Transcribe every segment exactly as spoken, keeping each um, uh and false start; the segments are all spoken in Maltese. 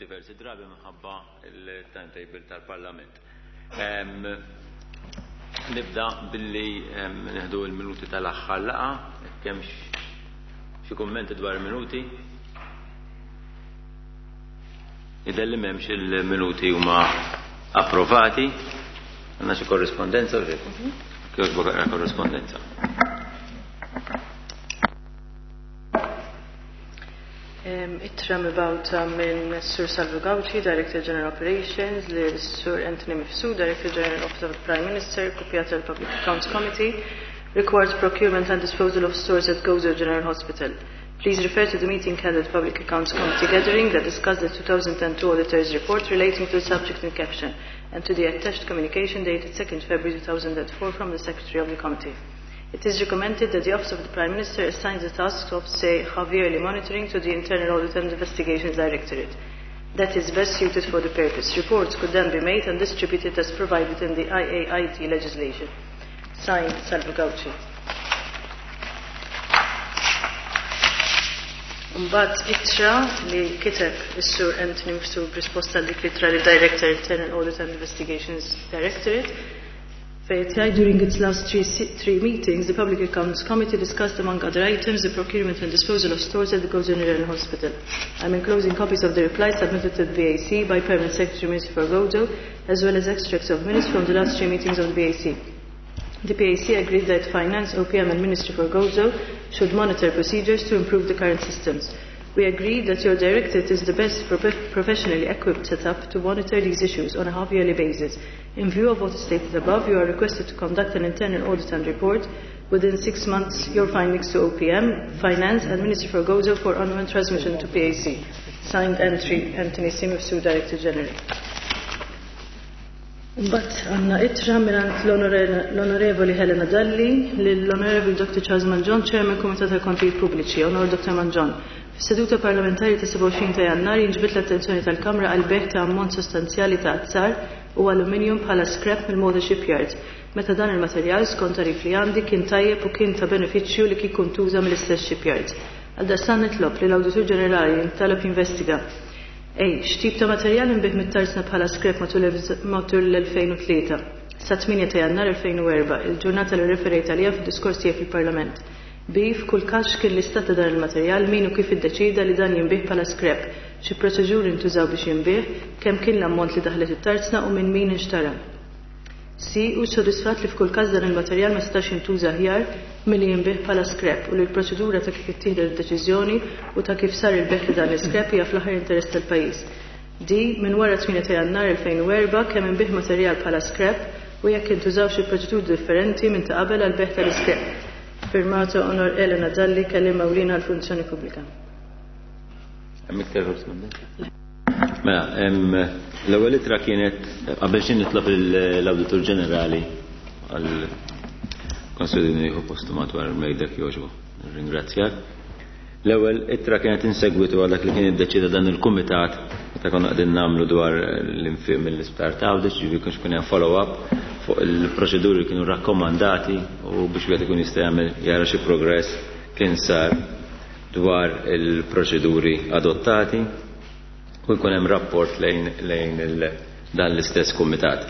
diversi drabi minħabba il-timetable tal-Parlament. Nibda billi nieħdu l-minuti tal-aħħar laqgħa, jekk hemmx xi kummenti dwar il-minuti. Jidher li m'hemmx, il-minuti huma approvati. Għandna xi korrispondenza u Kjoġbok korrispondenza. Ittra mibgħuta minn Sur Salvu Gauci, Director General Operations, lil Sur Anthony Mifsud, Director General Office of the Prime Minister, kopjata l-Public Accounts Committee, required procurement and disposal of stores at Gozo General Hospital. Please refer to the meeting held at Public Accounts Committee gathering that discussed the two thousand two Auditor's report relating to the subject in caption and to the attached communication dated second February two thousand four from the Secretary of the Committee. It is recommended that the Office of the Prime Minister assigns the task of, say, half-yearly monitoring to the Internal Audit and Investigations Directorate that is best suited for the purpose. Reports could then be made and distributed as provided in the I A I D legislation. Signed, Salvo Gauci. Mbagħad ittra li kiteb is-Sur Anthony Mifsud b'risposta dik l-ittra li Director Internal Audit and Investigations Directorate fejn jgħid: "During its last three, three meetings, the Public Accounts Committee discussed, among other items, the procurement and disposal of stores at the Gozo General Hospital. I'm enclosing copies of the replies submitted to the P A C by Permanent Secretary, Minister for Gozo, as well as extracts of minutes from the last three meetings of the P A C. The P A C agreed that Finance, O P M and Ministry for Gozo should monitor procedures to improve the current systems. We agreed that your directorate is the best prof- professionally equipped setup to monitor these issues on a half-yearly basis. In view of what is stated above, you are requested to conduct an internal audit and report within six months your findings to O P M, Finance and Ministry for Gozo for onward transmission to P A C. Signed, Entry, Anthony C. Mifsud, Director General." Mbagħad għandna ittra mingħand l-Onorevoli Helena Dalli lill-Onorevoli Doctor Charles Mangion, Chairman, Kumitat tal Kontijiet Pubbliċi. Onor Doctor Mangion, fis-seduta parlamentari ta' sebgħa u għoxrin ta' Jannar inġbidt l-attenzjoni tal-Kamra għal bejgħ ta' ammont sostanzjali ta' azzar u aluminium bħala scrap mill-Malta Shipyards, meta dan il-materjal, skont tagħrif li għandi, kien tajjeb u kien ta' benefiċċju li kieku ntuża mill-istess shipyards. Għaldaqstant nitlob li l-Awditur Ġenerali jintalab jinvestiga: A. X'tip ta' materjal inbiegħ mit-tarzna bħala scrap matul l-elfejn u tlieta sa tmienja ta' Jannar elfejn u erbgħa, il-ġurnata li referejt għalija fid-diskors tiegħi fil-Parlament? B. F'kull każ, kien l-istat ta' dan il-materjal, min u kif iddeċida li dan jinbiegħ bħala scrap, xi proċeduri ntużaw biex jinbiegħ, kemm kien l-ammont li daħlet it-tarzna u minn min inxtara? C. U sodisfat li f'kull każ dan il-materjal ma setax jintuża aħjar milli jinbiegħ bħala scrap u li l-proċedura ta' kif ittieħdet id-deċiżjoni u ta' kif sar il-bejgħ li dan l-scrap hija fl-aħjar interess tal-pajjiż? D. Minn wara tmienja ta' Jannar elfejn u erbgħa, kemm inbiegħ materjal bħala scrap u jekk intużaw xi proċeduri differenti minn ta' qabel għal bejgħ tal-scrap? Firmato Onor Elena Dalli, kelliem ewlieni għall-Funzjoni Pubblika. Hemm iktar korrispondenza? Mela, l-ewwel ittra kienet, qabel xejn nitlob l-Awditur Ġenerali għal konsulini jieħu postu madwar mejda jogħġbu. Ringrazzjak. L-ewwel ittra kienet insegwitu għal dak li kien iddeċida dan il-kumitat meta konna qegħdin nagħmlu dwar l-infiq mill-isptar ta' Għawdex, ġifieri kienx kien hemm follow-up fuq il-proċeduri li kienu rakkomandati u biex wieħed ikun jista' jagħmel jara xi progress kien sar dwar il-proċeduri adottati u jkun hemm rapport lejn, lejn il, dan l-istess kumitat.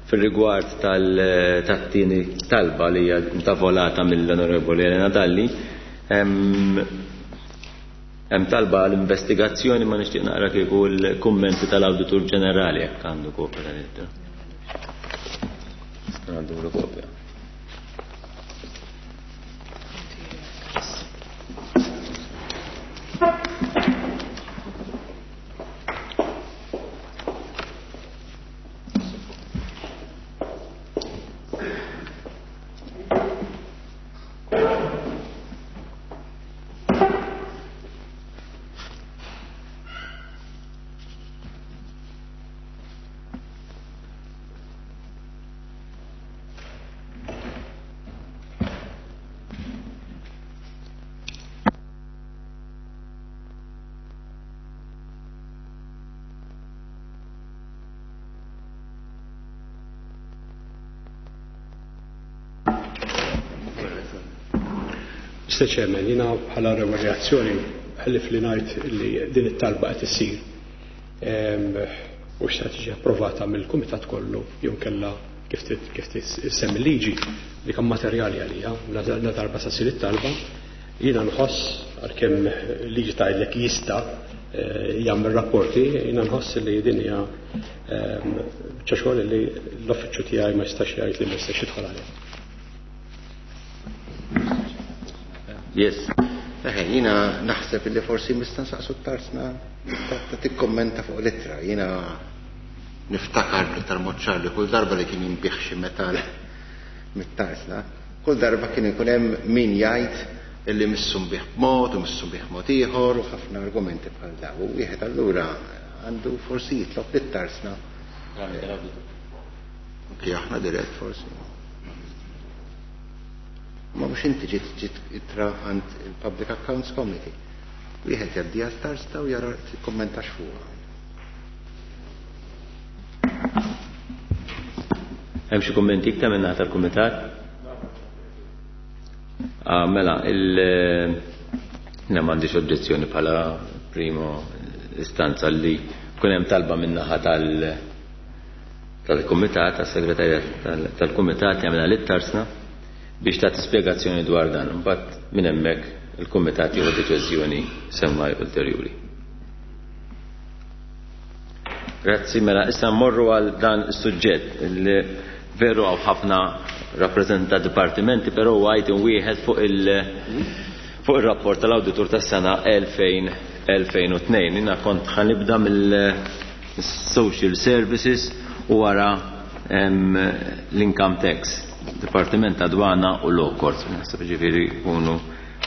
Fil-rigward tal-tieni talba li hija intavolata mill-Onorevoli Elena Dalli, hemm talba l-investigazzjoni, ma nixtieq naqra kieku l-kummenti tal-Awditur Ġenerali jekk għandu kopja tal-ittra. Għandu kopja. Mister Chairman, jiena bħala reazzjoni ħallif li ngħid li din it-talba qed issir U x'se tiġi approvata mill-kumitat kollu jew kella kif kif tissemmi liġi li kam materjali għalija la darba sa ssir it-talba. Jiena nħoss għalkemm liġi tgħidlek jista' jagħmel rapporti, jiena nħoss li din hija biċċa xogħol li l-uffiċċju tiegħi ma jistax jgħid li ma jistax jidħol għalih. Yes. Eħe, jiena naħseb li forsi nista' nsaqsu t-tarsna ta' tikkommenta fuq l-ittra. Jiena niftakar bl-iktar mod ċar li kull darba li kien jinbih xi metal mit-tarsna, kull darba kien ikun hemm min jgħid illi missu nbih b'mod u missu nbih mod ieħor u ħafna argumenti bħal daw. U wieħed allura għandu forsi jitlob lit-tarsna. Anki aħna dirett forsi. Ma mhux inti ġiet ġiet ittra għand il-Public Accounts Committee. Wieħed jgħaddi għat-tarsna u jara tikkommentax fuqha. Hemm xi kummenti iktar minn naħa tal-kumitat? Ah, mela, il jiena m'għandix oġġezzjoni bħala primo istanza li kun hemm talba minn naħa tal tal-kumitat, tas-segretarjat tal-kumitat jagħmilha lit-tarsna biex tagħti spjegazzjoni dwar dan. Imbagħad minn hemmhekk il-kumitat jieħu deċiżjoni semmai ulterjuri. Grazzi, mela issa mmorru għal dan is-suġġett li veru hawn ħafna rappreżenta dipartimenti, però huwa item wieħed fuq il fuq ir-rapport tal-awditur tas-sena elfejn u tnejn. Jiena kont ħanibda mill-Social Services u wara l-Income Tax, Dipartiment ta' Dwana u Law Courts. Naħseb ġifieri jkunu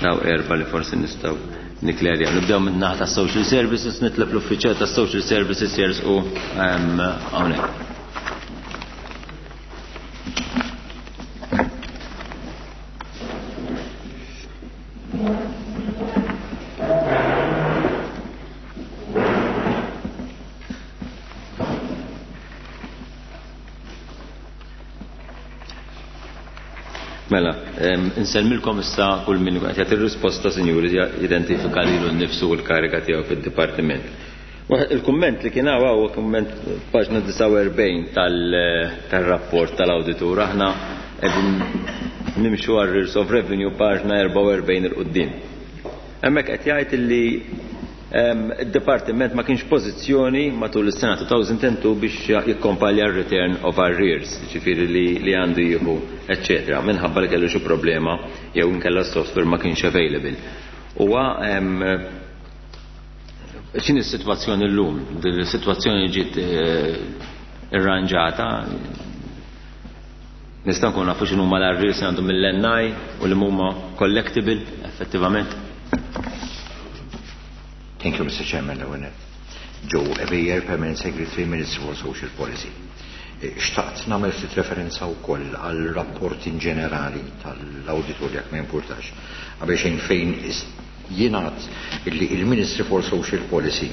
daw erba' li forsi nistgħu niklerja. Nibdew minn naħa ta' Social Services, nitlob l-uffiċjal ta' Social Services jersqu hawnhekk. Mela, insellmilkom issa kull min qed jagħti risposta, sinjuri, jidentifika lilu nnifsu u l-kariga tiegħu fid-dipartiment. Il-kumment li kien hawn huwa kumment paġna disgħa u erbgħin tal-rapport tal-awditur. Aħna qegħdin nimxu għal Arrears of Revenue paġna erbgħa u erbgħin il quddiem. Hemmhekk qed jgħid illi id-dipartiment ma kienx pożizzjoni matul is-sena two thousand and two biex jikkompalja r-return of arrears, ġifieri li, li għandu jieħu, eċċetera, minħabba li kellu xi problema jew inkella s-software ma kienx available. Huwa x'inhi s-sitwazzjoni llum? Din is-sitwazzjoni ġiet irranġata. Nistgħu nkunu nafu x'inhuma l-arrears li għandhom mill-N I u li huma collectible effettivament. Thank you, Mister Chairman. Joe Ebejer, Permanent Secretary, Minister for Social Policy. Xtaqt nagħmel ftit referenza wkoll għal rapport in ġenerali tal-awditur jekk ma jimpurtax. Qabel xejn fejn jingħad illi il-Ministry for Social Policy,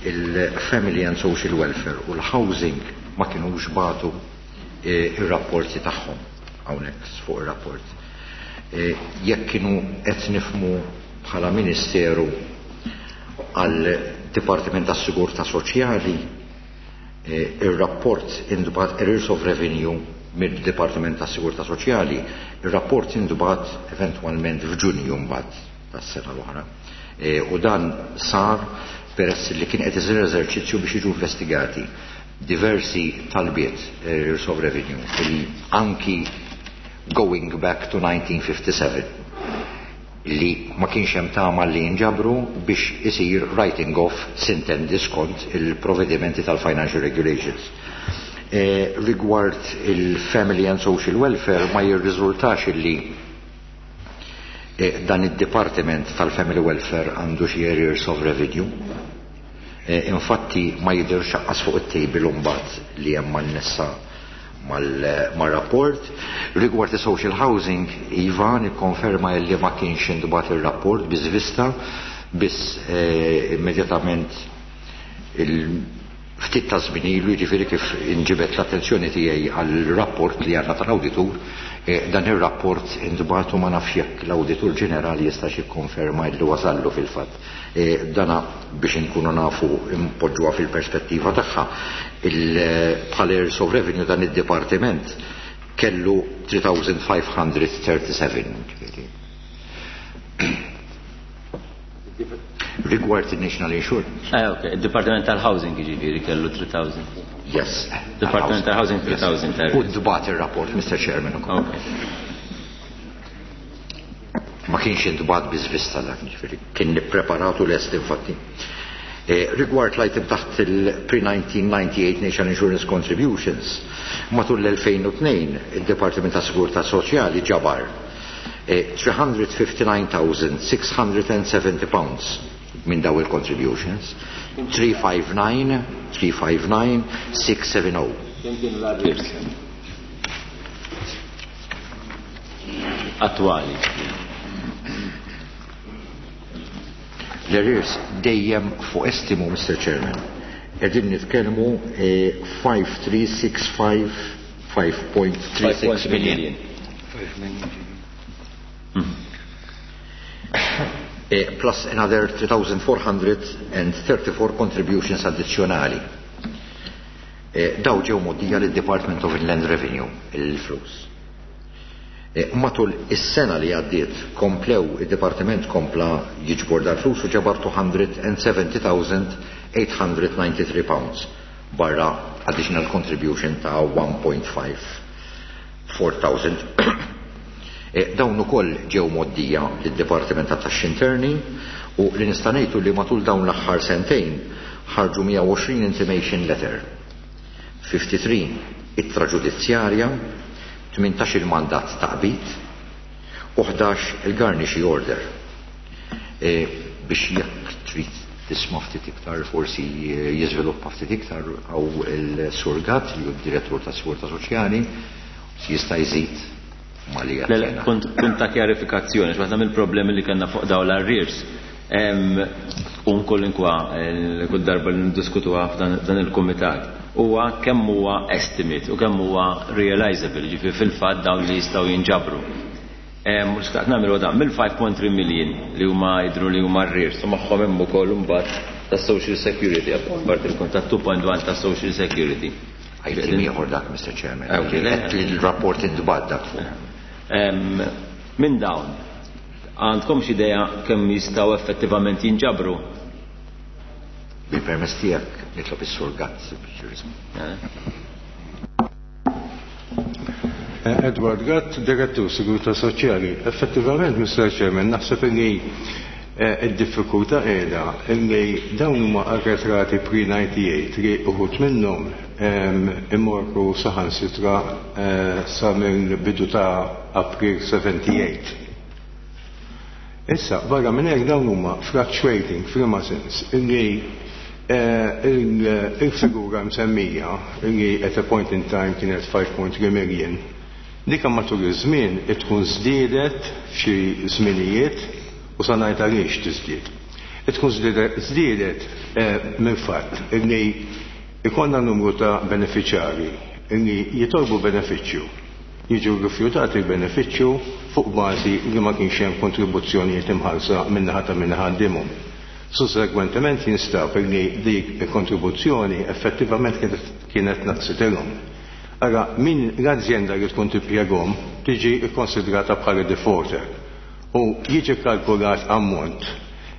il-Family and Social Welfare u l-Housing ma kinux bagħtu ir-rapporti tagħhom hawnhekk fuq ir-rapport. Jekk kienu qed nifhmu bħala Ministeru għal Dipartiment tas-Sigurtà Soċjali, ir-rapport intbagħat Arrears of Revenue mid-Dipartiment tas-Sigurtà Soċjali, ir-rapport intbagħat eventwalment f'Ġunju mbagħad tas-sena l-oħra. U dan sar peress li kien qed isir eżerċizzju biex jiġu investigati diversi talbiet Arrears of Revenue li anki going back to nineteen fifty-seven li ma kienx hemm tama li jinġabru biex isir writing off sintendi skont il-provvedimenti tal-Financial Regulations. Eh, rigward il-Family and Social Welfare ma jirriżultax illi eh, dan id-Departiment tal-Family Welfare għandu xi arrears of revenue. Eh, infatti ma jidhirx aqqas fuq it-table mbagħad li hemm man-nessa mal-rapport. Rigward il-social housing, Iva, nikkonferma li ma kienx intbagħat il-rapport biż vista, biss, eh, immedjatament Ftit ta' żmien ilu, jiġifieri kif inġibet l-attenzjoni tiegħi għall-rapport li għandna tal-awditur, dan ir-rapport intbagħtu, ma nafx jekk l-Awditur Ġenerali jistax jikkonferma li wasallu fil-fatt. Dana biex inkunu nafu impoġġuha fil-perspettiva tagħha, bħala arrears of revenue dan id-dipartiment kellu three thousand five hundred thirty-seven. Rigward il-National Insurance. Eh, ok, il-Dipartiment tal-Housing ġifieri kellu tliet elef. Yes. Department tal-Housing tliet elef. U ntbagħat il-rapport, Mister Chairman. Ok. Ma kienx intbagħat biżvista dak, ġifieri, kien nippreparatu lest infatti. Eh, rigward l-item taħt il-pre-nineteen ninety-eight National Insurance Contributions, matul l-elfejn u tnejn il-Departiment ta' Sigurtà Soċjali ġabar eh, three hundred fifty-nine thousand six hundred seventy pounds minn daw il-contributions. three five nine, three five nine, six seven zero. Kemm kienu l-arrears attwali? L-arrears dejjem fuq estimu, Mister Chairman. Qegħdin nitkellmu eh, five three six five five point three six million. Hmm. Eh, plus another three thousand four hundred thirty-four contributions addizzjonali. Eh, daw ġew mgħoddija lid-Department of Inland Revenue, il-flus. Eh, matul is-sena li għaddiet komplew, id-Departiment kompla jiġbor dal-flus u ġabar two hundred seventy thousand eight hundred ninety-three pounds barra additional contribution ta' one point five four thousand. Eh, dawn ukoll ġew mgħoddija lid-Dipartiment ta' Taxxi Interni u li nista' ngħidu li matul dawn l-aħħar sentejn ħarġu mija u għoxrin intimation letter, tlieta u ħamsin ittra ġudizzjarja, tmintax il-mandat ta' qbid u ħdax il-garnishee order. E, biex jekk trid tisma' ftit iktar, forsi jiżviluppa ftit iktar, għaw il-Sur Gatt li hu d-direttur ta' Sigurtà Soċjali jista' jżid ma li Le, le, Punt punt ta' kjarifikazzjoni, x'waħda mill-problemi li kellna fuq dawn l-arrears. Un kollinkwa, kull darba li ndiskutuha f'dan dan il-kumitat, huwa kemm huwa estimate u kemm huwa realizable, ġifieri fil-fatt dawn li jistgħu jinġabru. Mhux xtaqt nagħmlu dan mill-five point three million li huma jidhru li huma arrears u magħhom hemm ukoll imbagħad ta' Social Security, apparti il-kont ta' two point one ta' Social Security. Item ieħor dak, Mister Chairman. Ah, ok, le. Qed li l-rapport intbagħat dak fuq. Em, Minn dawn, għandkom xi idea kemm jistgħu effettivament jinġabru? Bil-permess tiegħek nitlob is-Sur Gatt biex jirrispondi. Eh? Edward Gatt, Direttur Sigurtà Soċjali. Effettivament, Mister Chairman, naħseb li eh, id-diffikultà qiegħda illi dawn huma arretrati pre-ninety-eight li uħud minnhom em, imorru saħansitra eh, sa mill-bidu ta' April sebgħa u sebgħin. Issa, barra minn hekk dawn huma fluctuating f'liema sens illi eh, il- il-figura msemmija illi at a point in time kienet five point three million, dika matul iż-żmien tkun żdiedet f'xi żminijiet u sa ngħid għaliex tiżdied. Tkun żdiedet żdiedet eh, minn fatt illi ikollna numru ta' beneficjari illi jitolbu benefiċċju, jiġu rifjutati l-benefiċċju fuq bażi li ma kienx hemm kontribuzzjonijiet imħallsa min-naħa ta' min ħaddimhom. Sussegwentement jinstab li dik il-kontribuzzjoni effettivament kienet, kienet naqsitilhom. Ara, min l-azienda li tkun timpjegahom tiġi kkonsidrata bħala defaulter u jiġi kalkulat ammont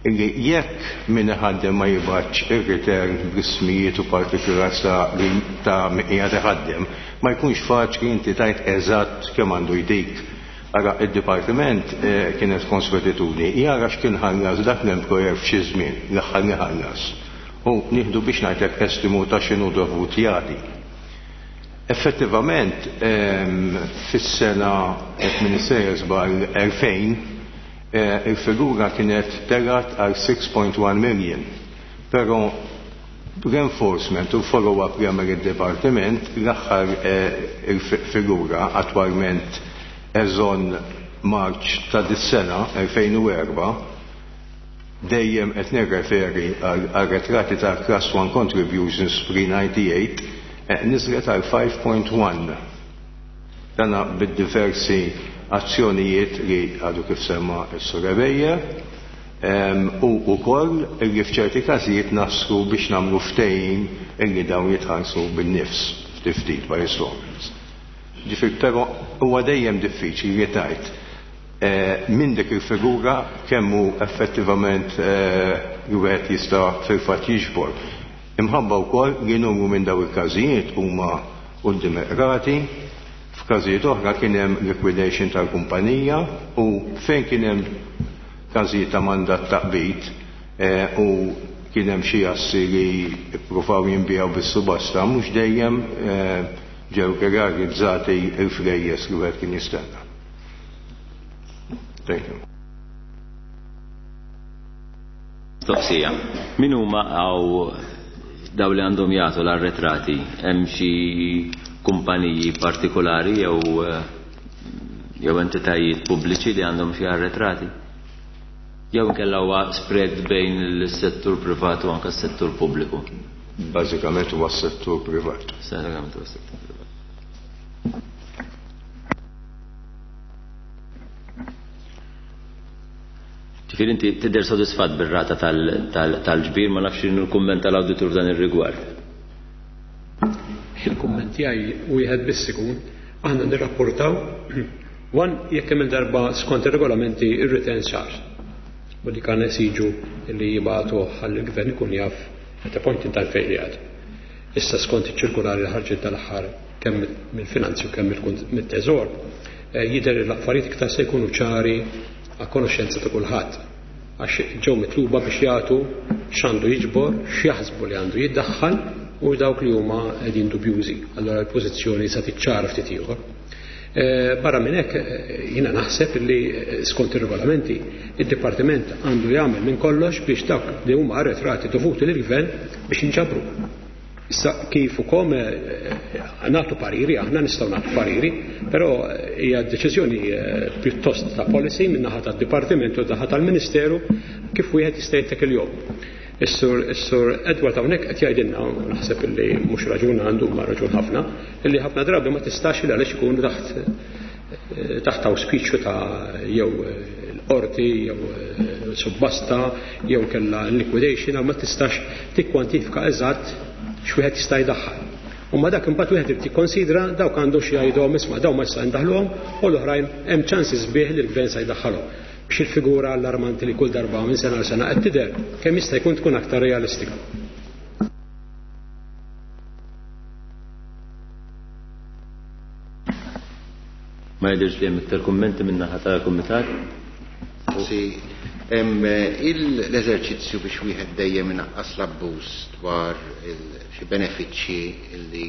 illi jekk min iħaddem ma jibgħatx ir-return bl-ismijiet u partikulars ta' li ta' min qiegħed iħaddem, ma jkunx faċli inti tgħid eżatt kemm għandu jtik. Ara, id-dipartiment eh, kienet konswetitudni jara x'kien ħallas dak l-employer f'xi żmien l-aħħar li ħallas. U nieħdu biex ngħidlek estimu ta' x'inhu dovut jagħti. Effettivament, ehm, fis-sena qed min sejjer żball elfejn, eh, il-figura kienet telgħet għal six point one million. Però reinforcement u follow-up li għamel id-departiment, l-aħħar eh, il-figura attwalment as on March ta' dis-sena elfejn u erbgħa Dejjem qed nirreferi għal arretrati ta' Class one contributions pre ninety-eight, niżlet għal five point one. Dana bid-diversi azzjonijiet li għadu kif semma s-Sur Ebejer, u wkoll li f'ċerti każijiet naslu biex nagħmlu ftehim illi dawn jitħallsu bin-nifs ftit ftit by installments. Ġifieri però huwa dejjem diffiċli li tgħid minn dik il-figura kemm hu effettivament li wieħed jista' fil-fatt jiġbor. Imħabba wkoll li numru minn dawn il-każijiet huma quddiem iqrati, f'każijiet oħra kien hemm liquidation tal-kumpanija u fejn kien hemm każijiet ta' mandat ta' qbid u kien hemm xi assi li ppruvaw jinbiegħu bis-subasta mhux dejjem ġew realizzati l-flejjes li wieħed kien jistenna. Thank you. Mistoqsija. Min huma għaw daw li għandhom jagħtu l-arretrati? Hemm xi kumpaniji partikolari jew jew entitajiet pubbliċi li għandhom xi arretrati? Jew inkella huwa spread bejn is-settur privat u anke s-settur pubbliku? Bażikament huwa s-settur privat. Bażikament huwa s-settur privat. Ġifieri inti tidher sodisfatt bir-rata tal-ġbir, ma nafx x'inhu l-kumment tal-awditur f'dan ir-rigward. Il-kumment tiegħi wieħed biss ikun, aħna nirrapportaw one jekk hemm il-darba skont ir-regolamenti ir-return sar. U li kan esiġu li jibgħatu ħalli l-gvern ikun jaf at a point in time fejn qiegħed. Issa skont iċ-ċirkulari li ħarġet tal-aħħar kemm mill-finanzi u kemm mit-teżor, jidher li l-affarijiet iktar se jkunu ċari għal konoxxenza ta' kulħadd, għax ġew mitluba biex jagħtu x'għandu jiġbor, x'jaħsbu li għandu jiddaħħal u dawk li huma qegħdin dubjużi. Allora l-pożizzjoni sa tiċċara ftit ieħor. Barra minn hekk jiena naħseb li skont ir-regolamenti id-dipartiment għandu jagħmel minn kollox biex dawk li huma arretrati dovuti lill-gvern biex jinġabru. Issa kif ukoll nagħtu pariri, aħna nistgħu nagħtu pariri, però hija deċiżjoni pjuttost ta' policy minn naħa tad-dipartiment u naħa tal-Ministeru kif wieħed jista' jittek il-jom. Is-sur Edward hawnhekk qed jgħidilna, u naħseb illi mhux raġun għandu ma raġun ħafna, illi ħafna drabi ma tistax il għaliex ikunu taħt, taħt awspiċju ta' jew l-qorti, jew subbasta, jew kellha liquidation, ma tistax tikkwantifika eżatt x'wieħed jista' jdaħħal. U ma dak imbagħad wieħed irid jikkonsidra dawk għandu xi jgħidhom isma' dawn ma jista' jdaħħluhom u l-oħrajn hemm ċansi sbieħ li l-gvern se jdaħħalhom. Biex il-figura allarmanti li kull darba minn sena għal sena qed tidher kemm jista' jkun tkun aktar realistika. Ma jidhirx li hemm iktar kummenti minn naħa tal-kumitat? Sì, hemm l-eżerċizzju biex wieħed dejjem inaqqas l-abbuż dwar xi benefiċċji li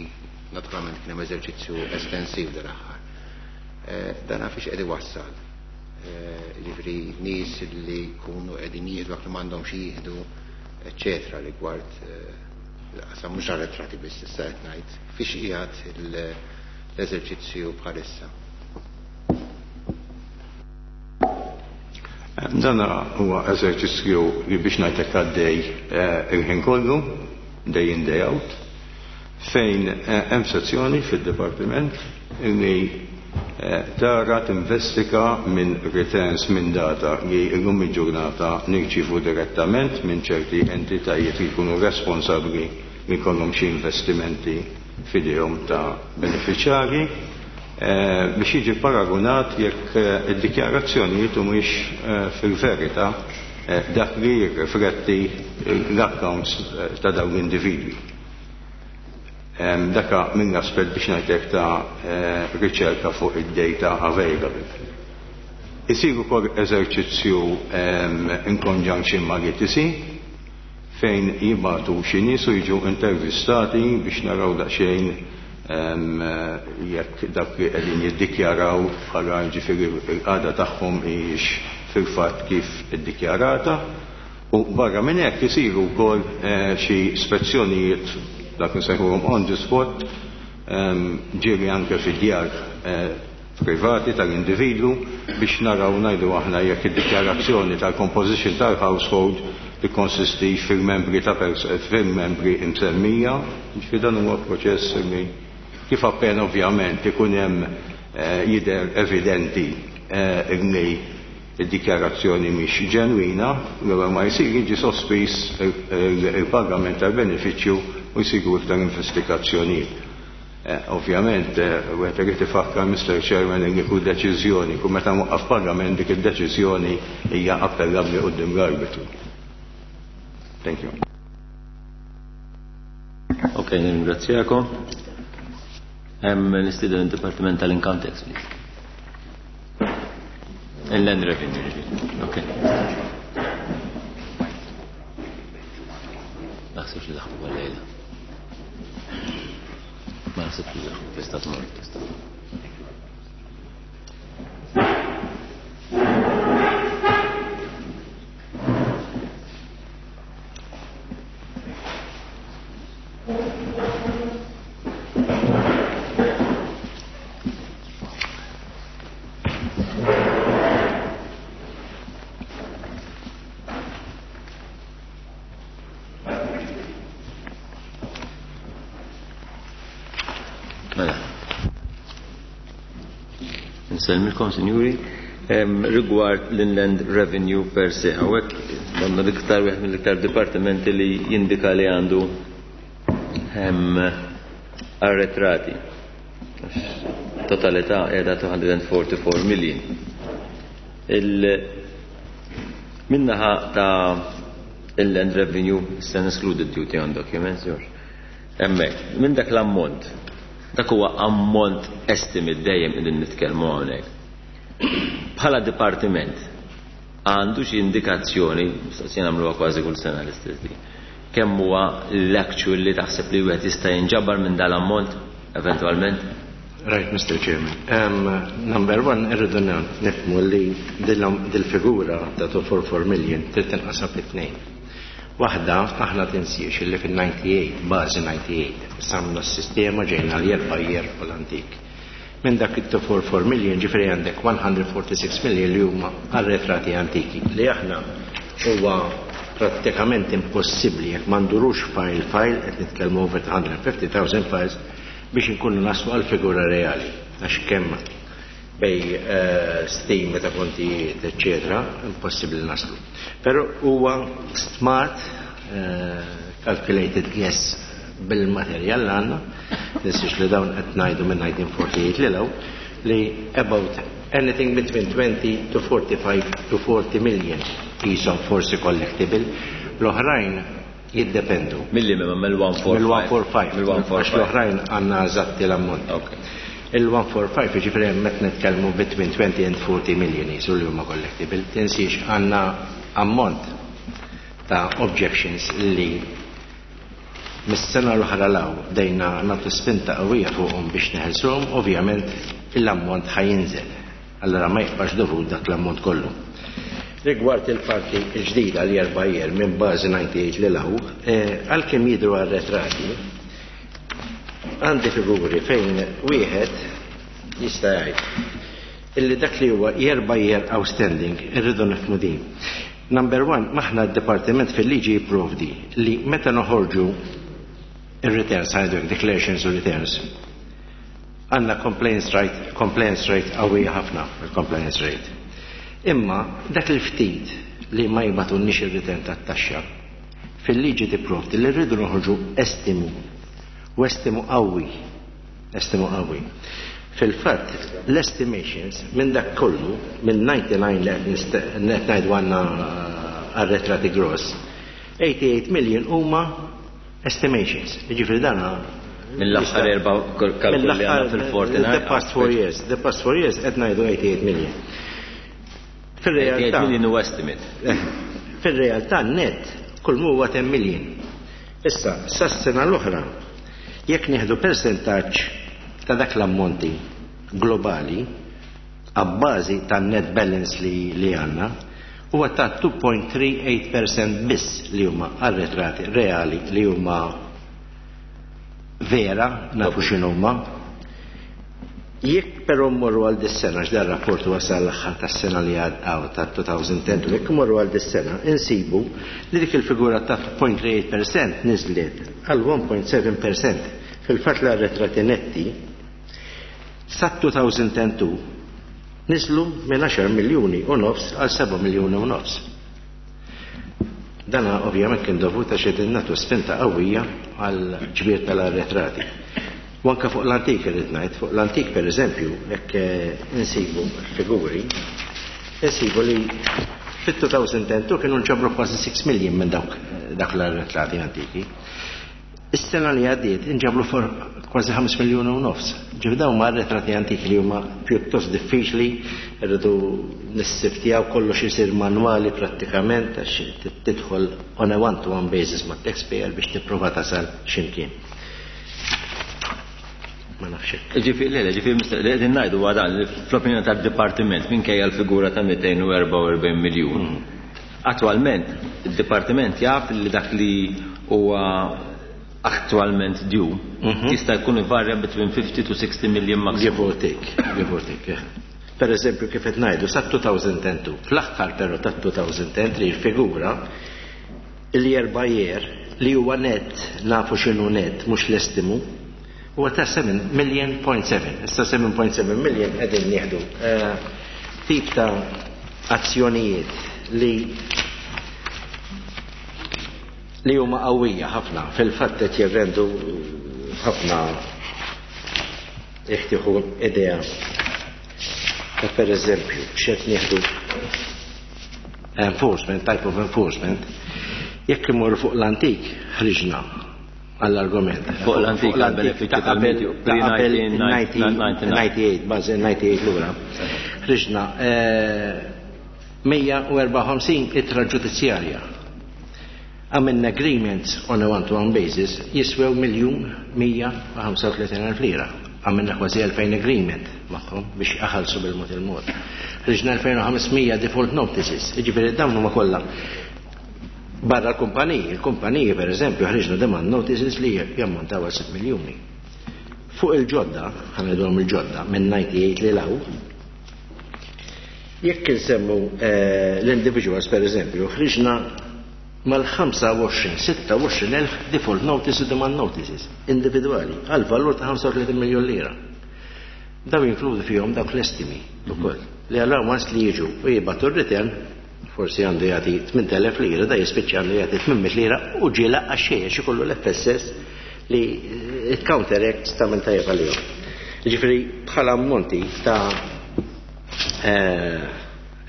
naturalment kien hemm eżerċizzju estensiv dal-aħħar. Dan fiex qed iwassal. Jiġifieri nies li jkunu qegħdin jieħdu dak li m'għandhomx jieħdu, eċċetera, rigward qasam mhux arretrati biss issa qed ngħid, fiex qiegħed l-eżerċizzju bħalissa. Dan huwa eżerċizzju li biex ngħidlek għaddej il-ħin kollu, day in day out, fejn hemm sezzjoni fid-dipartiment li tara tinvestiga minn returns minn data li llum il-ġurnata nirċivu direttament minn ċerti entitajiet li jkunu responsabbli li jkollhom xi investimenti f'idejhom ta' beneficjarji, biex jiġi paragunat jekk id-dikjarazzjonijiet humiex fil-verità dak li jirrifletti l-accounts ta' dawn l-individwi. Daka minn aspett biex ngħidlek ta' riċerka fuq id-data available. Isir ukoll eżerċizzju in conjunction ma' L T C fejn jibgħatu xi nies u jiġu intervistati biex naraw daqsxejn jekk dak li qegħdin jiddikjaraw bħala ġifieri l-qagħda tagħhom hijiex fil-fatt kif iddikjarata. U barra minn hekk isiru wkoll xi spezzjonijiet dak nsejħuhom on the spot, ġieli anke fid-djar privati tal-individwu biex naraw ngħidu aħna jekk id-dikjarazzjoni tal-composition tal-household tikkonsisti fil-membri ta' fil-membri imsemmija, ġifieri dan huwa proċess li kif appena ovvjament ikun hemm jidher evidenti li id-dikjarazzjoni mhix ġenwina, l-ewwel ma jsir jiġi sospiż il-pagament tal-benefiċċju u jsiru iktar investigazzjonijiet. Ovvjament, wieħed irid ifakkar Mister Chairman li kull deċiżjoni, kull meta mwaqqaf pagament dik id-deċiżjoni hija appellabbli quddiem l-arbitru. Thank you. Ok, nirringrazzjakom. Hemm nistieden id-Dipartiment tal-Income Tax, please. Inland Revenue. Ok. Naħsibx li laħqu għal-lejla. Ma naħsibx li laħqu, tista' tmur, tista' tmur. Nsellmilkom, sinjuri, rigward l-Inland Revenue per se. Hawnhekk għandna l-iktar wieħed mill-iktar dipartimenti li jindika li għandu arretrati. Totalità qiegħda two hundred forty-four million. Min-naħa ta' Inland Revenue se neskludi duty on documents, George. Hemmhekk, minn dak l-ammont, dak huwa ammont estimate dejjem qegħdin nitkellmu hawnhekk. Bħala dipartiment għandu xi indikazzjoni, mistoqsija nagħmluha kważi kull sena l-istess din, kemm huwa l-actual li taħseb li wieħed jista' jinġabar minn dal-ammont eventwalment? Right, Mister Chairman. Um, number one, irridu nifhmu li dil-figura ta' two four four million trid tinqasam fi tnejn. Waħda, aħna tinsiex li fil-ninety-eight, bażi ninety-eight, samna s-sistema ġejna l jerba' jer u l-antik. Minn dak it-two four four million ġifieri għandek one hundred forty-six million li huma arretrati antiki li aħna huwa prattikament impossibbli jekk ma ndurux file file qed nitkellmu over hundred fifty thousand files biex inkunu naslu għal figura reali għax kemm bej stimi ta' kontijiet, eccetera, impossibbli naslu. Però huwa smart calculated guess bil-materjal li għandna, ninsiex li dawn qed ngħidu minn nineteen forty-eight li law, li about anything between twenty to forty-five to forty million qishom forsi collectible, l-oħrajn jiddependu. Milli minn mill one four five. Mill one four five. Mill one four Għax five. l-oħrajn għandna eżatti l-ammont. Okay. Il-one four five jiġifieri hemm qed nitkellmu between twenty and forty million jisu li huma collectible. Tinsiex għandna ammont ta' objections li mis-sena l-oħra law dejna nagħtu spinta qawwija fuqhom biex neħelsuhom, ovvjament l-ammont ħajinżel. Allora ma jibqax dovut dak l-ammont kollu. Rigward il-parti l-ġdida li erba' jer minn bażi ninety-eight li law, għalkemm jidhru arretrati, għandi figuri fejn wieħed jista' jgħid illi dak li huwa jerba' jer outstanding irridu nifhmu din. Number one, maħna d-dipartiment fil-liġi jipprovdi li meta noħorġu ir-returns, ħajdu declarations u returns, għandna compliance rate, compliance rate qawwija ħafna, il-compliance rate. Imma dak il-ftit li ma jibgħatulniex ir-return tat-taxxa, fil-liġi tipprovdi li rridu noħorġu estimu, u estimu qawwi, estimu qawwi. Fil-fatt, l-estimations minn dak kollu, minn ninety-nine li qed nist-, qed ngħidu għandna arretrati gross, eighty-eight million huma estimations. Jiġifieri dan Mill-aħħar erba' kalkoli li għandna fil-forty-nine. The past four years, the past four years qed ngħidu eighty-eight million. Fil-realtà eighty-eight million huwa estimate. Fil-realtà net kull mu huwa ten million. Issa, sas-sena l-oħra, jekk nieħdu percentaġġ ta' dak l-ammonti globali għabbażi ta' net balance li, li għandna, huwa ta' two point three eight percent biss li huma arretrati reali li huma vera, nafu x'inhuma. Jekk però mmorru għal dis-sena, x'dan rapport wasal l-aħħar tas-sena li għaddew ta' elfejn u għaxra, jekk mmorru għal dis-sena, insibu li dik il-figura ta' zero punt tlieta tmiem fil-mija niżlet għal wieħed punt seba' fil-mija. Fil-fatt l-arretrati netti sa elfejn u tnejn niżlu minn għaxar miljuni u nofs għal seba' miljuni u nofs. Dana ovvjament kien dovut għax qegħdin nagħtu spinta qawwija għal ġbir tal-arretrati. U anke fuq l-antik irrid ngħid, fuq l-antik, per eżempju, jekk eh, insibu figuri, insibu li fit-elfejn u tnejn kienu nġabru kważi sitta million minn dawk dak l-arretrati antiki. Is-sena li għaddiet inġabru for kważi ħames miljoni u nofs. Ġifieri dawn ma arretrati antiki li huma pjuttost diffiċli, irridu nissiftjaw, kollox isir manwali prattikament, għax tidħol on a one-to-one basis ma' taxpayer biex tipprova tasal x'imkien. Ma nafx hekk. Ġifieri, le, le, ġifieri, li qegħdin ngħidu huwa dan, li fl-opinjoni tad-dipartiment, minkejja l-figura ta' mitejn u erbgħa u erbgħin miljun. Attwalment, id-dipartiment jaf li dak li huwa attwalment due jista' jkun ivarja between fifty to sixty million maximum. Give or take, give or take, yeah. Per eżempju, kif qed ngħidu, sa elfejn u tnejn, fl-aħħar però ta' elfejn u tlieta il-figura il-year by year li huwa net, nafu x'inhu net, mhux l-estimu, huwa ta' seba' million point seba'. Issa seba punt seba' million qegħdin nieħdu eh, tip ta' azzjonijiet li li huma qawwija ħafna, fil-fatt qed jirrendu ħafna, jekk tieħu idea ta', per eżempju, x'qed nieħdu enforcement, type of enforcement, jekk imorru fuq l-antik, ħriġna għall-argument. Fuq l-antik, għall-benefiċċju ta' qabel tal-medju, ta' qabel pre-disgħa u disgħin. disgħa u disgħin, bażi disgħa u disgħin lura. Ħriġna eh, mija u erbgħa u ħamsin ittra ġudizzjarja. Għamilna agreements on a one-to-one basis jiswew miljun mija u ħamsa u tletin elf lira. Għamilna kważi elfejn agreement magħhom biex iħallsu bil-mod il-mod. Ħriġna elfejn u ħames mija default notices, jiġifieri dawn huma kollha barra l-kumpaniji. Il-kumpaniji, per eżempju, ħriġna demand notices li jammontaw għal sitt miljuni. Fuq il-ġodda, ħa ngħidulhom il-ġodda, minn disgħa u disgħin lil hawn, jekk insemmu eh, l-individuals, per eżempju, ħriġna mal-ħamsa u għoxrin, sitta u għoxrin elf default notices u demand notices individuali għal valur ta' ħamsa u tletin miljon lira. Daw jinkludu fihom dawk l-estimi ukoll li għal once li jiġu u jibagħtu r-return, forsi għandu jagħti tmint elef lira, da jispiċċa għandu jagħti tmien mitt lira u ġiela għax ikollu l-F S S li it counteracts ta' minn tajjeb għalihom. Ġifieri bħala ammonti ta' eh,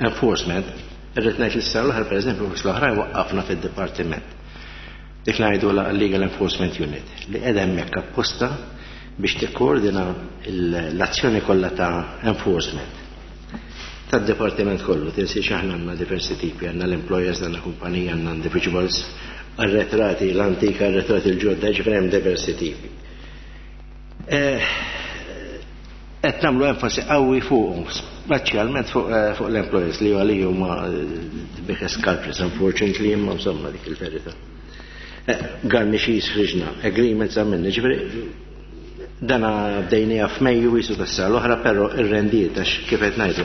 enforcement, irrid ngħid li s-sena l-oħra, pereżempju, biex l-oħrajn waqqafna fid-dipartiment. Dik ngħidu la Legal Enforcement Unit li qiegħda hemmhekk apposta biex tikkoordina l-azzjoni kollha ta' enforcement tad-dipartiment kollu. Tinsiex aħna għandna diversi tipi, għandna l-employers, għandna kumpanija, għandna individuals, arretrati, l-antika, arretrati l-ġodda, ġifieri hemm diversi tipi. Eh, qed nagħmlu enfasi qawwi fuqhom, speċjalment fuq eh, fuq l-employers li għalija huma the biggest culprits, unfortunately, imma insomma dik il-verità. Eh, Garnishees ħriġna, agreements għamilna, ġifieri dana bdejnija f'Mejju wisu tas-sena l-oħra, però ir-rendiet għax kif qed ngħidu.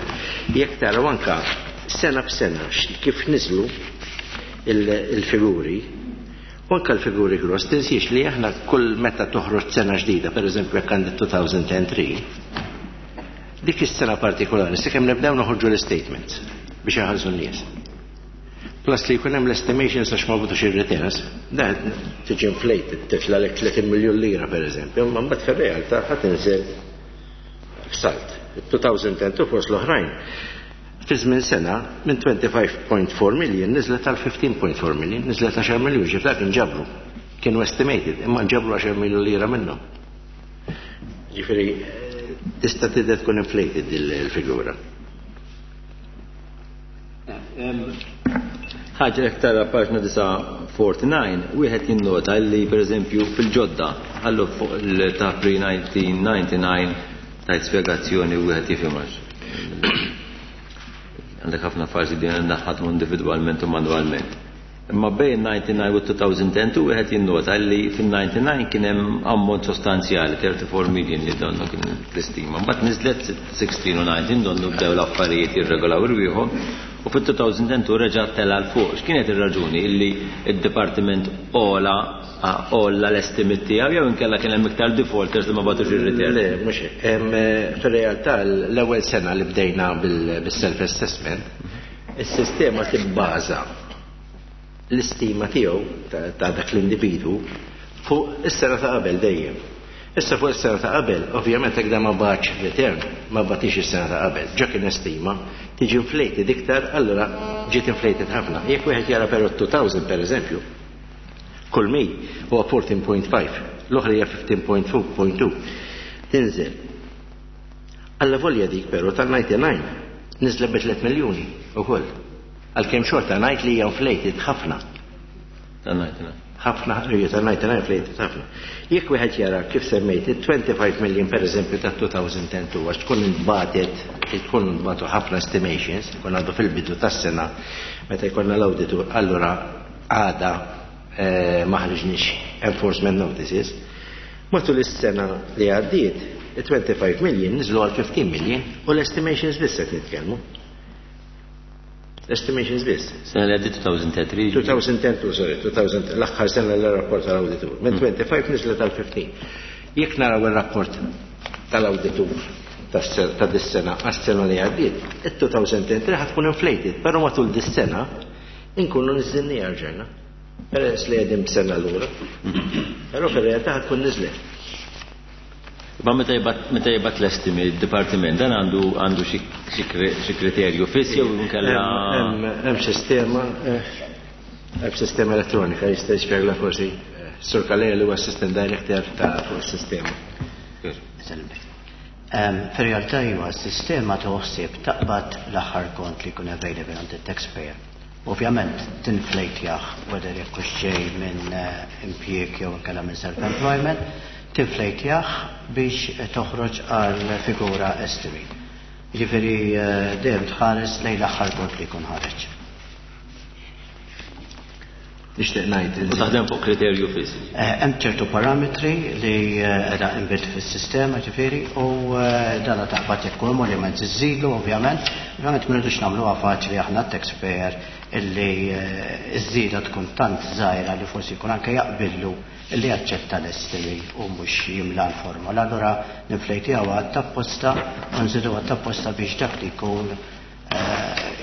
Jekk taraw anka sena b'sena kif niżlu il-figuri, u anka l-figuri gross, tinsiex li aħna kull meta toħroġ sena ġdida, per eżempju jekk għandek elfejn u tlieta, dik is-sena partikolari, sakemm nibdew noħorġu l-statements biex jaħallsu n-nies. Plus li jkun hemm l-estimations għax ma butux ir-returns, da tiġi inflated, titla lek tletin miljun lira, per eżempju, imma mbagħad fir-realtà ħa tinżel f'salt. elfejn u tnejn fost l-oħrajn. Fi żmien sena minn ħamsa u għoxrin punt erba' million niżlet għal ħmistax punt erba' million, niżlet għaxar miljun, ġif dak inġabru. Kienu estimated, imma nġabru għaxar miljun lira minnhom. Ġifieri tista' tidher tkun inflated il-figura. Ħaġa, jekk tara paġna disgħa u disgħin, wieħed jinnota li, per eżempju, fil-ġodda, għallu fuq il-ta' pre-elf disa' mija u disgħa u disgħin tajt spjegazzjoni u wieħed jifhimx. Għandek ħafna fażi din naħadmu individwalment u manwalment. Imma bejn ninety-nine u two thousand two wieħed jinnota li fin-ninety-nine kien hemm ammont sostanzjali, thirty-four million li donnu kien l-istima. Mbagħad niżlet sixteen u nineteen, donnu bdew l-affarijiet jirregolaw irwieħhom, u fit-two thousand two reġa' tela' 'l fuq. X'kienet ir-raġuni illi id-dipartiment għola għolla l-estimate tiegħu, jew inkella kien hemm iktar defaulters li ma bagħtux ir-return? Le, mhux hekk. Fir-realtà, l-ewwel sena li bdejna bil-self-assessment, is-sistema tibbaża l-istima tiegħu ta' dak l-individwu fuq is-sena ta' qabel dejjem. Issa fuq is-sena ta' qabel, ovvjament jekk ma bagħatx return, ma bagħtix is-sena ta' qabel, ġa kien estima, tiġi inflated iktar, allura ġiet inflated ħafna. Jekk wieħed jara però two thousand, per eżempju, kull mi huwa fourteen point five, l-oħra hija fifteen point two. Tinżel. Allavolja dik però tal-ninety-nine niżlet bi tliet miljuni ukoll. Għalkemm xorta ngħid li hija inflated ħafna. Tal-ninety-nine. Ħafna, hija tal-ninety-nine inflated ħafna. Jekk wieħed jara kif semmejt il-twenty-five million, per eżempju, ta' two thousand two, għax tkun intbagħtet, tkun intbagħtu ħafna estimations, tkun għadu fil-bidu tas-sena meta jkollna l-auditur, allura għada eh, ma ħriġniex enforcement notices. Matul is-sena li għaddiet, il-twenty-five million niżlu għal fifteen million, u l-estimations biss qed nitkellmu. Estimations biss. Sena li għaddiet, two thousand three. two thousand ten, sorry, two thousand, l-aħħar sena l-rapport tal-auditur. Minn twenty-five niżlet għal fifteen. Jekk naraw il-rapport tal-auditur ta' dis-sena għas-sena li għaddiet, il-two thousand three ħa tkun inflated, però matul dis-sena inkunu niżżilnieha rġajna. Peress li qegħdin b'sena lura. Però fir-realtà ħa tkun niżlet. Ma meta jibgħat meta jibgħat l-estimi il-dipartiment, dan għandu għandu xi xi kriterju fiss jew inkella? Hemm sistema eh, hemm sistema elettronika, jista' jispjegla forsi eh, Sur Calleja li huwa assistant director ta' fuq is-sistema. Fir-realtà huwa s-sistema toħsib taqbad l-aħħar kont li jkun available għand it-taxpayer. Ovvjament tinflejtjah, whether jekk hux ġej minn eh, impjieg jew inkella minn self-employment, tinflejtjah biex toħroġ għal figura estimate. Ġifieri eh, dejjem tħares lejn l-aħħar kont li jkun ħareġ. Nixtieq ngħid. U taħdem fuq kriterju fiss. Eh, hemm ċertu parametri li qiegħda inbuilt fis-sistema, ġifieri, u dana taqbad jekk emolument iżżidu ovvjament, ovvjament ma rridux nagħmluha faċli aħna taxpayer illi iż-żieda tkun tant żgħira li forsi jkun anke jaqbillu illi jaċċetta l-estimi u mhux jimla l-formola. Allura ninflejtiha apposta u nżidu apposta biex dak li jkun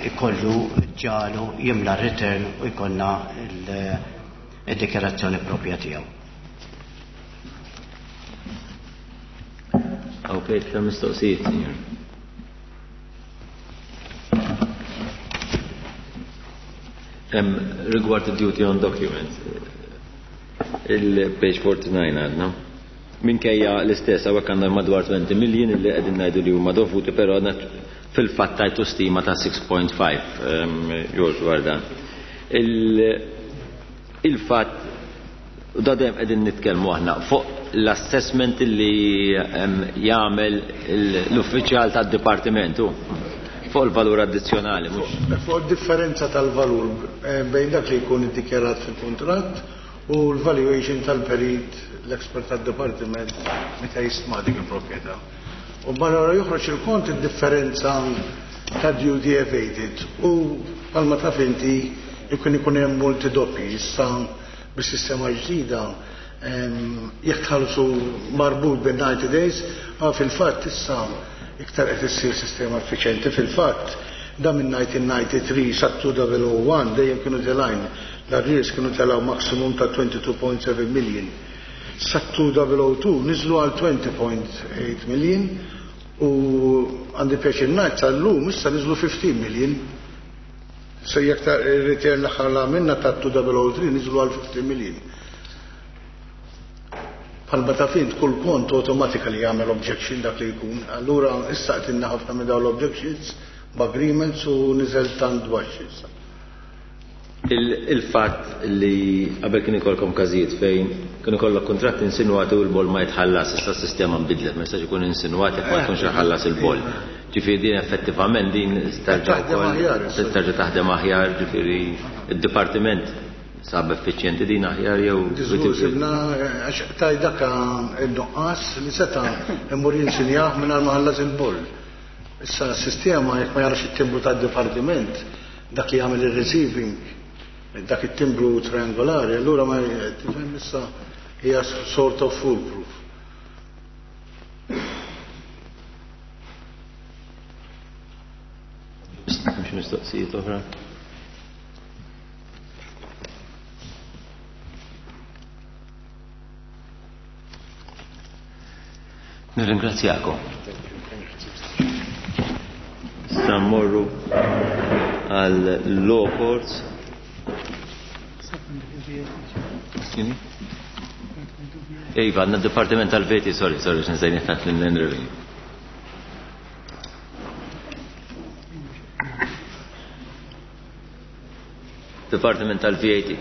ikollu ġalu jimla return u jkollna il-dikjarazzjoni propja tiegħu. Ok, iktar mistoqsijiet, signor. Rigward duty on documents, il-page forty-nine għadna. Minkejja l-istess, hawnhekk għandna madwar twenty million illi qegħdin ngħidu li huma dovuti, però fil-fatt tajtu stima ta' six point five, George, dwar dan. Il-fatt, u da dejjem qegħdin nitkellmu aħna fuq l-assessment li jagħmel l-uffiċjal tad-dipartimentu fuq il-valur addizzjonali, mhux? Fuq differenza tal-valur eh, bejn dak li jkun iddikjarat fil-kuntratt u l-valuation tal-perit, l-expert tad-dipartiment meta jistma dik il-proprjetà. U barra joħroġ il-kont id-differenza ta' duty evaded, u bħalma taf inti jkun ikun hemm multi doppi. Issa bis-sistema ġdida, jekk tħallsu marbut bin ninety days, ma fil-fatt issa iktar qed issir sistema effiċjenti. Fil-fatt da minn nineteen ninety-three sa two thousand one dejjem kienu telgħin l-arrears, kienu telgħu maximum ta' twenty-two point seven million. Sa two thousand two niżlu għal twenty point eight million, u għandi pjaċir ngħid sal-lum issa niżlu fifteen million. So jekk ta' return l-aħħar la minna ta' two thousand three niżlu għal fifteen million. Bħalma taf int, kull kont automatically jagħmel objection dak li jkun. Allura issa qtilna ħafna minn dawn l-objections b'agreements u niżel tant baxx issa. Il-fatt li qabel kien ikolkom każijiet fejn kien ikollok kuntratt insinwati u l-boll ma jitħallas, issa s-sistema nbidlet, ma jistax ikun insinwat jekk ma jkunx iħallas il-boll. Ġifieri din effettivament din terġa' Taħdem aħjar issa. Terġa' taħdem aħjar, ġifieri id-dipartiment Sab effiċjenti din aħjar jew Diżgur sibna għax taj daka id-nuqqas li seta' immur jinsinjah mingħajr ma ħallas il-boll. Issa s-sistema jekk ma jarax it-timbru tad-dipartiment, dak li jagħmel ir-receiving, dak it-timbru triangolari, allura ma tifhem issa hija sort of foolproof. Mhux mistoqsijiet oħra? Nirringrazzjakom. Issa mmorru għal law courts. Iva, għandna d-Dipartiment tal-Veti, sorry, sorry, x'nsejni ħadd l-Inland Revenue. Dipartiment tal-V A T.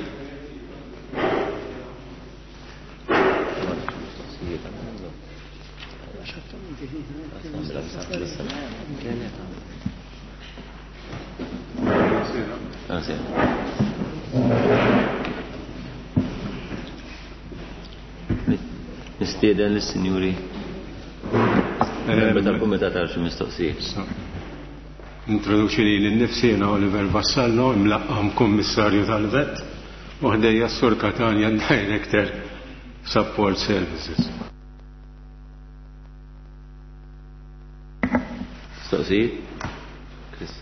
Nistieden lis-sinjuri membri tal-Kumitat għal xi mistoqsijiet. Introduċi lili nnifsi jiena Oliver Vassallo, imlaqqam Kummissarju tal-Vet, u ħdejja s-Sur Catania, Director Support Services. Mistoqsijiet? Chris.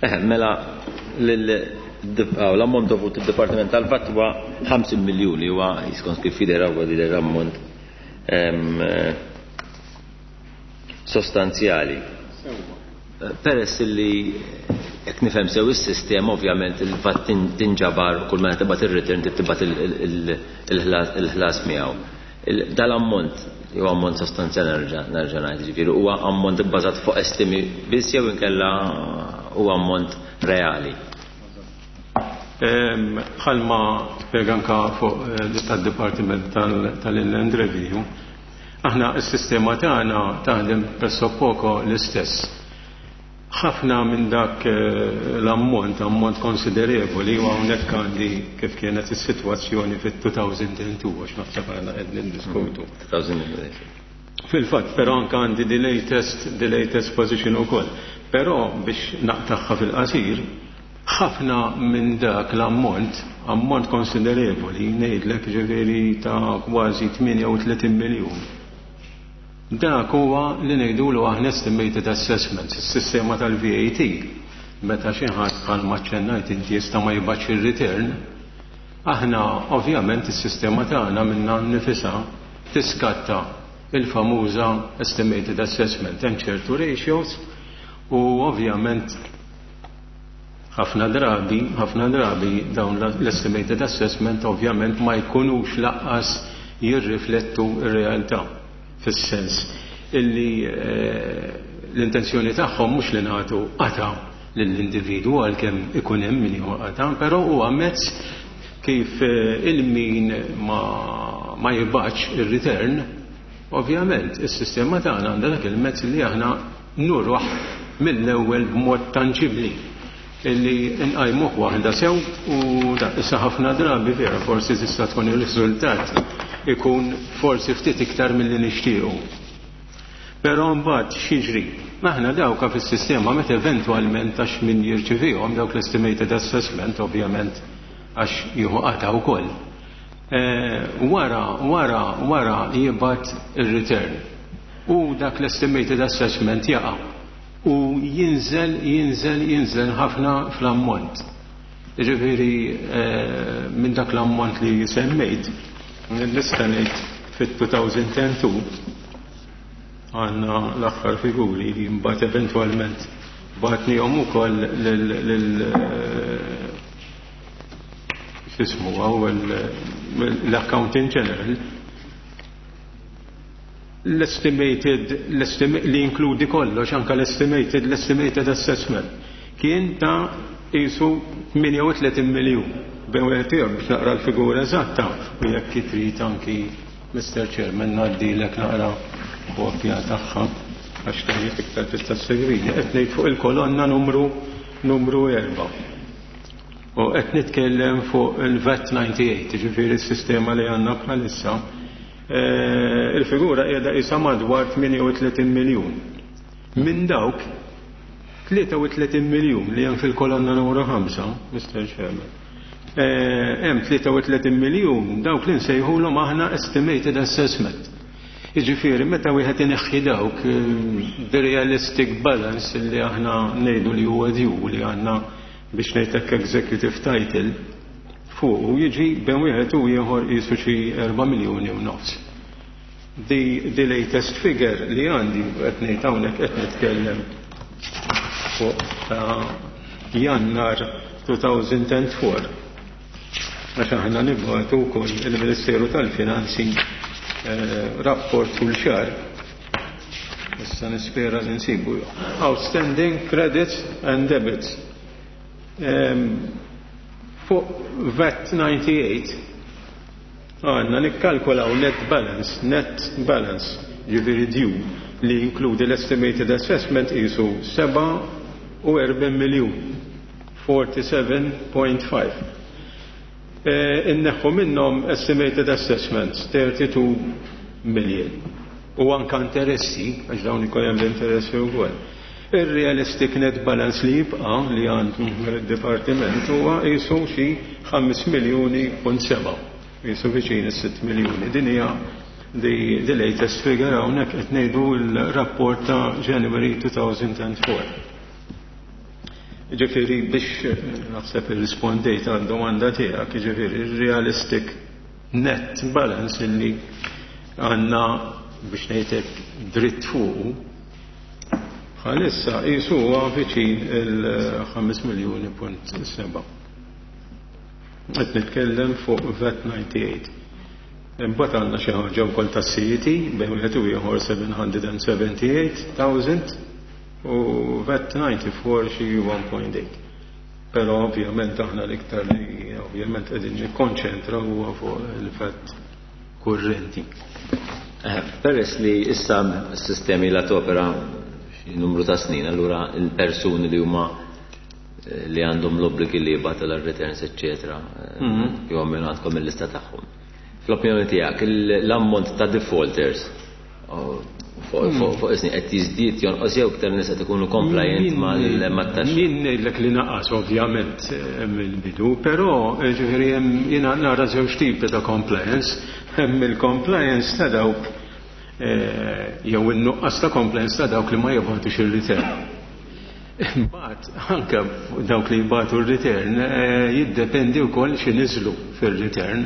Eh, mela l-ammont dovut id-Dipartiment tal-Vat huwa ħamsin miljuni, huwa jiskont kif jidher huwa jidher ammont sostanzjali. Peress li jekk nifhem sew is-sistema ovvjament il-vat tinġabar u kull meta tibgħat ir-return tibgħat il-ħlas miegħu. Dal-ammont huwa ammont sostanzjali nerġa' nerġa' ngħid, ġifieri huwa ammont ibbażat fuq estimi biss jew inkella huwa ammont reali. Bħalma spjega anka fuq tad-Dipartiment tal-Inland Revenue, aħna s-sistema tagħna taħdem pressappoco l-istess. Ħafna minn dak l-ammont, ammont konsiderevoli, u hawnhekk għandi kif kienet is-sitwazzjoni fit-two thousand and two, għax naħseb aħna qed niddiskutu. Fil-fatt, però anke għandi the latest, the latest position ukoll. Però biex naqtagħha fil-qasir, ħafna minn dak l-ammont, ammont konsiderevoli, ngħidlek ġifieri ta' kważi tmienja u tletin miljun. Dak huwa li ngħidulu aħna estimated assessments, is-sistema tal-V A T. Meta xi ħadd bħalma ċċennajt inti jista' ma jibgħatx ir-return, aħna ovvjament is-sistema tagħna minnha nnifisha tiskatta il-famuża estimated assessment. Hemm ċertu ratios u ovvjament ħafna drabi, ħafna drabi dawn l-estimated assessment ovvjament ma jkunux laqqas jirriflettu r-realtà. Fis-sens illi l-intenzjoni tagħhom mhux li nagħtu qata' lill-individwu għalkemm ikun hemm min jieħu qata', però huwa mezz kif il-min ma, ma jibgħatx ir-return, ovvjament is-sistema tagħna għandha dak il-mezz li aħna nurruh mill-ewwel b'mod tanġibbli illi nqajmuh waħda sew u dak issa ħafna drabi vera forsi tista' tkun ir-riżultat ikun forsi ftit iktar milli nixtiequ. Però mbagħad x'jiġri? Aħna dawka fis-sistema meta eventwalment għax min jirċivihom dawk l-estimated assessment ovvjament għax jieħu qata' wkoll. Wara, wara, wara jibgħat ir-return. U dak l-estimated assessment jaqa' u jinżel, jinżel, jinżel ħafna fl-ammont. Ġifieri minn dak l-ammont li semmejt, nista' ngħid fit-two thousand and two għandna l-aħħar figuri li mbagħad eventwalment bagħatnihom ukoll lil x'ismu hawn l-Accountant General. L-estimated, l-estim-, li inkludi kollox, anka l-estimated, l-estimated assessment kien ta' qisu tmienja u tletin miljun. Bejn wieħed ieħor, biex naqra l-figura eżatta, u jekk trid anki, Mister Chairman, ngħaddilek naqra kopja tagħha għax tajjeb iktar tista' segwini. Qed ngħid fuq il-kolonna numru numru erba'. U qed nitkellem fuq il-VAT disgħa u disgħin, ġifieri s-sistema li għandna bħalissa. Eh, il-figura qiegħda qisha madwar tmienja u tletin miljun. Minn dawk tlieta u tletin miljun li hemm fil-kolonna numru ħamsa, Mister Chairman, eh, hemm tlieta u tletin miljun dawk li nsejħulhom aħna estimated assessment. Jiġifieri meta wieħed ineħħi dawk, eh, the realistic balance li aħna ngħidu li huwa due, li għandna, biex ngħidlek, executive title fuq, u jiġi bejn wieħed u ieħor qisu xi erba' miljuni u nofs. The, the latest figure li għandi, qed ngħid hawnhekk qed nitkellem fuq ta' Jannar elfejn u erbgħa, għax aħna nibgħatu wkoll il-Ministeru tal-Finanzi eh, rapport kull xahar. Issa nispera li nsibu. Outstanding credits and debits. Em, Fuq VAT disgħa u disgħin għandna nikkalkulaw net balance, net balance, ġifieri due li inkludi l-estimated assessment, qisu sebgħa u erbgħin miljun, erbgħa u sebgħin punt ħamsa. Eh, Inneħħu minnhom estimated assessments tlieta u tletin million. U anka interessi, għax dawn ikun hemm l-interessi wkoll. Ir-realistic net balance li jibqa' li għandu il-dipartiment huwa qisu xi ħames miljuni punt seba'. Qisu viċin is-sitt miljuni. Din hija the, the latest figure, hawnhekk qed ngħidu l-rapport ta' January elfejn u erbgħa. Ġifieri biex eh, naħseb irrispondejt għal domanda tiegħek, ġifieri realistic net balance illi għandna, biex ngħidlek, dritt fuqu bħalissa qisu huwa viċin il-ħames miljuni punt seba'. Qed nitkellem fuq VAT disgħa u disgħin. Imbagħad għandna xi ħaġa wkoll tas-C E T bejn wieħed u ieħor seba' mija u sebgħa u tmenin elf u VAT disgħa u erbgħa xi wieħed punt tmienja. Però ovvjament aħna l-iktar li ovvjament qegħdin nikkonċentra huwa fuq il-VAT kurrenti. Eh, Peress li issa s-sistemi la topera xi numru ta' snin, allura il-persuni li huma eh, li għandhom l-obbligi li jibgħatu l-returns, eccetera, Mhm. jew minn għandkom il-lista tagħhom. Fl-opinjoni tiegħek, il- l-ammont ta' defaulters oh, fuq fuq- fuq is-snin qed jiżdied, jonqos jew iktar nies qed ikunu compliant mal- mat-taxxa? Jien ngħidlek li naqas ovvjament eh, mill-bidu, però eh, ġifieri hemm, jiena nara żewġ tipi ta' compliance. Hemm il-compliance ta' dawk eh, jew in-nuqqas ta' compliance ta' dawk li ma jibgħatux ir-return. Imbagħad anke dawk li jibgħatu r-return eh, jiddependi wkoll x'iniżlu fir-return.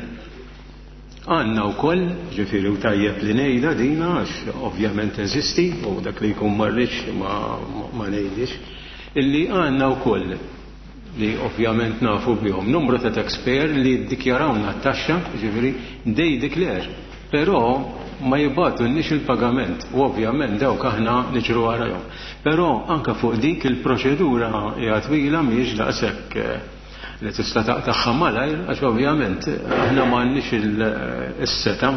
Għandna wkoll, ġifieri u tajjeb li ngħidha dina għax ovvjament eżisti u dak li jkun marriċ ma, ma ngħidix, illi għandna wkoll li ovvjament nafu bihom numru ta' taxpayer li ddikjarawna t-taxxa, ġifieri they declare, però ma jibgħatulniex il-pagament u ovvjament dawk aħna niġru warahom. Però anka fuq dik il-proċedura hija twila, mhijiex daqshekk eh, li tista' taqtagħha malajr, għax ovvjament aħna m'għandniex il-setgħa,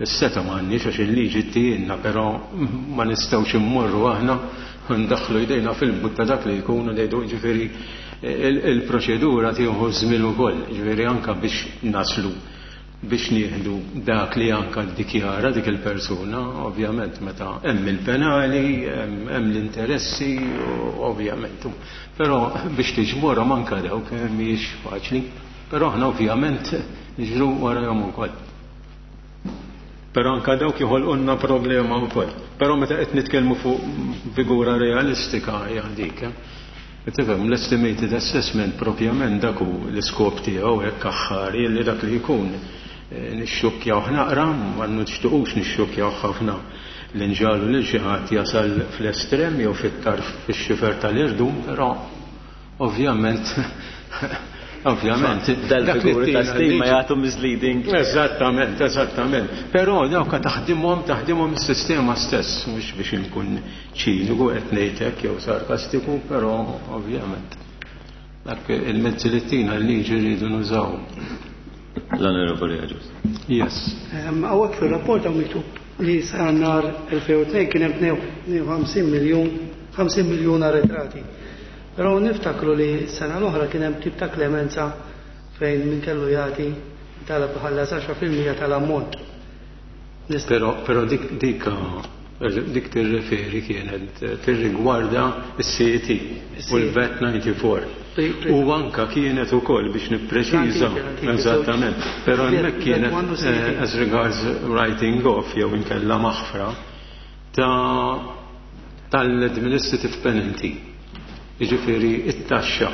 is-setgħa m'għandniex, għax il-liġi ttihielna, però ma nistgħux immorru aħna ndaħlu jdejna fil-but ta' dak li jkunu ngħidu, ġifieri il-proċedura tieħu żmien ukoll, ġifieri anka biex naslu biex nieħdu dak li anka ddikjara dik il-persuna, ovvjament meta hemm il-penali, hemm l-interessi, ovvjament. Però biex tiġborhom anka dawk mhijiex faċli. Però aħna ovvjament niġru warahom ukoll. Però anka dawk joħolqulna problema wkoll. Però meta qed nitkellmu fuq figura realistika hija dik. Eh? Tifhem, l-estimated assessment propjament dak hu l-iskop tiegħu hekk aħħari, li dak li jkun eh, nixxukkjaw naqra, ma nixtuqux nixxukkjaw ħafna li nġagħlu lil xi ħadd jasal fl-estrem jew fit-tarf, fix-xifer tal-irdum, però ovvjament ovvjament Dal-figuri ta' stima jagħtu misleading. Eżattament, eżattament. Però dawk taħdimhom taħdimhom is-sistema stess, mhux biex inkun ċiniku qed ngħidlek jew sarkastiku, però ovvjament. Dak il-mezzi li tina l-liġi rridu nużaw. L-Onorevoli Agius. Yes. Hawnhekk fir-rapport hawn miktub li sa nhar elfejn u tnejn kien hemm tnejn u ħamsin miljun, ħamsin miljun arretrati. Però niftakru li sena l-oħra kien hemm tip ta' klemenza fejn min kellu jagħti talab ħallas għaxra fil-mija tal-ammont. Però, però dik, dik, dik tirreferi kienet tirrigwarda s-C E T u l-V A T ninety-four. U anka kienet ukoll biex nippreċiża. Eżattament. Però hemmhekk kienet, eh, as regards writing off jew inkella maħfra ta' tal-administrative penalty. Jiġifieri it-taxxa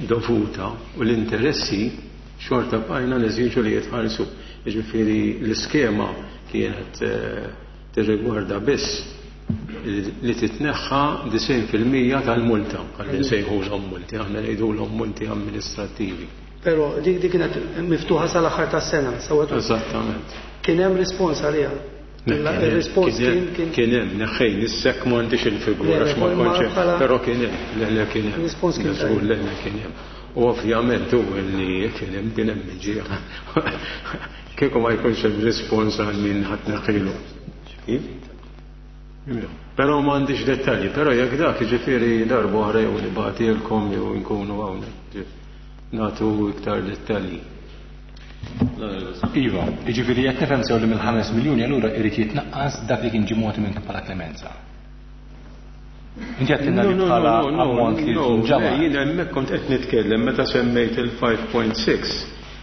dovuta u l-interessi xorta bqajna neżiġu li jitħallsu. Jiġifieri l-iskema kienet, eh, tirrigwarda biss li titneħħa disgħin fil-mija tal-multa, għalli nsejħulhom multi, aħna ngħidulhom multi amministrattivi. Però dik, dik kienet miftuħa sal-aħħar tas-sena, sewwa tu? Eżattament. Kien hemm rispons għaliha? Le, Il- kien hemm, Il-rispons kien hemm, kien, kien kien hemm, neħħejn, issek m'għandix il-figura, Le, le, għax ma ma kontx hemm, bħala però kien hemm, le, le, kien hemm. Il-rispons kien Żgur, tajjeb. le, le, kien hemm. U ovvjament hu li kien hemm, kien hemm miġija. Kieku ma jkunx hemm rispons għal min ħadd neħħilu. Kif? Però m'għandix dettalji, però jekk dak jiġifieri darba oħra jew nibgħatilkom jew nkunu hawnhekk nagħtu iktar dettalji. Iva, jiġifieri jekk nifhem sew li mill-ħames miljuni allura irid jitnaqqas dak li kien ġie mogħti minn bħala klemenza. Inti qed tinna li No, no, bħala no, no, ammont li no, nġabar. le, jiena hemmhekk kont qed nitkellem meta semmejt il-five point six,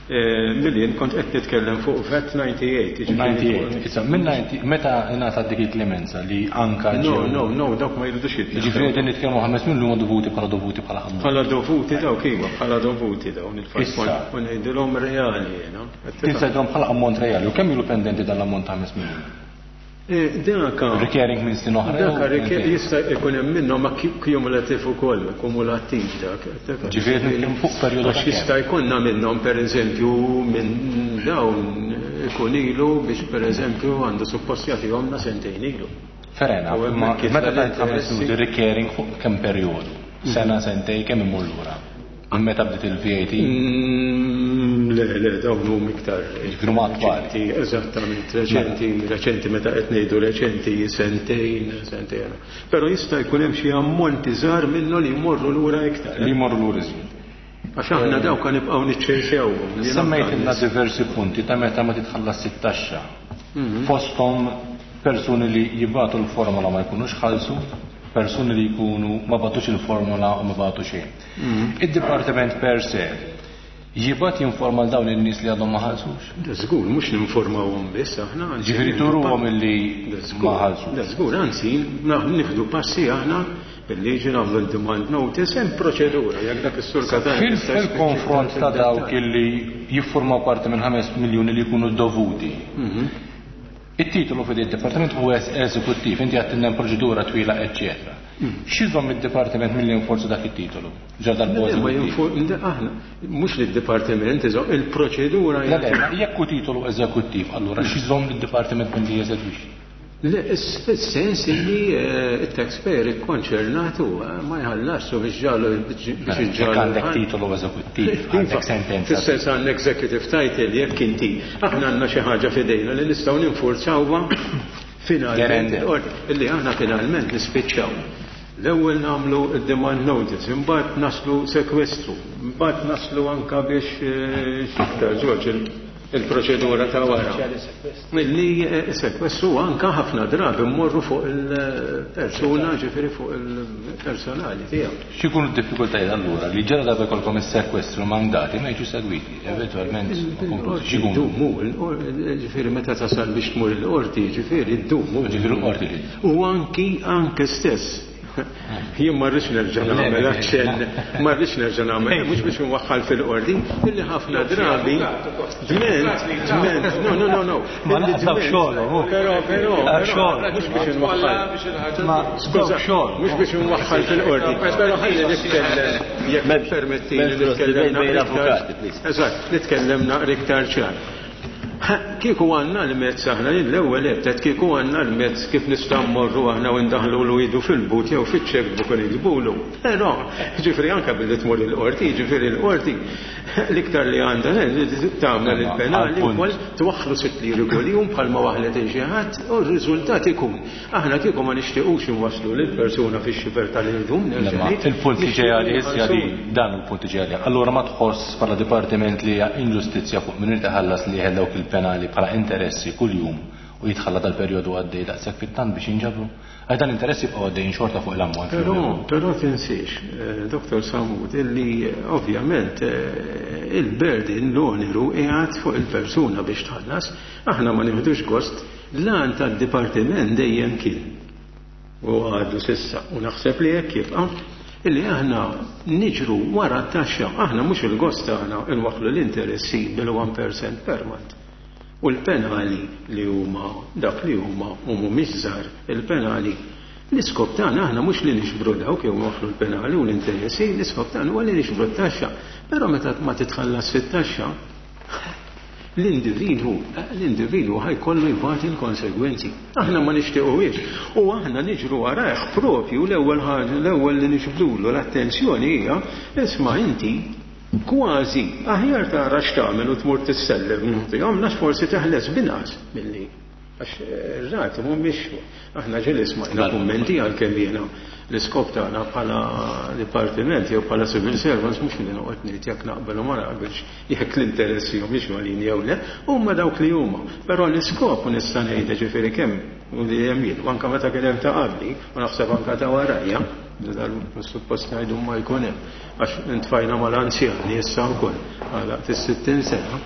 eh, million kont qed nitkellem fuq V A T ninety-eight, jiġifieri ninety-eight. fuq Issa, minn ninety, meta ingħata dik il-klemenza li anka No, ġew no, no, dawk ma jridux jitneħħew. Jiġifieri qegħdin nitkellmu ħames miljun huma dovuti bħala dovuti bħala ammont. Bħala dovuti dawk iva, bħala dovuti dawn il-five Issa. point, u ngħidilhom reali jiena. Tista' bħala ammont reali, u kemm ilu pendenti dan l-ammont ta' ħames miljun? Eh, daka Recurring minn snin oħra Daka jew recur- minn jista' jkun hemm minnhom ma ki-, cumulative ukoll, kumulattiv dak. Dak Ġifieri nitkellmu fuq perjodu Għax ta' kemm? jista' jkollna minnhom pereżempju minn dawn ikun ilu biex pereżempju għandu suppost jagħtihomna sentejn ilu. Ferena, U ma hemmhekk meta jitla' tajt ħames l-interessi. minuti recurring fuq kemm perjodu? Sena, sentej, kemm imur lura? Minn meta bdiet il-V A T? Mm, le, le, dawn huma iktar Jiġifieri huma attwali. reċenti, eżattament, reċenti, reċenti meta qed ngħidu reċenti sentejn, sentejn. Però jista' jkun hemm xi ammonti żgħar minnu li jmorru lura iktar. Li jmorru lura iżjed. Għax aħna dawk kan nibqgħu niċċerxewhom. Semmejt ilna diversi punti ta' meta ma titħallas it-taxxa. Mhm. Fosthom persuni li jibgħatu l-formola ma jkunux ħallsu, persuni li jkunu ma bagħtux il-formola u ma bagħtu xejn. Mhm. Id-dipartiment per se jibgħat jinforma l dawn in-nies li għadhom ma ħallsux? Da żgur, mhux ninformawhom biss aħna, anzi, Ġifieri turuhom illi Da żgur, ma ħallsux. Da żgur, anzi, na-, nieħdu passi aħna bil-liġi nagħmlu l-demand notice hemm proċedura jekk dak is-sur Katani Fil- jista' jispiċċa Fil-konfront ta' fid-dettall. dawk illi jiffurmaw parti minn ħames miljuni li jkunu dovuti. Mhm. Il-titolu fid il-Dipartiment huwa eżekuttiv, inti għattinna hemm proċedura twila, eċċetera. Mm. X'iżomm id-Dipartiment milli jinforza dak it-titolu? Ġa darba Le, ma eżekuttiv. jinfor-, le, aħna, mhux li d-Dipartiment iżomm, il-proċedura Le, le, jgħid. ma jekk hu titolu eżekuttiv, allura x'iżomm id-Dipartiment milli jeżegwixxi? Le, is-, fis-sens illi, eh, it-taxpayer ikkonċernat huwa ma jħallasx u biex ġalu, biex Mela, iġġalu jekk għandek ħan- titolu eżekuttiv, Iva, għandek sentenza. Fis-sens għandek executive title, jekk inti, aħna għandna xi ħaġa f'idejna li nistgħu ninfurzawha finalment, Gerende. or, illi aħna finalment nispiċċaw. L-ewwel nagħmlu d-demand notice, imbagħad naslu sekwestru, imbagħad naslu anka biex, eh, x'iktar, Ġorġ, il-, il-proċedura ta' wara. Milli, eh, sekwestru anka ħafna drabi mmorru fuq il-persuna, ġifieri fuq il-personali tiegħu. X'ikunu d-diffikultajiet allura li ġara darba jkollkom is-sekwestru mandati ma jiġu segwiti, eventwalment ma konklużi. X'ikunu? Ddumu, il-qor-, ġifieri meta tasal biex tmur il-qorti, ġifieri ddumu. Ġifieri l-qorti li. U anki, anke stess. Jien ma rridx nerġa' nagħmel aċċenn, ma rridx nerġa' nagħmel, mhux biex nwaħħal fil-qorti, illi ħafna drabi dment, dment, no, no, no, no. Ma Illi laqas dawk dment, xogħol, hu. Però, però, Dawk però, xogħol. mhux biex nwaħħal. Ma Skuża, dawk xogħol. mhux biex nwaħħal fil-qorti, però ħalli nitkellem, jekk M'hemmx- permettili m'hemmx nitkellem bejn naqra iktar. avukati, please. Eżatt, nitkellem naqra iktar ċar. Kieku għandna l-mezz aħna l-ewwel ebtet kieku għandna l-mezz kif nistgħu mmorru aħna u ndaħlu idu fil-but jew fiċ-checkbook u niktbulu. Però, ġifieri anke billi tmur il-qorti, ġifieri l-qorti l-iktar li għandha tagħmel il-penali wkoll twaħħlu sitt liri kuljum bħalma waħlet il xi ħadd u r-riżultat ikun. Aħna kieku ma nixtiequx inwasslu lill-persuna fix-xifer tal-irdum. Il-punt li ġej għalih, dan il-punt li ġej għalih. Allura ma tħoss bħala dipartiment li hija inġustizzja fuq min irid iħallas li jeħel dawk il-penali bħala interessi kuljum u jitħalla dal-perjodu għaddej daqshekk fit-tant biex jinġabru. Għax dan interessi jibqgħu għaddejjin xorta fuq l-ammont. Però, però tinsiex, Doktor Samut, illi ovvjament il-burden l-oneru qiegħed fuq il-persuna biex tħallas, aħna ma nieħdux gost, l-għan tad-dipartiment dejjem kien. U għadu s'issa, u naħseb li hekk jibqa' illi aħna niġru wara t-taxxa, aħna mhux il-gost tagħna nwaħħlu l-interessi bil-one percent per month. U l-penali li huma dak li huma u mhumiex żgħar il-penali. L-iskop tagħna aħna mhux li nixbru dawk jew nwaħħlu l-penali u l-interessi, l-iskop tagħna huwa li nixbru t-taxxa. Però meta ma titħallas fit-taxxa, l-individwu, l-individwu ħajkollu jbati l-konsegwenzi. Aħna ma nixtiequhiex. U aħna niġru warajh propju l-ewwel ħaġa, l-ewwel li nixbdulu l-attenzjoni hija, isma' inti kważi aħjar tara x'tagħmel u tmur tissellef nagħtihom għax forsi teħles binqas milli għax ir-rati mhumiex aħna ġieli smajna kummenti għalkemm jiena l-iskop tagħna bħala dipartiment jew bħala civil servants mhux li noqgħod ngħid jekk naqbel u ma naqbilx jekk l-interessi humiex għolin jew le, huma dawk li huma. Però l-iskop u nista' ngħidha ġifieri kemm u li hemm jien, u anke meta kien hemm ta' qabli, u naħseb anke ta' warajja, dal suppost ngħidu ma jkun hemm, għax intfajna mal-anzjani issa wkoll għalaqt is-sittin sena.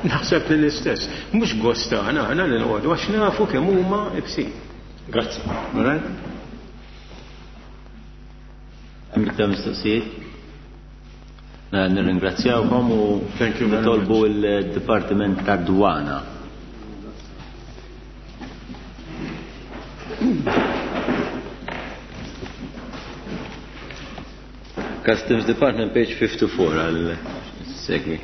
Naħseb li l-istess. Mhux gost tagħna aħna li noqogħdu għax nafu kemm huma ibsin. Grazzi. All right? Hemm iktar mistoqsijiet? Nirringrazzjawkom u Thank you very nitolbu much. il-Dipartiment tad-Dwana. Customs Department, page fifty-four, għal segwi.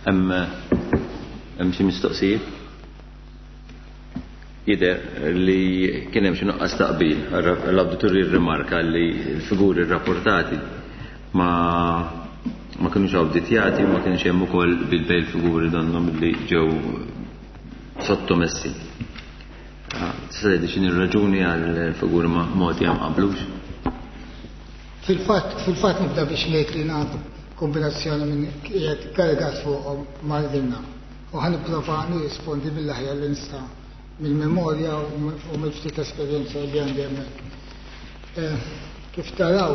Hemm hemm xi mistoqsijiet? Jidher li kien hemm xi nuqqas taqbil. L-awditur jirrimarka li l-figuri rrapportati ma, ma kinux awditjati, ma kienx hemm ukoll bil-bejl figuri donnhom li ġew sottomessi. Tista' tgħidli x'inhi r-raġuni għal figuri ma mogħti ma qablux? Fil-fatt, fil-fatt nibda biex ngħid li nagħtu kombinazzjoni minn qiegħed karigat fuqhom mal-dinna. U ħa nipprova nirrispondi mill-aħjar li nista' mill-memorja u mill-ftit esperjenza li għandi hemmhekk. Kif taraw,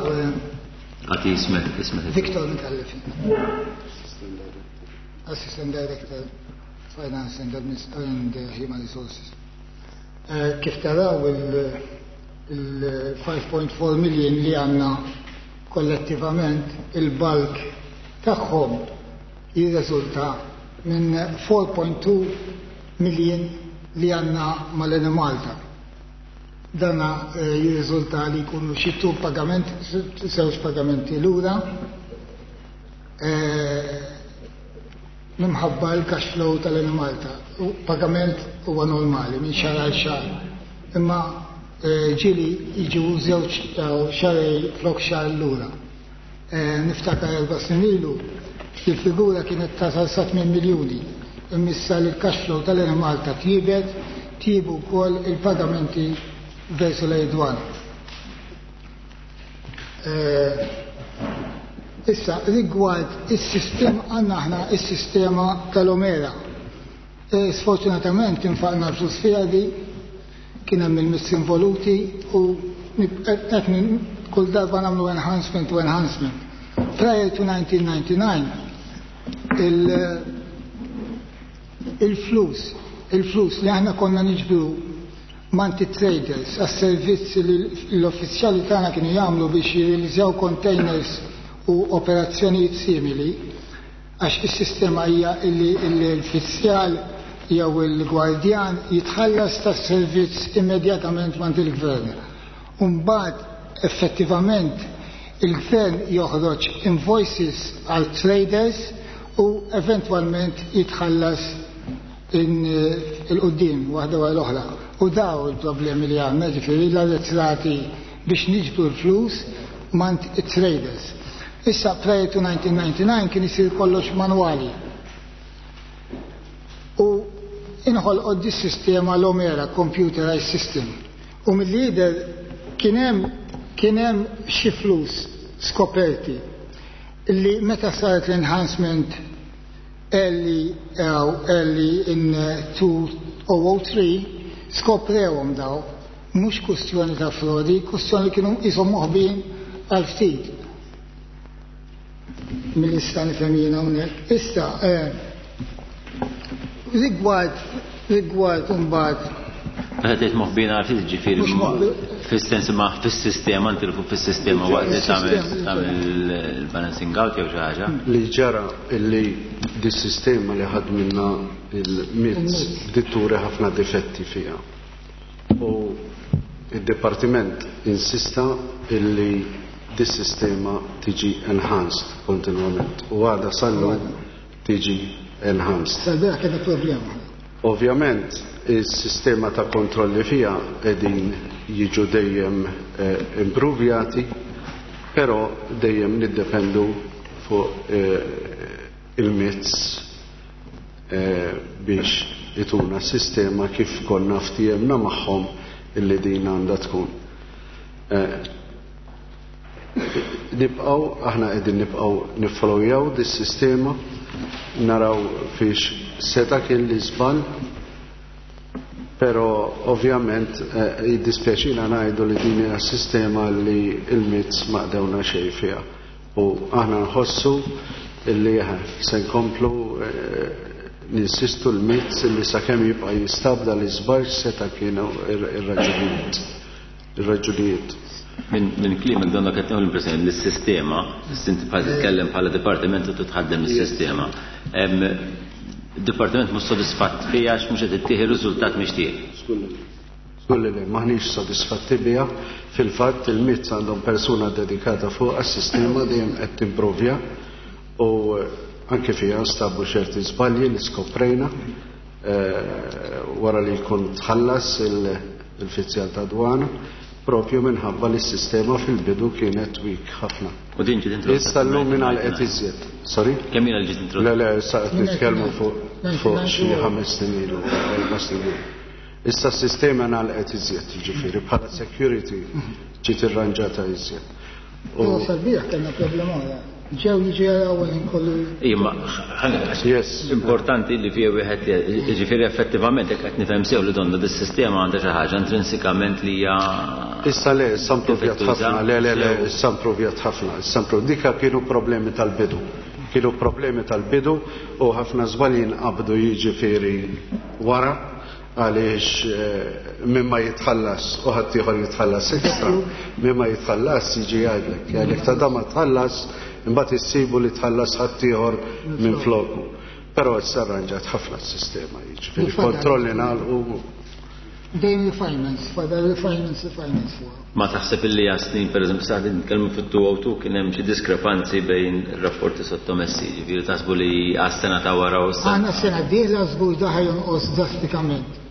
Għati ismek, ismek. Victor Micallef. Assistant Director Finance and Administ-, and Human Resources. Kif taraw il five point four million li għandna kollettivament il-bulk tagħhom jirriżulta minn four point two million li għandna mal-Enemalta. Dana jirriżulta li jkunu xi two pagament, żewġ pagamenti lura, minħabba l-cash flow tal-Enemalta. U pagament huwa normali minn xahar għal xahar. Imma ġieli jiġu żewġ xahar flok xahar lura. Niftakar erba' snin ilu il-figura kienet tasal sa tmien miljuni. Imma li l-cash flow tal-Enemalta tjiebet, tjiebu wkoll il-pagamenti versu l-Dwana. Issa, rigward is-sistema, għandna aħna is-sistema tal-Omera. Sfortunatament infaqna l-flus fiha di, kien hemm il-miss involuti u qed kull darba nagħmlu enhancement u enhancement. Prior to nineteen ninety-nine, il-flus, il-flus li aħna konna niġbru M'għand it-traders għas-servizzi li l-uffiċjali tagħna kienu jagħmlu biex jirrealizzaw containers u operazzjonijiet simili, għax is-sistema hija li l-uffiċjal jew il-gwardjan jitħallas tas-servizz immedjatament m'għand il-gvern. U mbagħad effettivament il-gvern joħroġ invoices għal traders u eventwalment jitħallas 'il quddiem waħda wara l-oħra. U daw il-problemi li għandna, ġifieri l-arretrati biex niġbru l-flus m'għand it-traders. Issa, prior to nineteen ninety-nine kien isir kollox manwali. U inħolqot di sistema l-Omera, computerized system. U mill-lider kien hemm kien hemm xi flus skoperti li meta saret l-enhancement early, uh, early in uh, two thousand three skoprewhom daw, mhux kwestjoni ta' frodi, kwestjoni kienu qishom moħbin għal ftit. Mill-ista nifhem jiena hawnhekk. Issa, eh, rigward rigward imbagħad Meta tgħid moħbin għal ftit, ġifieri fis-sens ma fis-sistema ntilfu fis-sistema waqt li tagħmel tagħmel il-balancing out jew xi ħaġa. Li ġara illi dis-sistema li ħadminna il-M I T S dituri ħafna difetti fiha. U il-Departiment insista illi dis-sistema tiġi enhanced kontinwament u għada sal-lum tiġi enhanced. Sal-bieraħ kena problema. Ovvjament, il-sistema ta' kontrolli fija edin jiġu dejjem eh, improvjati, però dejjem niddependu fuq eh, il-M I T S eh, biex ituna sistema kif konna ftijemna magħhom illi din għandha tkun. Eh, nibqaw, aħna qegħdin nibqaw niffollowjaw dis-sistema, naraw fiex seta kien li żball, però ovvjament eh, jiddispjaċina ngħidu li din hija sistema li il-M I T S ma qdewna xejn fiha. U aħna nħossu illi eh, se nkomplu eh, ninsistu l-M I T S illi sakemm jibqa' jistabda li żball seta kienu ir-raġunijiet. Ir-raġunijiet. Minn min kliemek donna qed nieħu l-impressjoni li s-sistema, inti bħal titkellem bħala dipartiment u titħaddem is-sistema. Il-dipartiment mhux sodisfatt fiha għax mhux qed ittieħi riżultat mixtieq. Żgur li le, maħniex sodisfatti biha. Fil-fatt il-M I T S għandhom persuna dedikata fuq għas-sistema, dejjem qed timprovja u anke fiha stabu ċerti żbalji li skoprejna eh, wara li jkun tħallas il-fizzjal ta' dwana, propju minħabba li s-sistema fil-bidu kienet weak ħafna. U din ġiet introdotta? Issa llum minn qed iżjed. Sorry? Kemm ilha ġiet introdotta? Le, le, issa qed nitkellmu fuq fuq xi ħames snin ilu, erba' snin ilu. Issa s-sistema ngħalqet iżjed, jiġifieri bħala security ġiet irranġata iżjed. U sal-bieraħ kellna problema oħra. Ġew jiġi jaraw il kollu. Imma importanti li fija wieħed, ġifieri effettivament jekk qed nifhem sew li donna dis-sistema għandha xi ħaġa intrinsikament li hija Issa le, issa improvjat ħafna, le, le, le, issa improvjat ħafna, issa dika kienu problemi tal-bidu. Kienu problemi tal-bidu u ħafna żbalji nqabdu jiġifieri wara għaliex eh, minn ma jitħallas u ħaddieħor jitħallas ekstra, minn ma jitħallas jiġi jgħidlek, jgħidlek ta' da ma tħallas, imbagħad issibu li tħallas ħaddieħor minn floku. Però issa arranġat ħafna s-sistema, jiġifieri kontrolli nagħlqu. Dejjem refinements, fadal refinements, refinements fuq. Ma taħseb illi għas snin, per eżempju, sa' nitkellmu fit-elfejn u tnejn kien hemm xi diskrepanzi bejn rapporti sottomessi, ġifieri taħsbu li għas-sena ta' wara u s Għandna sena dieħla żgur da ħa jonqos drastikament.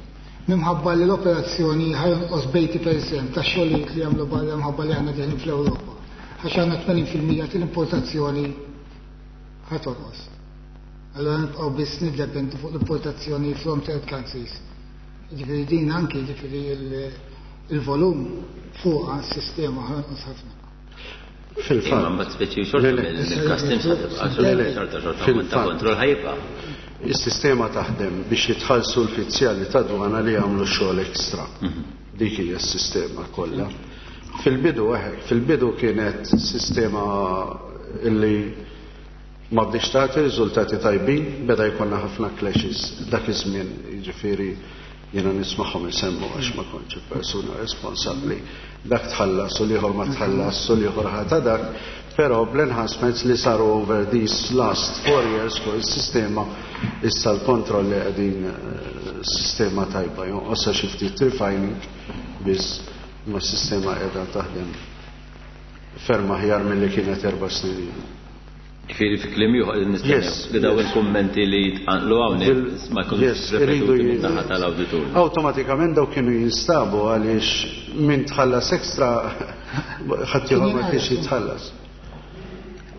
Minħabba li l-operazzjoni ħa jonqos b'tmenin fil-mija ta' xogħlijiet li jagħmlu barra minħabba li aħna deħlin fl-Ewropa. Għax għandna tmenin fil-mija tal-importazzjoni ħa tonqos. Allora nibqgħu biss niddependu fuq l-importazzjoni from third countries. Ġifieri din anki, ġifieri il-volum fuq s-sistema ħa jonqos ħafna. Fil-fatt. Mbagħad speċi xorta il-customs ħa tibqa' xorta xorta ta' kontroll ħa jibqa'. Is-sistema taħdem biex jitħallsu l-fizzjali ta' dwana li jagħmlu xogħol ekstra. Dik hija s-sistema kollha. Fil-bidu eħek, fil-bidu kienet sistema illi ma bdiex tagħti riżultati tajbin, beda jkollna ħafna clashes dak iż-żmien, jiġifieri Jiena nismagħhom isemmu għax ma kontx persuna responsabbli. Dak tħallas u l-ieħor ma tħallas u l-ieħor ħata dak, però bl-enhancements li saru over these last four years fuq is-sistema issa l-kontrolli qegħdin sistema tajba, jonqosha xi ftit refining biss ma s-sistema qiegħda taħdem ferm aħjar milli kienet erba' snin ilu. Ġifieri fi kliem ieħor nistennew li daw il-kummenti li jitqanqlu hawnhekk ma jkunux ripetuti min-naħa tal-awditur. Awtomatikament daw kienu jinstabu għaliex min tħallas ekstra ħadd ieħor ma kienx jitħallas.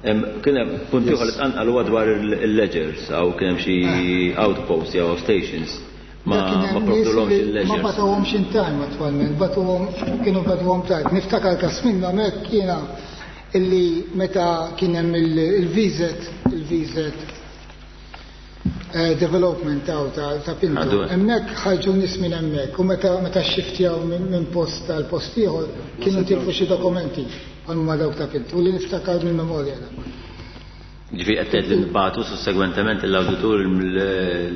Kien hemm punt ieħor li tqanqal huwa dwar il-ledgers aw kien hemm xi outposts jew stations ma ma provdulhomx il-ledgers. Ma bagħtuhomx in time attwalment, bagħtuhom kienu bagħtuhom tard. Niftakar każ minnhom hekk jiena illi meta kien hemm il-V Z il-V Z development taw ta' Pinto. Hemmhekk ħarġu nies minn hemmhekk u meta meta xxiftjaw minn post għal post ieħor kienu tilfu xi dokumenti bħal ma dawk ta' Pinto u li niftakar mill-memorja. Ġifieri qed tgħid li nbagħtu sussegwentement l-awditur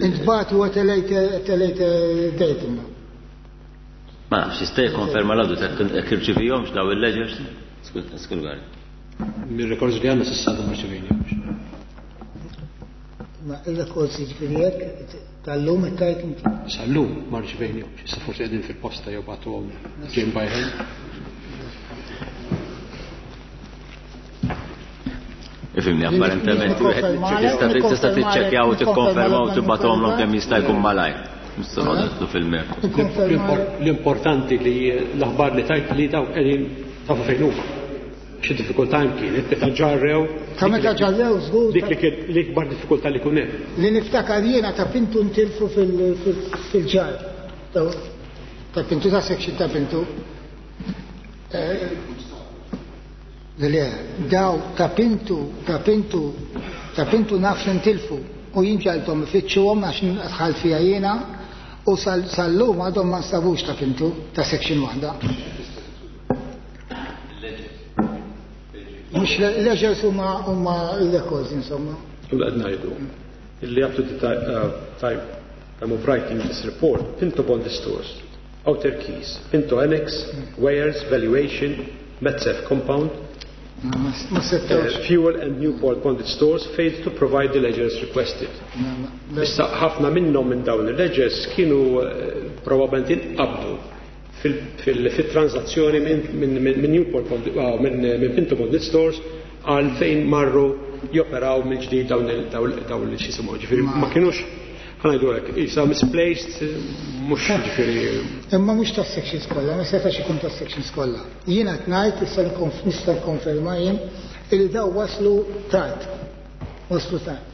Intbagħtu at a later at a later date imma. Ma nafx jista' jikkonferma l-awditur jekk irċivihomx daw il-ledgers? Skużani. Mir-records li għandna s'issa ma rċevejnihomx. Ma il-records jiġifieri hekk tal-lum it-tajt inti. Sal-lum ma rċevejnihomx. Issa forsi qegħdin fil-posta jew bagħtuhom ġejn by hand. Ifhimni, apparentement tista' tiċċekkjaw u tikkonfermaw u tibgħathomlhom kemm jista' jkun malajr. Nistgħu noqogħdu fil-mertu. L-importanti li l-aħbar li tajt li dawk qegħdin tafu fejn huma. Xi diffikultà hemm kienet meta ġarrew. Ta' meta ġarrew żgur. Dik li kien l-ikbar diffikultà li kun hemm. Li niftakar jiena ta' Pintu ntilfu fil-ġar. Ta' Pintu ta' section ta' Pintu. Le, daw ta' Pintu, ta' Pintu, ta' Pintu naf li ntilfu u jien ġalthom ifittxuhom għax dħalt fiha jiena u sal-lum għadhom ma nstabux ta' Pintu ta' section waħda. Mhux ledgers huma huma l-records insomma. U qed ngħidu illi up to the time time of writing this report, Pinto Bond Stores, Outer Keys, Pinto Annex, Weighers, Valuation, Medserv Compound, Ma settawx. Fuel and Newport Bonded Stores failed to provide the ledgers requested. Issa ħafna minnhom minn dawn il-ledgers kienu probabbilment inqabdu fil-transazzjoni minn Newport minn Pinto Bonded Stores għal fejn marru joperaw mill-ġdid dawn il-xisimu. Ġifieri ma kienux ħa ngħidu hekk, isa misplaced, mhux ġifieri. Imma mhux tas-sections kollha, ma setax ikun tas-sections kollha. Jiena qed ngħid issa nista' nikkonferma jien illi daw waslu tard. Waslu tard.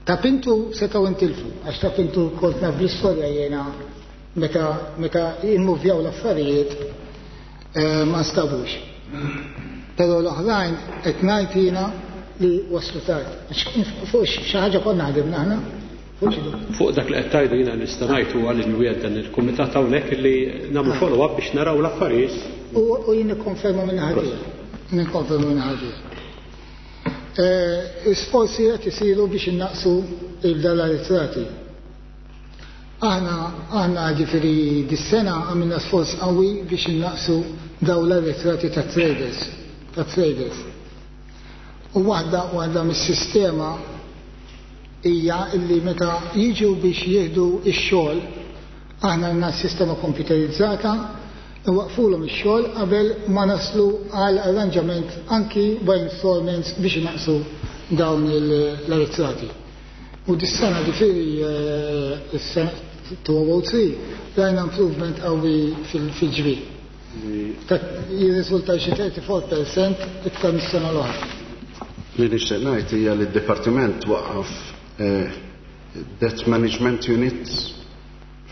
Ta' Pintu setgħu intilfu, għax ta' Pintu kont naf bl-istorja jiena meta meta immuvjaw l-affarijiet ma nstabux. Però l-oħrajn qed ngħid jiena li waslu tard. Fuq xi ħaġa konna ħdimna aħna. Fuq dak li qed tgħidu jiena nista' ngħid huwa li nwiegħed dan il-kumitat hawnhekk li nagħmlu follow-up biex naraw l-affarijiet. U jien nikkonferma minn ħaġa. Nikkonferma minn ħaġa. Sforzi qed isiru biex innaqsu il-dal-arretrati. Aħna aħna ġifieri dis-sena għamilna sforz qawwi biex innaqsu daw l-arretrati ta' traders, ta' traders. U waħda waħda mis-sistema hija illi meta jiġu biex jieħdu x-xogħol, aħna għandna sistema komputerizzata, nwaqfulhom ix-xogħol qabel ma naslu għal arranġament anki by installments biex naqsu dawn l-arretrati. U dis-sena ġifieri is-sena two oh three rajna improvement qawwi fil-ġbir. Jirriżulta xi thirty-four percent iktar mis-sena l-oħra. Li nixtieq ngħid hija li d-dipartiment waqqaf Debt Management Unit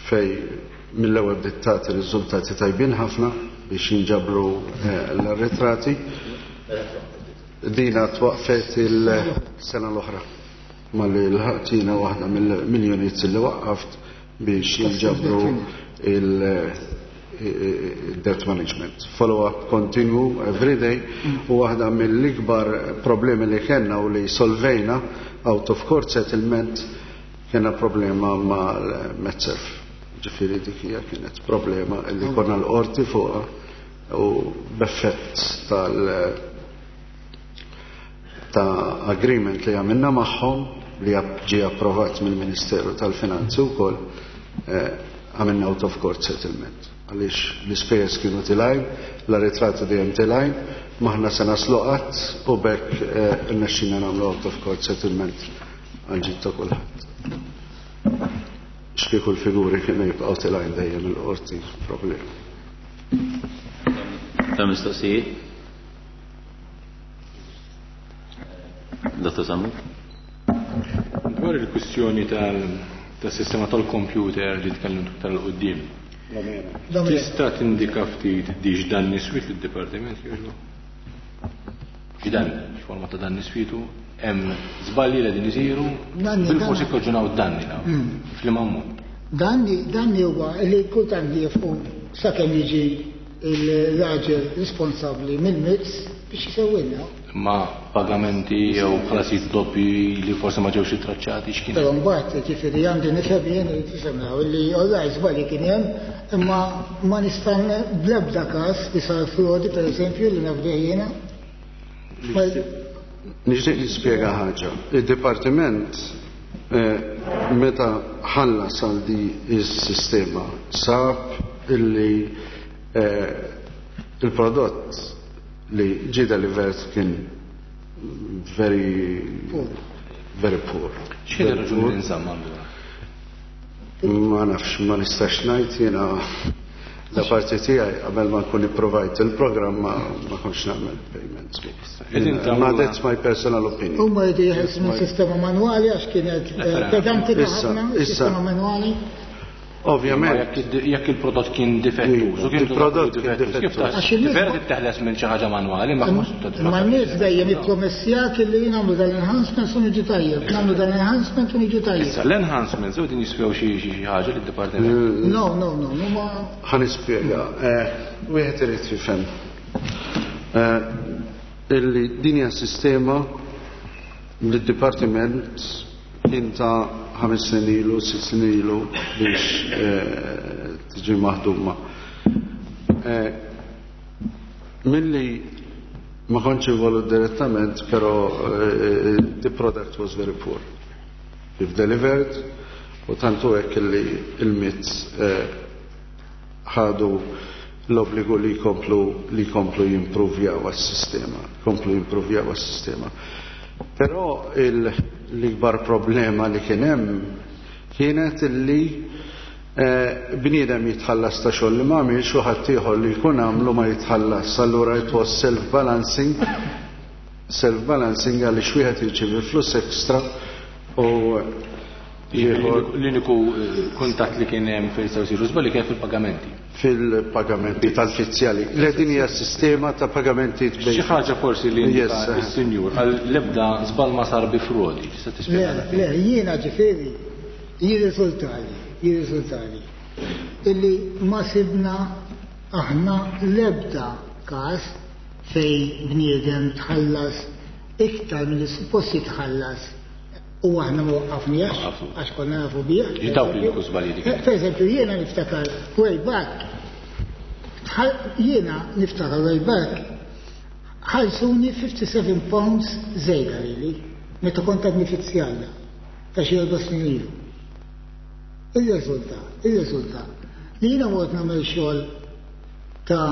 fej mill-ewwel bdiet tagħti riżultati tajbin ħafna biex jinġabru l-arretrati. Dina twaqfet il-sena l-oħra malli l-ħatina waħda mill-units li waqqaft biex jinġabru il-debt management. Follow-up continu every day u waħda mill-ikbar problemi li kellna u li solvejna out of court settlement, kena problema mal-Medserv. Ġifieri dik hija kienet problema li konna l-qorti fuqha u b'effett tal ta' agreement li għamilna magħhom li ġie approvat mill-Ministeru tal-Finanzi wkoll, għamilna out of court settlement. Għaliex l-ispejjeż kienu tilgħin, l-arretrati dejjem tilgħin, m'aħna se naslu qatt u b'hekk irnexxina nagħmlu out of court settlement għal ġid ta' kulħadd. X'kieku l-figuri kienu jibqgħu tilgħin dejjem il-qorti problema. Ta' mistoqsijiet? Dottor Sammut? Dwar il-kwistjoni tal-sistema tal-computer li tkellimt iktar 'l quddiem. Tista' tindika ftit diġ dan niswit lid-dipartiment jogħġbu? X'dan, x'forma ta' dan niswitu? Hemm żbalji li qegħdin isiru, bil-forsi jikkaġunaw danni dawn. F'liema ammont? Danni, danni huwa li kultant jifqu sakemm jiġi il-raġel responsabbli mill-M I T S biex jisewwilna. Ma pagamenti jew ħlasijiet doppi li forsi ma ġewx ittraċċati x'kien? Però mbagħad ġifieri għandi nifhem jien li tisemgħu li orraj żbalji kien hemm, imma ma nista' bl-ebda każ li sar frodi pereżempju li naf bih jiena. Nixtieq nispjega ħaġa. Id-dipartiment meta ħallas għal di s-sistema sab illi il-prodott li ġie delivered kien very very poor. X'kien ir-raġuni li nżamm allura? Ma nafx, ma nistax ngħid jiena da parti tiegħi qabel ma nkun ipprovajt il-programm ma kontx nagħmel payments. Ma that's my personal opinion. Huma jridu jeħilsu minn sistema manwali għax kienet pedanti ħafna, sistema manwali. Ovvjament. Jekk il-prodott kien difettuż, u kien il-prodott kien difettuż. Vera titteħles minn xi ħaġa manwali, ma mhux Ma n-nies dejjem jippromessjak illi nagħmlu dan-enhancement u niġu tajjeb, nagħmlu dan-enhancement u niġu tajjeb. Issa l-enhancements u din jiswew xi ħaġa lid-dipartiment. No, no, no, no ma. Ħa nispjega. Wieħed irid jifhem illi din hija sistema li d-dipartiment kien ta' ħames snin ilu, sitt snin ilu biex tiġi maħduma. Milli ma kontx involut direttament, però the product was very poor. If delivered, u tantu hekk li il-M I T S ħadu l-obbligu li jkomplu li jkomplu jimprovjaw għas-sistema, jkomplu jimprovjaw għas-sistema. Però l-ikbar problema li kien hemm kienet illi bniedem jitħallas ta' xogħol li ma għamilx u ħadd ieħor li jkun għamlu ma jitħallas. Allura it was self-balancing, self-balancing għaliex wieħed jirċievi flus ekstra u L-uniku kuntatt li kien hemm fejn jistgħu jsiru żbalji kien fil-pagamenti. Fil-pagamenti tal-fizzjali. Le din hija sistema ta' pagamenti Xi ħaġa forsi li indika is-sinjur għal l-ebda żball ma sar bi frodi. Tista' tispjega? Le, le, jiena ġifieri jirriżultali, jirriżultali illi ma sibna aħna l-ebda każ fejn bniedem tħallas iktar milli suppost jitħallas u aħna ma waqqafniex għax konna nafu bih. Dawk li jkunu żbalji dik. Per eżempju, jiena niftakar way back, jiena niftakar way back, ħallsuni fifty-seven pounds żejda lili, meta kont għadni fizzjalla, ta' xi erba' snin ilu. Ir-riżulta, ir-riżulta li jiena mort nagħmel xogħol ta'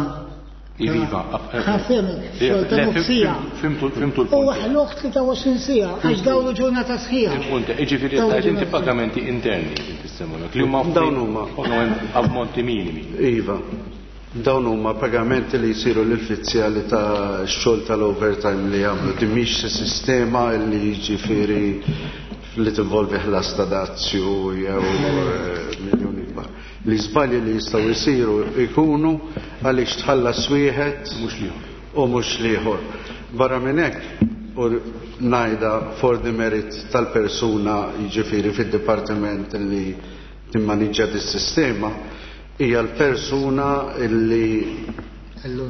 Iva, ħafem, xogħol ta' nofsija. Fimtu l-punt. U ħluq tlieta u għoxrin siegħa, għax dawru ġurnata sħiħa. Il-punt, jiġifieri tajt inti pagamenti interni inti semmulek, li huma Dawn huma. pagament ammonti minimi. Iva. Dawn huma pagamenti li jsiru lill-fizzjali ta' xogħol tal-overtime li jagħmlu. Din mhix sistema li jiġifieri li tinvolvi ħlas ta' dazju jew miljuni kbar. L-iżbalji li jistgħu jsiru jkunu għaliex tħallas wieħed mhux l-ieħor. u mhux l-ieħor. Barra minn hekk, u ngħidha for the merit tal-persuna jiġifieri fid-dipartiment li timmaniġġja dis-sistema, hija l-persuna li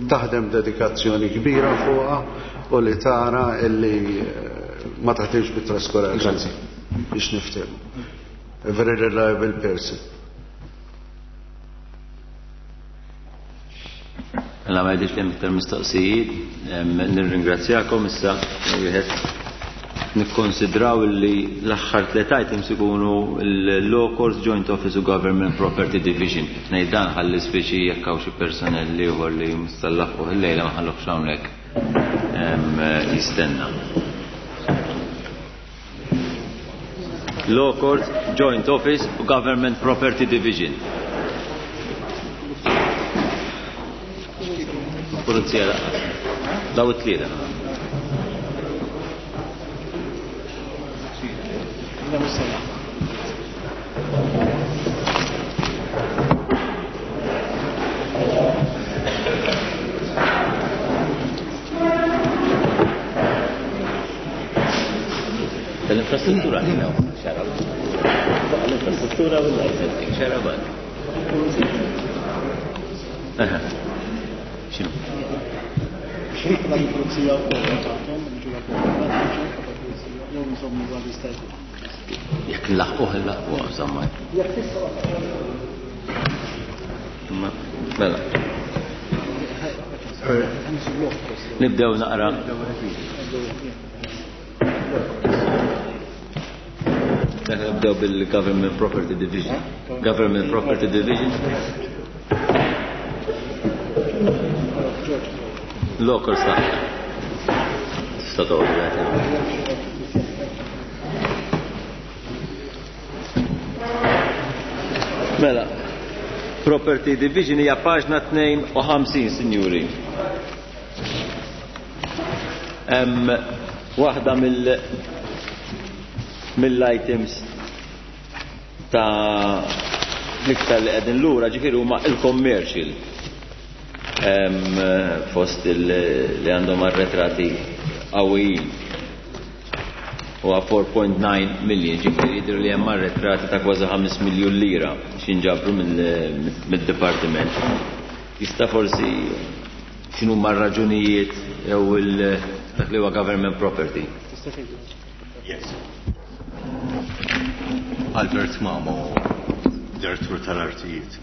taħdem dedikazzjoni kbira fuqha u li tara li ma taħdimx bit-traskuraġni. Grazzi. Biex niftehmu. A very reliable person. Mela ma jidhirx li hemm iktar mistoqsijiet, nirringrazzjakom issa wieħed nikkonsidraw li l-aħħar tliet items ikunu l-Law Courts Joint Office u Government Property Division. Ngħid dan ħalli speċi jekk hawn xi personnel ieħor li mistallaf fuq il-lejla ma ħallux hawnhekk jistenna. Law Courts Joint Office u Government Property Division. Pulizija laqas. Daw it-tlieta. Tal-infrastruttura xarab. L-infrastruttura u l-licensing xarab. Aha. X'inhu? Jekk nlaħquh nlaħquh insomma. Mela. Nibdew naqra. Nibdew bil-Government Property Division. Government Property Division. Local staff. Tista' toqgħod. Mela, Property Division hija paġna tnejn u ħamsin, sinjuri. Hemm waħda mill mill-items ta' l-iktar li qegħdin lura ġifieri huma il-commercial. Fost li għandhom arretrati qawwijin. Huwa four point nine million, ġifieri jidhru li hemm arretrati ta' kważi ħames miljun lira x'inġabru mid-dipartiment. Jista' forsi x'inhu huma r-raġunijiet jew dak li huwa government property? Yes. Albert Mamo, direttur tal-artijiet.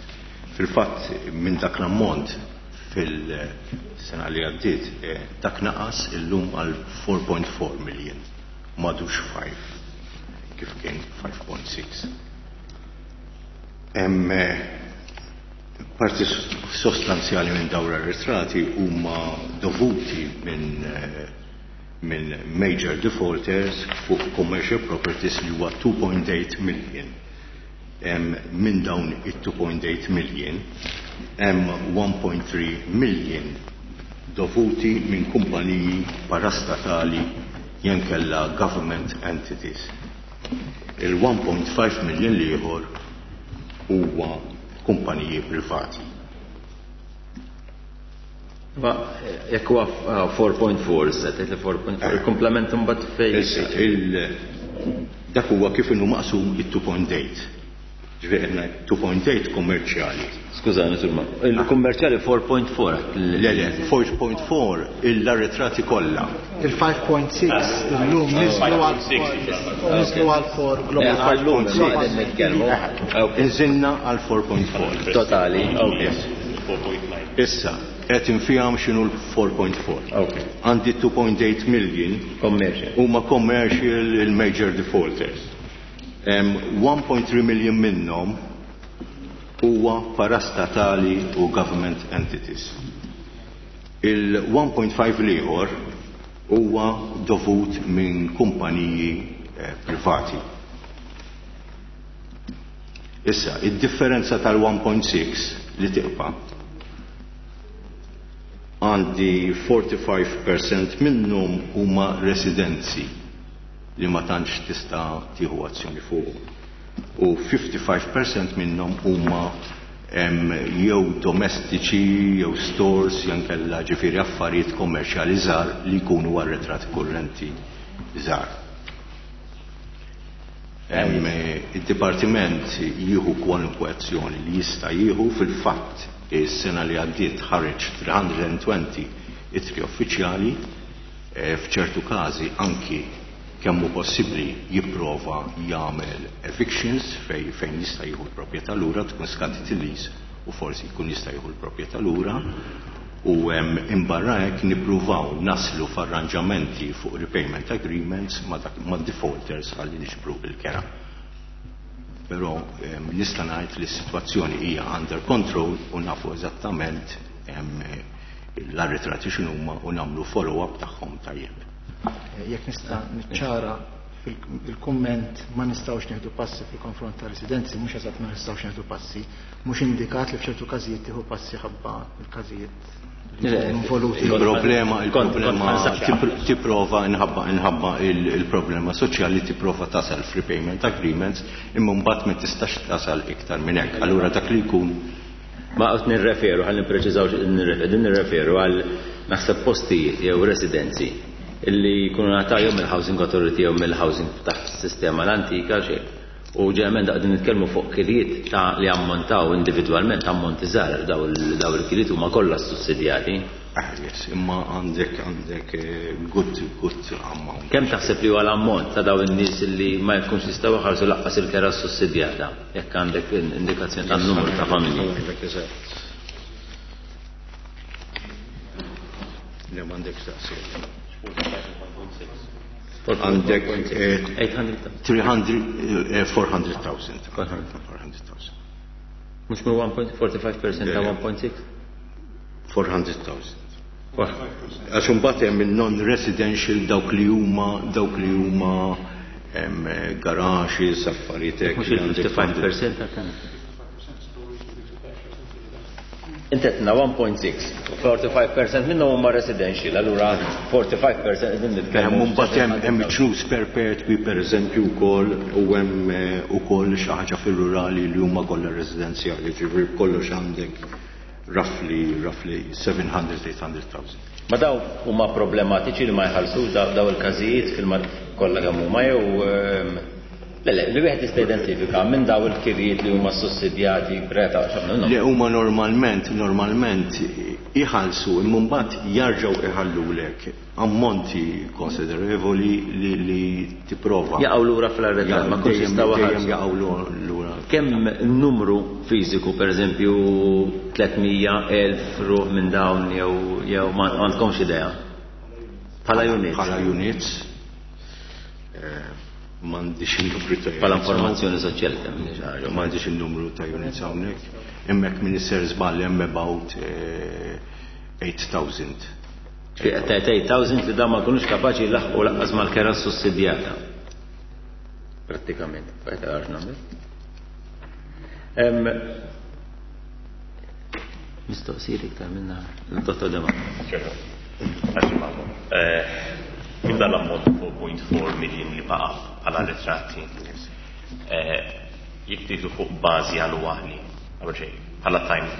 Fil-fatt minn dak l-ammont fil-sena li għaddiet dak naqas illum għal four point four million, madux five kif kien five point six. Hemm parti sostanzjali minn dawn ir-ritrati huma dovuti minn minn major defaulters fuq commercial properties li huwa two point eight million. Minn dawn it-two point eight million hemm one point three million dovuti minn kumpaniji parastatali jenkella government entities. Il one point five million ieħor huwa kumpaniji privati. Ma jekk huwa four point four, se tgħid li four point four, il-komplement imbagħad fejn. Dak huwa kif inhu maqsum it-two point eight. Ġifieri qed ngħid two point eight kummerċjali. Skużani, Surma, il-kummerċjali four point four. Le, le, four point four il-arretrati kollha. Il-five point six illum niżlu għal niżlu għal four global. Għal-lum nitkellmu. Inżilna għal four point four. Totali. Yes. Issa, qed infihom x'inhu l-four point four. Għandi two point eight million commercial. Huma commercial il-major defaulters. one point three million minnhom huwa parastatali u government entities. Il one point five l-ieħor huwa dovut minn kumpaniji eh, privati. Issa, id-differenza tal-one point six li tiqpa għandi forty-five percent minnhom huma residenzi li ma tantx tista' tieħu azzjoni fuq. U fifty-five percent minnhom huma jew domestiċi jew stores jew inkella ġifieri affarijiet kommerċjali żgħar li jkunu arretrati kurrenti żgħar. Id-dipartiment jieħu kwalunkwe azzjoni li jista' jieħu. Fil-fatt is-sena li għaddiet ħareġ three hundred and twenty ittri uffiċjali, f'ċertu każi anki kemm hu possibbli jipprova jagħmel evictions fej, fejn jista' jieħu l-proprjetà lura, tkun skadit il-lease u forsi jkun jista' jieħu l-proprjetà lura. U imbarra hekk nippruvaw naslu f'arranġamenti fuq repayment agreements ma' defaulters ħalli niġbru il-kera. Però nista' ngħid li s-sitwazzjoni hija under control u nafu eżattament l-arretrati x'inhuma u nagħmlu follow-up tagħhom tajjeb. Jekk nista' niċċara fil-kumment ma nistgħux nieħdu passi fil-konfront ta' residenzi, mhux eżatt ma nistgħux nieħdu passi, mhux indikat li f'ċertu każijiet tieħu passi ħabba il-każijiet involuti. Il-problema, il-problema tipprova inħabba inħabba il-problema soċjali tipprova tasal f'repayment agreements imma mbagħad ma tistax tasal iktar minn hekk. Allura dak li jkun ma qed nirreferu, ħalli nippreċiżaw din nirreferu għal naħseb postijiet jew residenzi illi jkunu ngħataw jew mill-Housing Authority jew mill-Housing taħt sistema l-antika xejn. U ġeneralment qegħdin nitkellmu fuq kiliet ta' li ammontaw individwalment ammonti żgħar daw il-kiliet huma kollha sussidjati. Ah, yes, imma għandek għandek good good ammont. Kemm taħseb li huwa l-ammont ta' daw in-nies li ma jkunx jistgħu jħallsu laqqas il-kera sussidjata jekk għandek indikazzjoni tan-numru ta' familji? Le m'għandek staqsija. Għandek three hundred, four hundred thousand. four hundred thousand. Mux minn one point forty-five percent ta' one point six? four hundred thousand. Għax imbagħad hemm il-non-residential dawk li huma dawk li huma garaxes, affarijiet hekk. Mhux il-fifty-five percent ta' kemm? Inti għedna one point six, forty-five percent minnhom huma residential, allura forty-five percent qegħdin nitkellmu. Mbagħad hemm hemm ċnus perpetwi pereżempju wkoll u hemm ukoll xi ħaġa fir-rurali li huma kollha residenzjali, ġifieri kollox għandek roughly roughly seven hundred, eight hundred thousand. Ma daw huma problematiċi li ma jħallsux daw il-każijiet fil-mat kollha kemm huma jew Le, le, li wieħed jista' identifika minn daw il-kirjiet li huma sussidjati breta x'għamlu. Le huma normalment, normalment iħallsu imma mbagħad jarġgħu iħallulek ammonti konsiderevoli li, li tipprova. Jaqgħu lura fl-arretrat, ma kunx jistgħu dejjem jaqgħu lura. Kemm numru fiżiku pereżempju tliet mija elf ruħ minn dawn jew jew ma għandkomx idea? Bħala units. Bħala units. M'għandix il-numru ta' Bħala informazzjoni soċjali kemm hi xi ħaġa. M'għandix il-numru ta' units hawnhekk. Hemmhekk min isser żball hemm about eight thousand. Eight thousand li dawn ma jkunux kapaċi jlaħqu lanqas mal-kera sussidjata. Prattikament, qed għarx nagħmel. Mistoqsijiet iktar minna il-Dottor Dema. Minn dan l-ammont four point four million li baqa' bħala ritratti, jekk tieħdu fuq bażi annwali, qabel xejn, bħala time,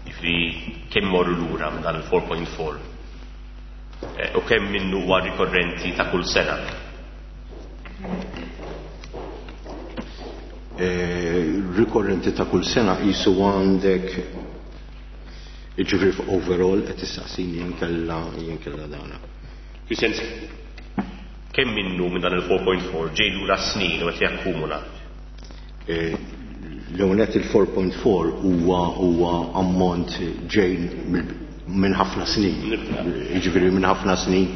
jiġifieri kemm morru lura minn dan il-four point four u kemm minnu huwa rikorrenti ta' kull sena? Rikorrenti ta' kull sena qisu għandek jiġifieri overall qed tistaqsini jinkella jinkella dana. Fis-sens kemm minnu minn dan il-four point four ġej lura snin u qed jakkumula? L-ewwel nett il-four point four huwa huwa ammont ġej minn ħafna snin. Jiġifieri minn ħafna snin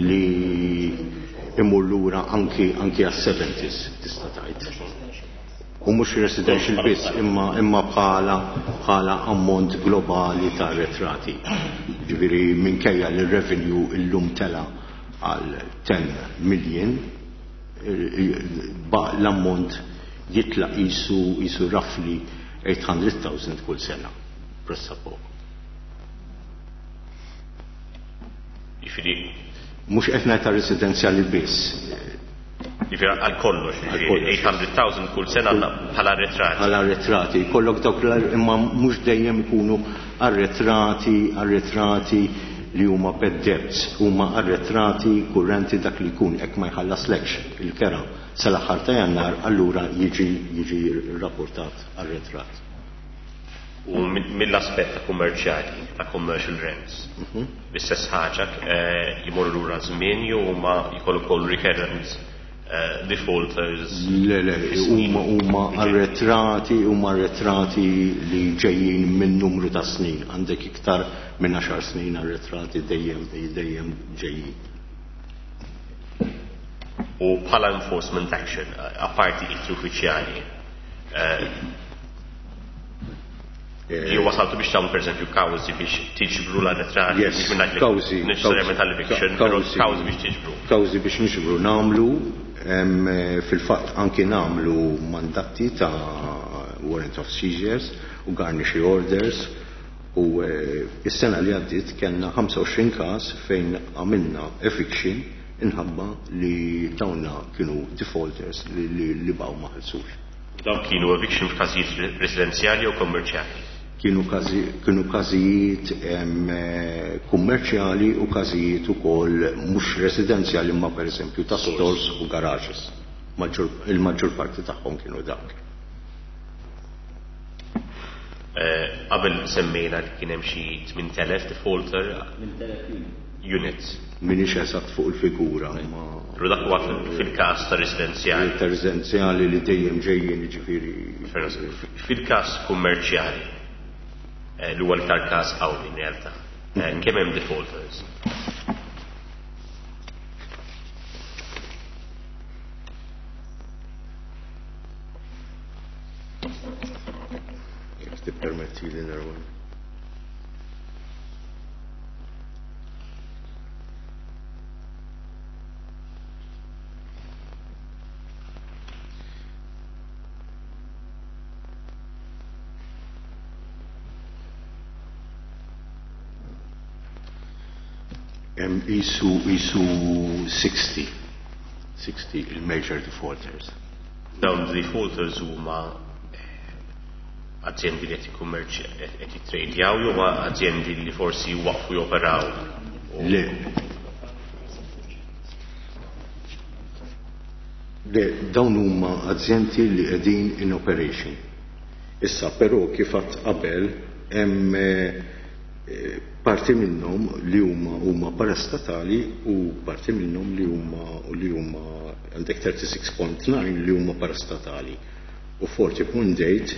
li imur lura anki anki għas-seventies tista' tgħid. U mhux residential biss imma imma bħala bħala ammont globali ta' arretrati. Ġifieri minkejja li r-revenue illum tela għal ten million, l-ammont jitlaq qisu qisu roughly eight hundred thousand kull sena. Pressa poco. Jiġifieri mhux qed ngħid ta' residenzjali biss. Jiġifieri għal kollox, Għal kollox. eight hundred thousand kull sena bħala arretrati. Bħala arretrati, jkollok dawk l-, imma mhux dejjem ikunu arretrati, arretrati li huma bad debts, huma arretrati kurrenti dak li jkun hekk ma jħallaslekx il-kera sal-aħħar ta' Jannar, allura jiġi, jiġi rapportat arretrat. U mill-aspett ta' kummerċjali, ta' commercial rents, Mhm. l-istess ħaġa, eh, jmorru lura żmien jew huma jkollu wkoll recurrent defaulters? Le, le, huma huma arretrati, huma arretrati li ġejjin minn numru ta' snin. Għandek iktar minn għaxar snin arretrati dejjem dejjem ġejjin. U bħala enforcement action, apparti ittri uffiċjali, jew wasaltu biex tagħmlu pereżempju kawżi biex tiġbru l-arretrati? Yes, kawżi. Neċessarjament tal-eviction, però kawżi biex tiġbru. Kawżi biex niġbru nagħmlu, fil-fatt anki nagħmlu mandati ta' warrant of seizures u garnishee orders, u is-sena li għaddiet kellna ħamsa u għoxrin każ fejn għamilna eviction inħabba li dawna kienu defaulters li, li, li baw ma ħelsux. Dawn kienu eviction f'każijiet residenzjali jew kommerċjali? Kienu każi, kienu każijiet kummerċjali u każijiet ukoll mhux residenzjali imma pereżempju ta' stores u garages. Il-maġġor parti tagħhom kienu dak. Qabel semmejna li kien hemm xi tmien elef defaulter units. Minix eżatt fuq il-figura, ma Però dak huwa fil-każ ta' residenzjali. Ta' residenzjali li dejjem ġejjin, jiġifieri. Fil-każ kummerċjali, li huwa l-iktar każ qawwi in realtà, kemm hemm defaulters? Jekk tippermetti li nerwa. Isu, isu sixty, sixty il-major defaulters. Dawn defaulters huma aziendi li qed jikkummerċ qed jitrejdjaw jew aziendi li forsi waqfu joperaw? Le. Le, dawn huma aziendi li qegħdin in operation. Issa però kif għadt qabel hemm parti minnhom li huma huma parastatali u parti minnhom li huma li huma għandek thirty-six point nine li huma parastatali u forty point eight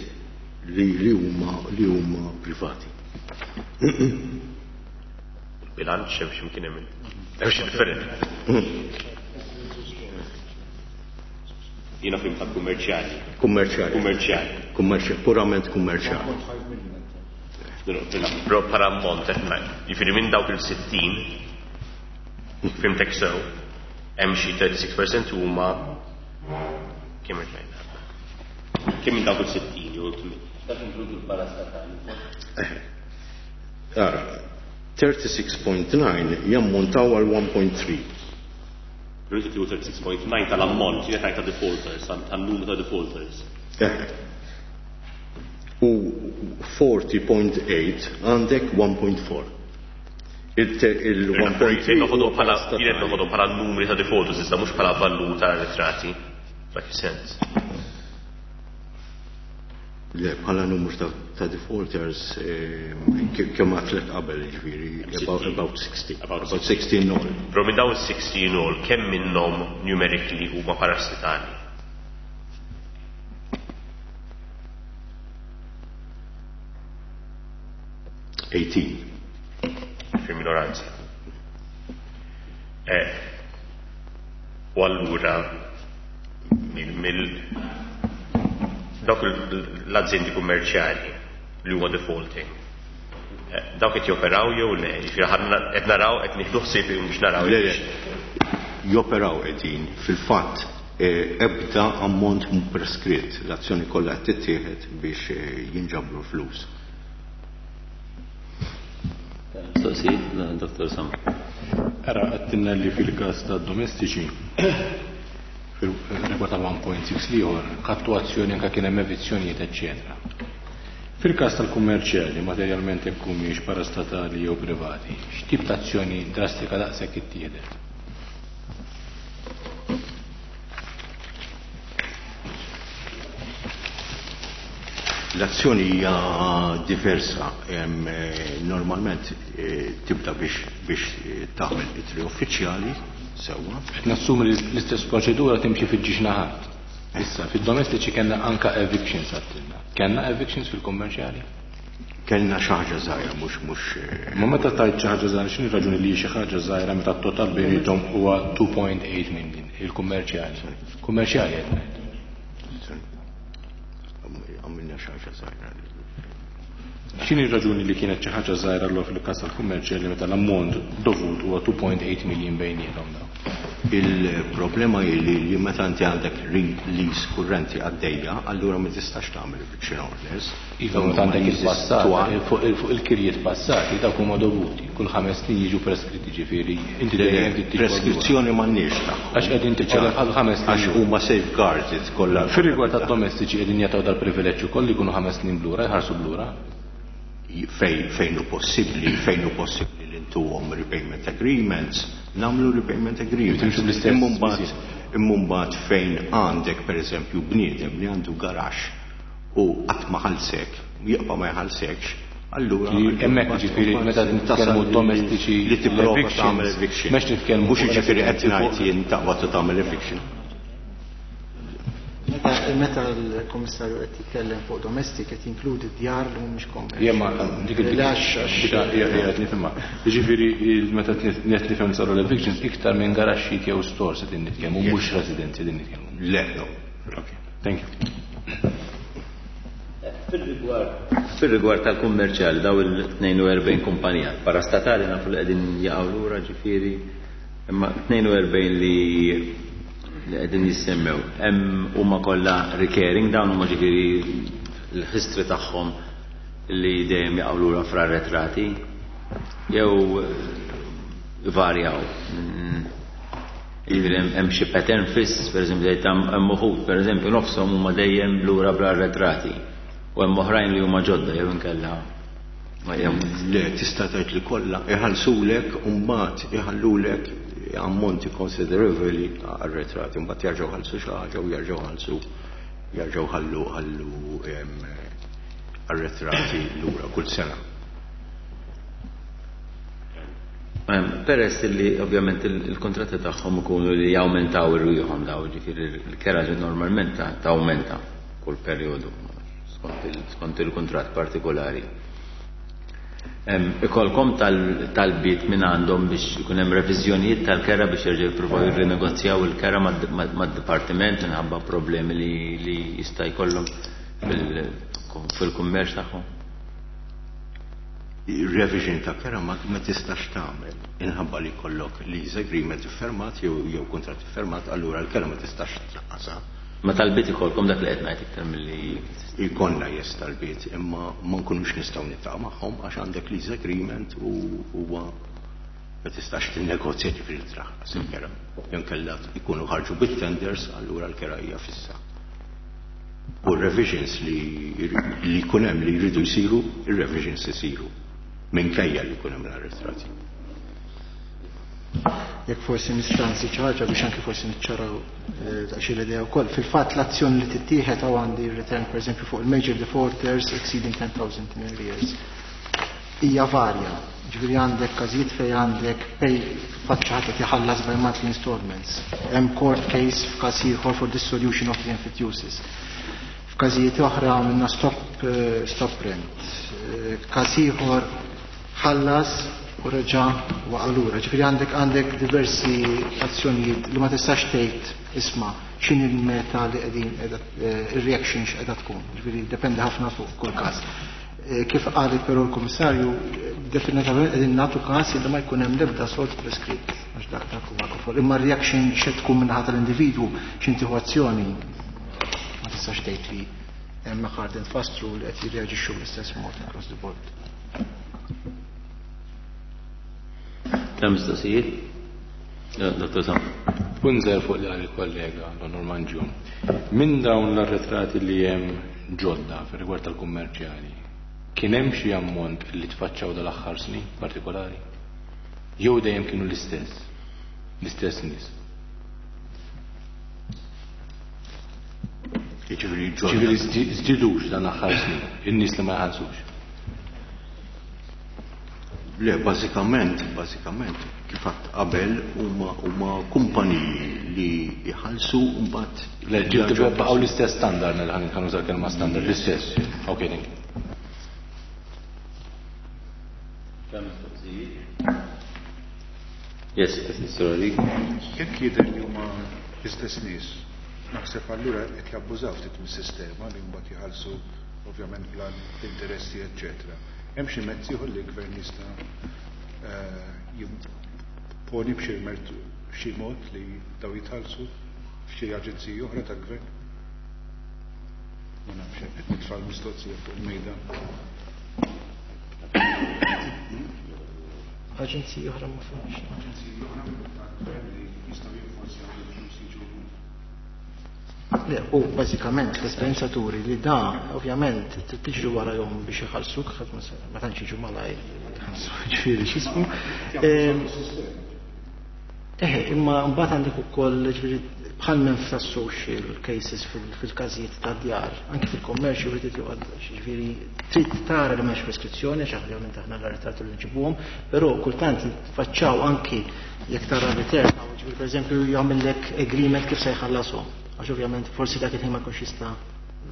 li, li huma li huma privati. Bilanċ hemm x'imkien hemm hemm xi differenti. Jiena fim ta' kummerċjali. Kummerċjali. Kummerċjali. Kummerċjali, purament kummerċjali. Però bħala ammont qed ngħid. Jiġifieri minn dawk il-sittin, fimtek sew, hemm xi thirty-six percent huma kemm qed ngħid? Kemm minn dawk il-sittin jew tmien? Dak inkludu l-parastatali. Ara, thirty-six point nine jammontaw għal one point three. Rridu tiegħu thirty-six point nine tal-ammont, jien qed ngħid ta' defaulters, tan-numru ta' defaulters. U forty point eight għandek one point four. Il one point three Noħodhom bħala, jien qed noħodhom bħala numri ta' defaulters, iżda mhux bħala valur ta' arretrati. Dak is-sens. Le, bħala numru ta', ta' defaulters, kemm għatlet qabel, jiġifieri, about, about sixty. About About sixty in all. Però minn dawn sixty in all, kemm minnhom numerically huma parastatali? Eighteen. Fi minoranza. Eh, u allura mill, mill dawk l-aziendi kummerċjali li huma defaulting, eh, dawk qed joperaw jew le? Jiġifieri ħadna qed naraw qed nieħdu ħsieb biex naraw. Le, le. Joperaw qegħdin. Fil-fatt, eh, ebda ammont mhu preskritt, l-azzjoni kollha qed tittieħed biex, eh, jinġabru flus. Mistoqsijiet, Dottor Sam. Ara, għattinna li fil-każ ta' domestiċi, fil-rigward tal one point six liħor, ħadtu azzjoni anke kien hemm evizzjonijiet, eċċetera. Fil-każ tal-kummerċjali, materjalment jekk humiex parastatali jew privati, x'tip ta' azzjoni drastika daqshekk ittieħdet? L-azzjoni hija diversa. Em, eh, normalment, eh, tibda biex, biex, eh, tagħmel ittri uffiċjali Sewwa. Qed nassumi li l-istess proċedura timxi fiż-żewġ naħat. Issa, fid-domestiċi kellna anka evictions għattilna. Kellna evictions fil-kummerċjali? Kellna xi ħaġa żgħira, mhux mhux. Ma meta tajt xi ħaġa żgħira, x'inhi raġuni li xi ħaġa żgħira meta t-total bejniethom huwa two point eight million il-kummerċjali. Kummerċjali qed ngħid. Għamilna xi ħaġa żgħira. X'inhi r-raġuni li kienet xi ħaġa żgħira allura fil-każ tal-kummerċjali meta l-ammont dovut huwa two point eight million bejniethom dawn? Il-problema hi li, li meta inti għandek lease kurrenti għaddejja, allura ma tistax tagħmel eviction orders. Iva, meta għandek il-passat, fuq il-, fuq il-kirjiet passati dawk huma dovuti, kull ħames snin jiġu preskritti, ġifieri inti Le, dejjem trid tiġi preskrizzjoni m'għandniex tagħhom. Għax qegħdin tiċċeleb għal ħames snin. Għax huma safeguarded kollha. Fir-rigward tad-domestiċi qegħdin jagħtaw dal-privileġġ ukoll li jkunu ħames snin blura, jħarsu blura. Fejn, fejn hu possibbli, fejn hu possibbli li ntuhom repayment agreements, nagħmlu repayment agreements. Timxu bl-istess Imma mbagħad miżjed. imma mbagħad fejn għandek pereżempju bniedem li għandu garaxx u qatt ma ħallsek, jibqa' ma jħallsekx, allura Li hemmhekk mbagħad ġifieri mbagħad meta nitkellmu tasal li domestiċi li tipprova l-evictions, tagħmel eviction. Mhux nitkellmu Mhux fuq jiġifieri qed residenzi ngħid fuq jien taqbad u tagħmel eviction. Meta, meta l-Komissarju qed jitkellem fuq domestic qed jinkludi djar li mhumiex commercial. Jien ma dik dik Għax, għax dik hija qed nifhimha. Jiġifieri meta qed nifhem saru l-evictions iktar minn garaxxijiet jew stores qed nitkellmu, mhux residenzi qegħdin nitkellmu. Le, no. Okay, thank you. Fil-rigward, fil-rigward tal-kummerċjali daw il-tnejn u erbgħin kumpanija parastatali nafu li qegħdin jaqgħu lura, ġifieri, imma tnejn u erbgħin li, li qegħdin jissemmew hemm huma kollha recurring, dawn huma ġifieri l-history tagħhom li dejjem jaqgħu lura fra retrati jew varjaw. Jiġifieri hemm, hemm xi pattern fiss, pereżempju tgħid hemm, hemm uħud, pereżempju nofshom huma dejjem lura bla retrati u hemm oħrajn li huma ġodda jew inkella ma jew. Le, tista' tgħid li kollha iħallsulek u mbagħad iħallulek ammonti konsiderevoli arretrati, mbagħad jerġgħu ħallsu xi ħaġa u jerġgħu ħallsu, jerġgħu ħallu, ħallu, em, arretrati lura kull sena. Em, peress li ovvjament il-, il-kontratti tagħhom ikunu li jawmentaw irwieħhom daw, ġifieri l-kera ġi normalment ta-, tawmenta kull perjodu skont il-, skont il-kuntratt partikolari. Em, ikolkom tal-, talbiet minn għandhom biex ikun hemm reviżjonijiet tal-kera biex jerġgħu jippruvaw jirrinegozjaw il-kera mad-, mad-, mad-dipartiment minħabba problemi li, li jista' jkollhom fil-, fil-kummerċ tagħhom? Revision ta' kera ma, ma tistax tagħmel inħabba li jkollok lease agreement iffirmat jew, jew kuntratt iffirmat, allura l-kera ma tistax tnaqqasha. Ma talbiet ikolkom dak li qed ngħid iktar milli Ikollna jes talbiet, imma ma nkunux nistgħu niltaqgħu magħhom għax għandek lease agreement u huwa ma tistax tinnegozja ġifieri traħħas il-kera. Jew inkella jkunu ħarġu bit-tenders, allura l-kera hija fissa. U revisions li, li jkun hemm li jridu jsiru, ir-revisions isiru minkejja li jkun hemm l-arrestrati. Jekk forsi nista' nżid xi ħaġa biex anke forsi niċċaraw, eh, daqsxejn l-idea wkoll. Fil-fatt l-azzjoni li tittieħed hawn għandi return pereżempju fuq il-major defaulters exceeding ten thousand in arrears. Hija varja. Ġifieri għandek każijiet fejn għandek pay fatt xi ħadd qed iħallas by monthly installments. Hemm court case f'każ ieħor for dissolution of the emphyteusis. F'każijiet oħra għamilna stop, eh, stop rent. Eh, każ ieħor ħallas u reġa' waqa' lura. Ġifieri għandek, għandek diversi azzjonijiet li ma tistax tgħid isma' x'inhi l-meta li qegħdin qiegħda, eh, ir-reaction x'qiegħda tkun. Ġifieri dependi ħafna fuq kull każ. Eh, kif qalet però l-Kummissarju, definitivament qegħdin nagħtu każ li ma jkun hemm l-ebda solt preskritt għax dak dak huwa kofol. Imma r-reaction x'qed tkun min-naħa tal-individwu x'inti azzjoni ma tistax tgħid li hemm hard and fast rule qed jirreaġixxu bl-istess mod across the board. Kemm mistoqsijiet? Ja, Dottor Sam. Punt żgħir fuq li qal il-kollega Donor Mangion. Minn dawn l-arretrati li hemm ġodda fir-rigward tal-kummerċjali, kien hemm xi ammont li tfaċċaw dal-aħħar snin partikolari? Jew dejjem kienu l-istess? L-istess nies? Jiġifieri ġodda. Jiġifieri żdi-, żdidux dan l-aħħar snin, in-nies li ma jħallsux. Le, bażikament, bażikament, kif għadt qabel huma huma kumpaniji li jħallsu mbagħad. Le, baqgħu l-istess standard, ħa nuża l-kelma standard, l-istess. Ok, thank you. Yes, sorry. Jekk jidher li huma l-istess nies, naħseb allura qed jabbużaw ftit mis-sistema li mbagħad jħallsu ovvjament bla interessi, eċċetera. Hemm xi mezz ieħor li l-gvern jista' jimponi b'xi xi mod li daw jitħallsu f'xi aġenziji oħra tal-gvern? Ma nafx, qed nitfa' l-mistoqsija fuq il-mejda. Aġenziji oħra ma fhimx. Aġenziji oħra tal-gvern li jistgħu jinforzjaw li l-flus jiġu. Le, u bażikament l-esperjenza turi li da ovvjament tiġri warahom biex iħallsuk, ma tantx jiġu malajr jħallsu, ġifieri x'ismu. Eħe, imma mbagħad għandek ukoll ġifieri bħal minn tas-social cases fil-każijiet ta' djar, anke fil-kommerċ wieħed joqgħod ġifieri trid tara li m'hemmx preskrizzjoni għax ovvjament aħna l-arretrati li nġibuhom, però kultant jitfaċċaw anki jekk tara return, ġifieri pereżempju jagħmellek agreement kif se jħallashom. Għax ovvjament forsi dak il-ħin ma jkunx jista'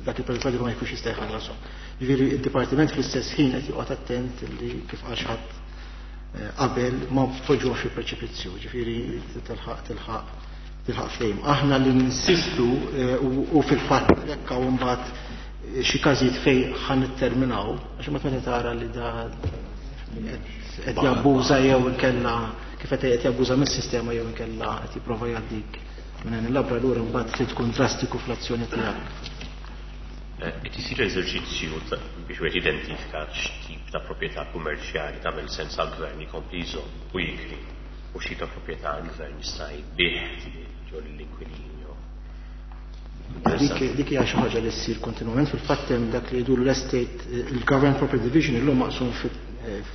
dak il-perjodu ma jkunx jista' jħallashom. Ġifieri id-dipartiment fl-istess ħin qed joqgħod attent li kif qal xi ħadd qabel ma tpoġġuhx fi preċipizzju, ġifieri tilħaq tilħaq tilħaq fejn. Aħna li ninsistu u fil-fatt hekk hawn mbagħad xi każijiet fejn ħa nitterminaw, għax imbagħad meta tara li da qed jabbuża jew inkella kif qed jabbuża mis-sistema jew inkella qed jipprova jgħaddik minn il-labra lura mbagħad trid tkun drastiku fl-azzjoni tiegħek. Qed isir eżerċizzju biex wieħed identifika x'tip ta' proprjetà kummerċjali tagħmel sens għall-gvern jkompli jżomm u jikri u xi ta' proprjetà l-gvern jista' jbigħ ġol l-inkwilin jew. Dik dik hija xi ħaġa li ssir kontinwament. Fil-fatt hemm dak li jgħidu l-estate, il-Government Property Division illum maqsum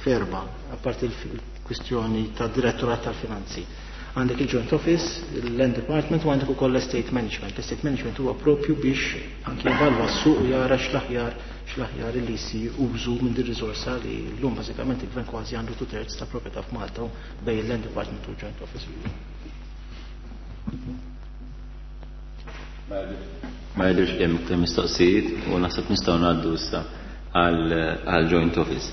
f'erba', apparti il-kwistjoni tad-Direttorat tal-Finanzi. Għandek il-Joint Office, il-Land Department u għandek ukoll l-Estate Management. L-Estate Management huwa propju biex anki jevalwa s-suq u jara x'l-aħjar x'l-aħjar li jsir użu minn din riżorsa li llum bażikament il-gvern kważi għandu two thirds ta' proprjetà f'Malta bejn il-Land Department u l-Joint Office. Ma jidhirx li hemm iktar mistoqsijiet u naħseb nistgħu ngħaddu issa għal Joint Office.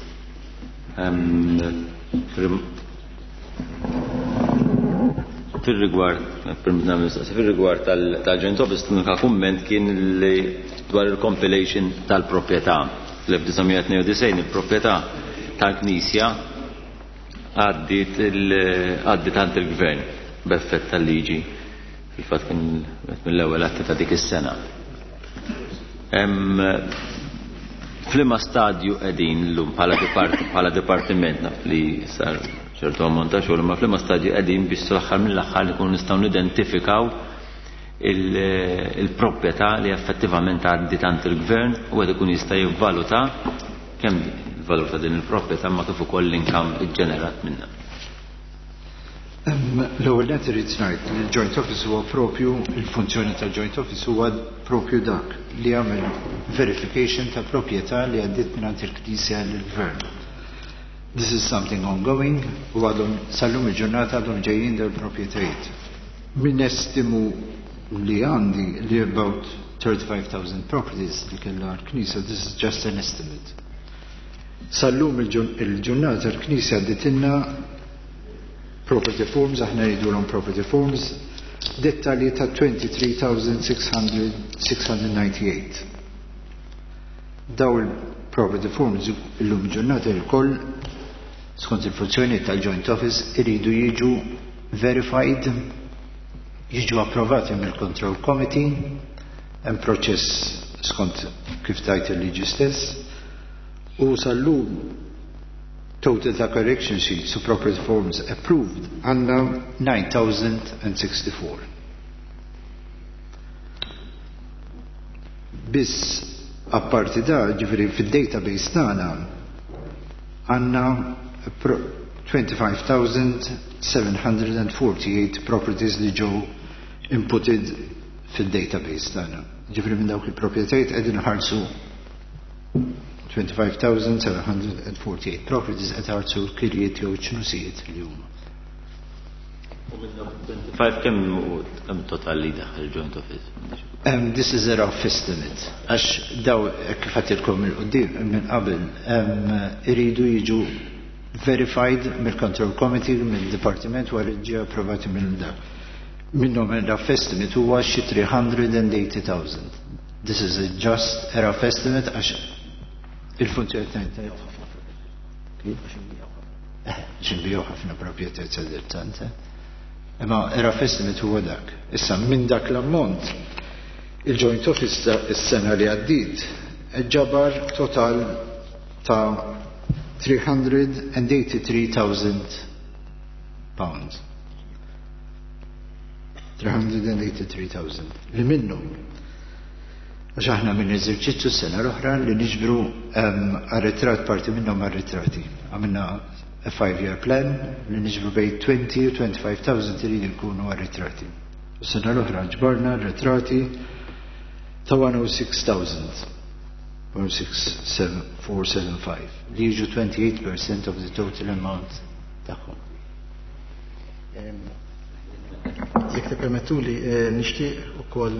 Fil-rigward, fil-rigward tal-Joint Office, l-unika kumment kien li dwar il-compilation tal-proprjetà. Fl-elf disa' mija tnejn u disgħin il-proprjetà tal-Knisja għaddiet għaddiet għand il-Gvern b'effett tal-liġi. Fil-fatt kien mill-ewwel atti ta' dik is-sena. F'liema stadju qegħdin llum bħala dipartiment, naf li sar ċertu ammont ta' xogħol, ma f'liema stadju qegħdin biex sal-aħħar mill-aħħar li nkunu nistgħu nidentifikaw il-proprjetà li effettivament għaddiet għand il-gvern u qed ikun jista' jivvaluta kemm il-valur ta' din il-proprjetà ma kif ukoll l-income iġġenerat minnha. L-ewwel nett irid ngħid li l-Joint Office huwa propju, il-funzjoni tal-Joint Office huwa propju dak li jagħmel verification ta' proprjetà li għaddiet mingħand il-Knisja lill-Gvern. This is something ongoing u għadhom sal-lum il-ġurnata għadhom ġejjin dawn il-proprjetajiet. Min estimu li għandi li about thirty-five thousand properties li kellha l-Knisja, this is just an estimate. Sal-lum il-ġurnata l-Knisja għadditilna property forms, aħna jgħidulhom property forms, dettalji ta' twenty-three thousand six hundred, six hundred ninety-eight. Daw il-property forms illum ġurnata il-koll skont il-funzjoni tal-Joint Office iridu jiġu verified, jiġu approvati mill-Control Committee, hemm proċess skont kif tajt il-liġi stess, u sal-lum total ta' correction sheets u property forms approved għandna nine thousand and sixty-four. Biss apparti da, ġifieri fid-database tagħna għandna twenty-five thousand seven hundred and forty-eight properties li ġew inputted fid-database tagħna. Ġifieri minn dawk il-proprjetajiet qegħdin ħarsu twenty-five thousand seven hundred and forty-eight properties qed ħarsu l-kirjiet jew ċnusijiet li huma. U minn twenty-five kemm kemm total li daħal joint office? Um, this is a rough estimate. Għax daw kif għatilkom il-qudiem minn qabel um, iridu jiġu verified mill-Control Committee, mill-Dipartiment wara ġie approvati minn dak. Minnhom rough estimate huwa xi three hundred and eighty thousand. This is a just a rough estimate għax il-funzjoni ta' x'inbiegħu ħafna proprjetà sadattant. Imma rough estimate huwa dak. Issa minn dak l-ammont il-Joint Office is-sena li għaddiet ġabar total ta' three hundred and eighty-three thousand pounds. three hundred and eighty-three thousand. Li minnhom għax aħna minn eżerċizzju s-sena l-oħra li niġbru arretrat, parti minnhom arretrati. Għamilna a five-year plan li niġbru bejn twenty u twenty-five thousand iridu jkunu arretrati. U s-sena l-oħra ġbarna arretrati ta' one oh six thousand. one six seven four seven five li jiġu twenty-eight percent of the total amount tagħhom. Jekk tippermettuli, nixtieq ukoll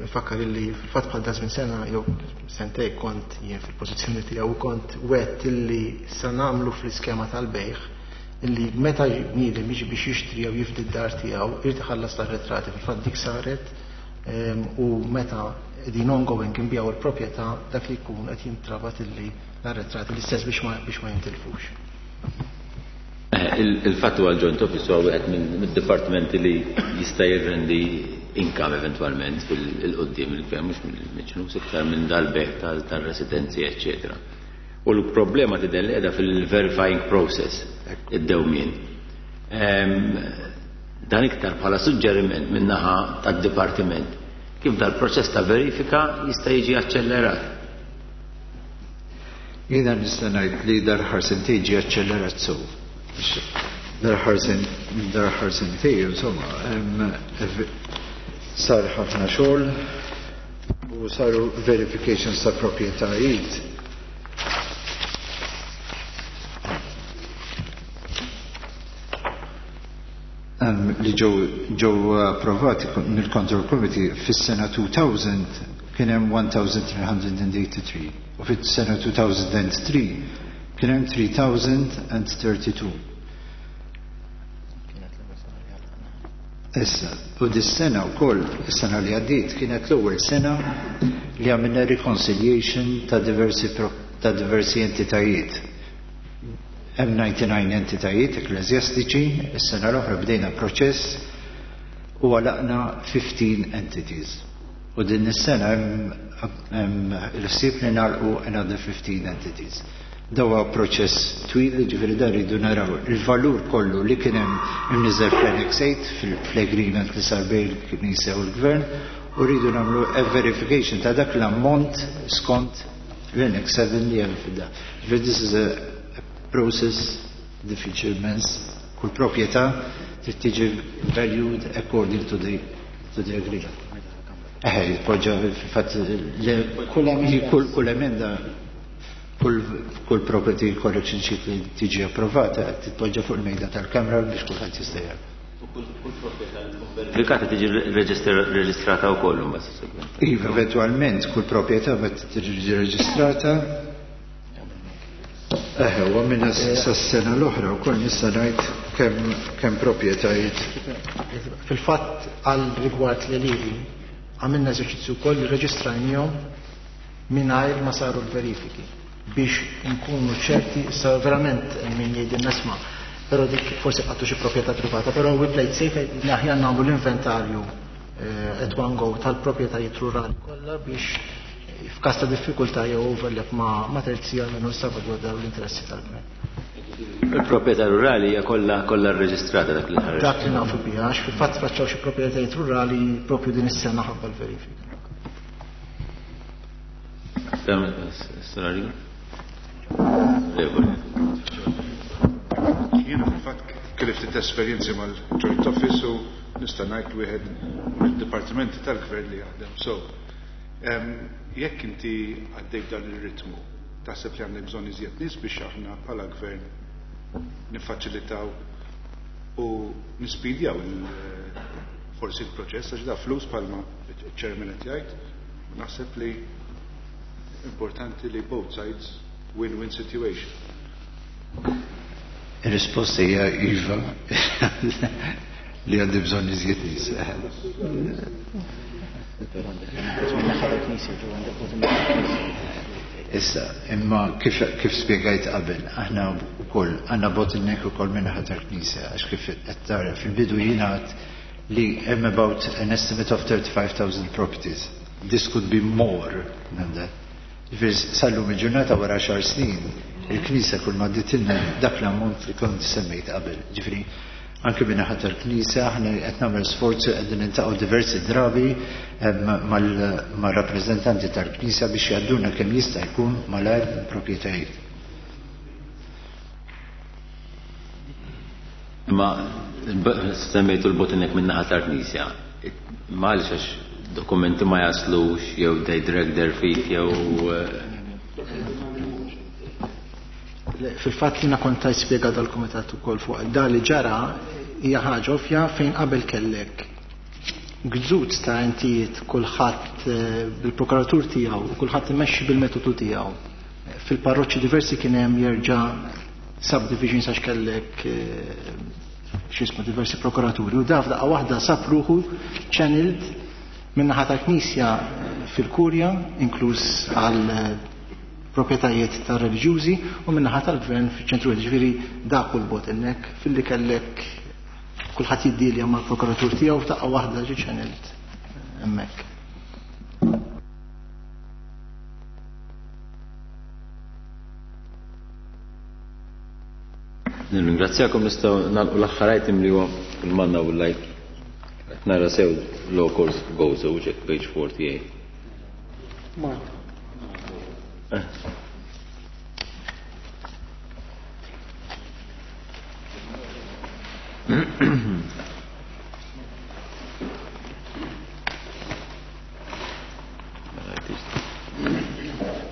nfakkar illi fil-fatt bħal dażmin sena jew sentej kont jien fil-pożizzjoni tiegħu u kont wet illi sa nagħmlu fl-iskema tal-bejħ illi meta bniedem jiġi biex jixtri jew jifdi d-dar tiegħu irid iħallas l-arretrati. Fil-fatt dik saret u meta din ongoing inbijaw il-proprjetà dak li jkun qed jintrabat illi l-arretrati l-istess biex ma, biex ma jintilfux. Il-fatt huwa l-Joint Office huwa wieħed mid-dipartimenti li jista' jirrendi income eventwalment fil-qudiem il-gvern mhux mill-ċnus iktar minn dal-beħ tal-residenzi, eċċetera. U l-problema tidher li qiegħda fil-verifying process, id-dewmien. Dan iktar bħala suġġeriment min-naħa tad-dipartiment kif dal-proċess ta' verifika jista' jiġi aċċellerat. Jiena nista' ngħid li dal-aħħar sentejn ġie aċċellerat sew. Dal-aħħar sentejn, insomma, sar ħafna xogħol u saru verifications ta' proprjetajiet. Li ġew ġew approvati mill-Control Committee fis-sena two thousand kien hemm one thousand three hundred and eighty-three u fis-sena two thousand and three kien hemm three thousand and thirty-two. Issa, u dis-sena wkoll, is-sena li għaddiet kienet l-ewwel sena li għamilna reconciliation ta' diversi ta' diversi entitajiet. Hemm ninety-nine entitajiet ekkleżjastiċi, is-sena l-oħra bdejna proċess u għalaqna fifteen entities. U din is-sena hemm il-ħsieb li nagħlqu another fifteen entities. Dawa proċess twil, ġifieri dan rridu naraw il-valur kollu li kien hemm imniżel fl-Annex eight fl-agreement li sar bejn il-Knisja u l-Gvern, u rridu nagħmlu a verification ta' dak l-ammont skont l-Annex seven li hemm fid-da. Ġifieri this is a process difficile immens. Kull proprjetà trid tiġi valued according to the, to the agreement. Eħe, jitpoġġa fil-fatt kull, kull emenda, kull, kull property correction sheet li tiġi approvata titpoġġa fuq il-mejda tal-Kamra biex kulħadd jista' jara. U kull, kull proprjetà li tkun verifikata tiġi reġistrata wkoll imbagħad sussegwenti. Iva, eventwalment kull proprjetà ma tiġi reġistrata. Eħe, u għamilna sas-sena l-oħra wkoll nista' ngħid kemm, kemm proprjetajiet. Fil-fatt għal rigward l-għelieqi għamilna eżerċizzju wkoll li reġistrajnihom mingħajr ma saru l-verifiki biex nkunu ċerti, issa verament min jgħidilna isma', però dik forsi qattu xi proprjetà privata, però we played safe li aħjar nagħmlu l-inventarju, eh, at one go tal-proprjetajiet rurali kollha biex f'każ ta' diffikultà jew overlap ma', ma' terzi għalmenu salvagwardaw l-interessi tal-gvern. Il-proprjetà rurali hija kollha, kollha rreġistrata dak li ħareġ. Dak li nafu biha, għax fil-fatt faċċaw xi proprjetajiet rurali propju din is-sena ħabba l-verifika. Jiena fil-fatt kelli ftit esperjenzi mal-Joint Office u nista' ngħid wieħed mid-dipartimenti tal-gvern li jaħdem. So, em, jekk inti għaddej dan ir-ritmu, Taħseb li għandek bżonn iżjed nies biex aħna bħala gvern niffaċilitaw u nispidjaw forsi l-proċess, għax da flus bħalma iċ-chairman qed jgħid, u naħseb li importanti li both sides win-win situation. Ir-risposta hija iva li għandi bżonn iżjed nies. Issa, imma kif, kif spjegajt qabel, aħna wkoll għandna bottleneck ukoll min-naħa tal-Knisja, għax kif qed tara fil-bidu jingħad li hemm about an estimate of thirty-five thousand properties. This could be more than that. Ġifieri sal-lum il-ġurnata wara xar snin, il-Knisja kull ma dditilna dak l-ammont li kont semmejt qabel. Ġifieri anke min-naħa tal-Knisja aħna qed nagħmel sforzi, qegħdin niltaqgħu diversi drabi mar-rappreżentanti tal-Knisja biex jgħadduna kemm jista' jkun malajr proprjetajiet. Ma semmejtu l-bottleneck min-naħa tal-Knisja. Ma għaliex għax dokumenti ma jaslux jew they drag their feet jew Fil-fatt li kont tajt spjega dal-kumitat ukoll fuq da li ġara hija ħaġa ovvja fejn qabel kellek gżut ta' entijiet kulħadd bil-prokuratur tiegħu u kulħadd imexxi bil-metodu tiegħu. Fil-parroċċi diversi kien hemm jerġa' subdivisions għax kellek x'ismu diversi prokuraturi u da f'daqqa waħda sab ruħu channeled min-naħa tal-Knisja fil-Kurja, inkluż għal proprjetajiet ta' reliġjużi u min-naħa tal-gvern fiċ-ċentru, ġifieri dak u l-bottleneck filli kellek kulħadd jiddilja mal-prokuratur tiegħu f'daqqa waħda ġie channeled hemmhekk. Nirringrazzjakom, nistgħu nagħlqu l-aħħar item li huwa il-manna u l-lajk. Qed nara sew law course goes ġek page forty-eight. Mark.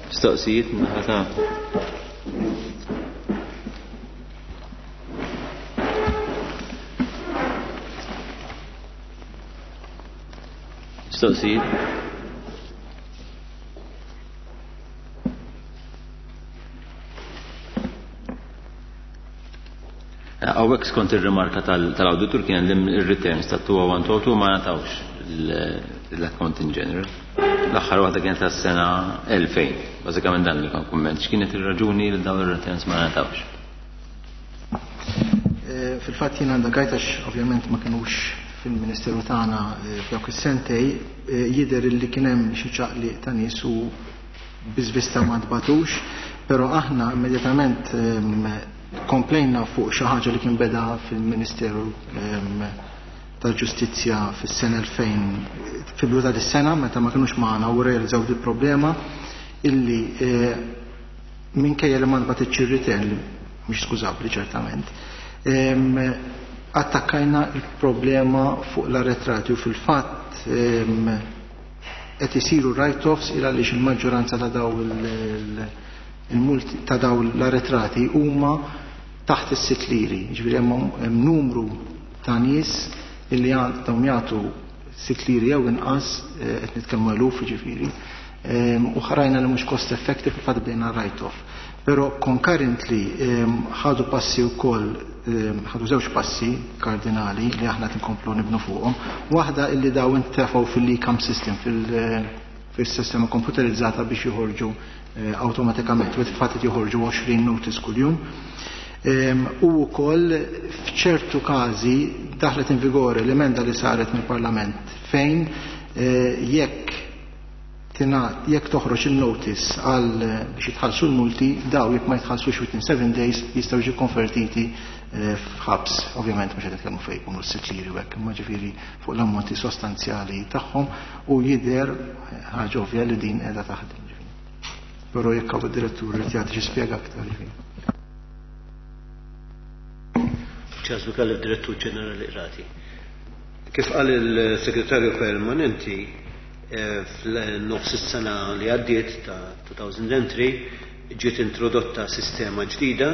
Mistoqsijiet min-naħa ta' Mistoqsijiet? Hawnhekk skont ir-rimarka tal-awditur kien hemm ir-returns ta' two oh one two two ma ngħatawx l-accountant general. L-aħħar waħda kienet tas-sena elfejn. Bażikament dan li kien kumment. X'kienet ir-raġuni li dawn ir-returns ma ngħatawx? Fil-fatt jien għandha għajt għax ovvjament ma kinux fil-Ministeru tagħna f'dawk is-sentej, jidher li kien hemm xi ċaqliq ta' nies u biżvista ma tbatux, però aħna immedjatament komplejna fuq xi ħaġa li kien beda fil-Ministeru tal-Ġustizzja fis-sena elfejn, fil-bidu ta' dis-sena meta ma kinux magħna u realizzaw di problema illi minkejja li ma nbatitx ir-return, mhix skużabbli ċertament, attakkajna il-problema fuq l-arretrati u fil-fatt qed isiru write-offs il għaliex il-maġġoranza ta' daw il-multi ta' daw l-arretrati huma taħt is-sitt liri, ġifieri hemm numru ta' nies illi għandhom jagħtu sitt liri jew inqas, qed nitkellmu eluf ġifieri, u ħarajna li mhux cost effective, fil-fatt bdejna write-off. Però concurrently ħadu passi wkoll, ħadu żewġ passi kardinali li aħna qed inkomplu nibnu fuqhom. Waħda illi daw intefgħu fil-e-cam system, fil-sistema komputerizzata biex joħorġu awtomatikament, u fil-fatt qed joħorġu għoxrin notice kuljum. U wkoll f'ċertu każi daħlet in vigore l-emenda li saret mill-Parlament fejn jekk jekk toħroġ il-notice għal biex jitħallsu l-multi, daw jekk ma jitħallsux within seven days jistgħu jiġu konvertiti f'ħabs. Ovvjament mhux qed nitkellmu fejn jkunu s-sitt liri u hekk, imma ġifieri fuq l-ammonti sostanzjali tagħhom u jidher ħaġa ovvja li din qiegħda taħdem. Però jekk hawn id-direttur irid jagħti xi spjega aktar ġifieri. Charles Micallef, Direttur Ġenerali Qrati. Kif qal il-Segretarju Permanenti, fl-nofs is-sena li għaddiet ta' two thousand and three Ġiet introdotta sistema ġdida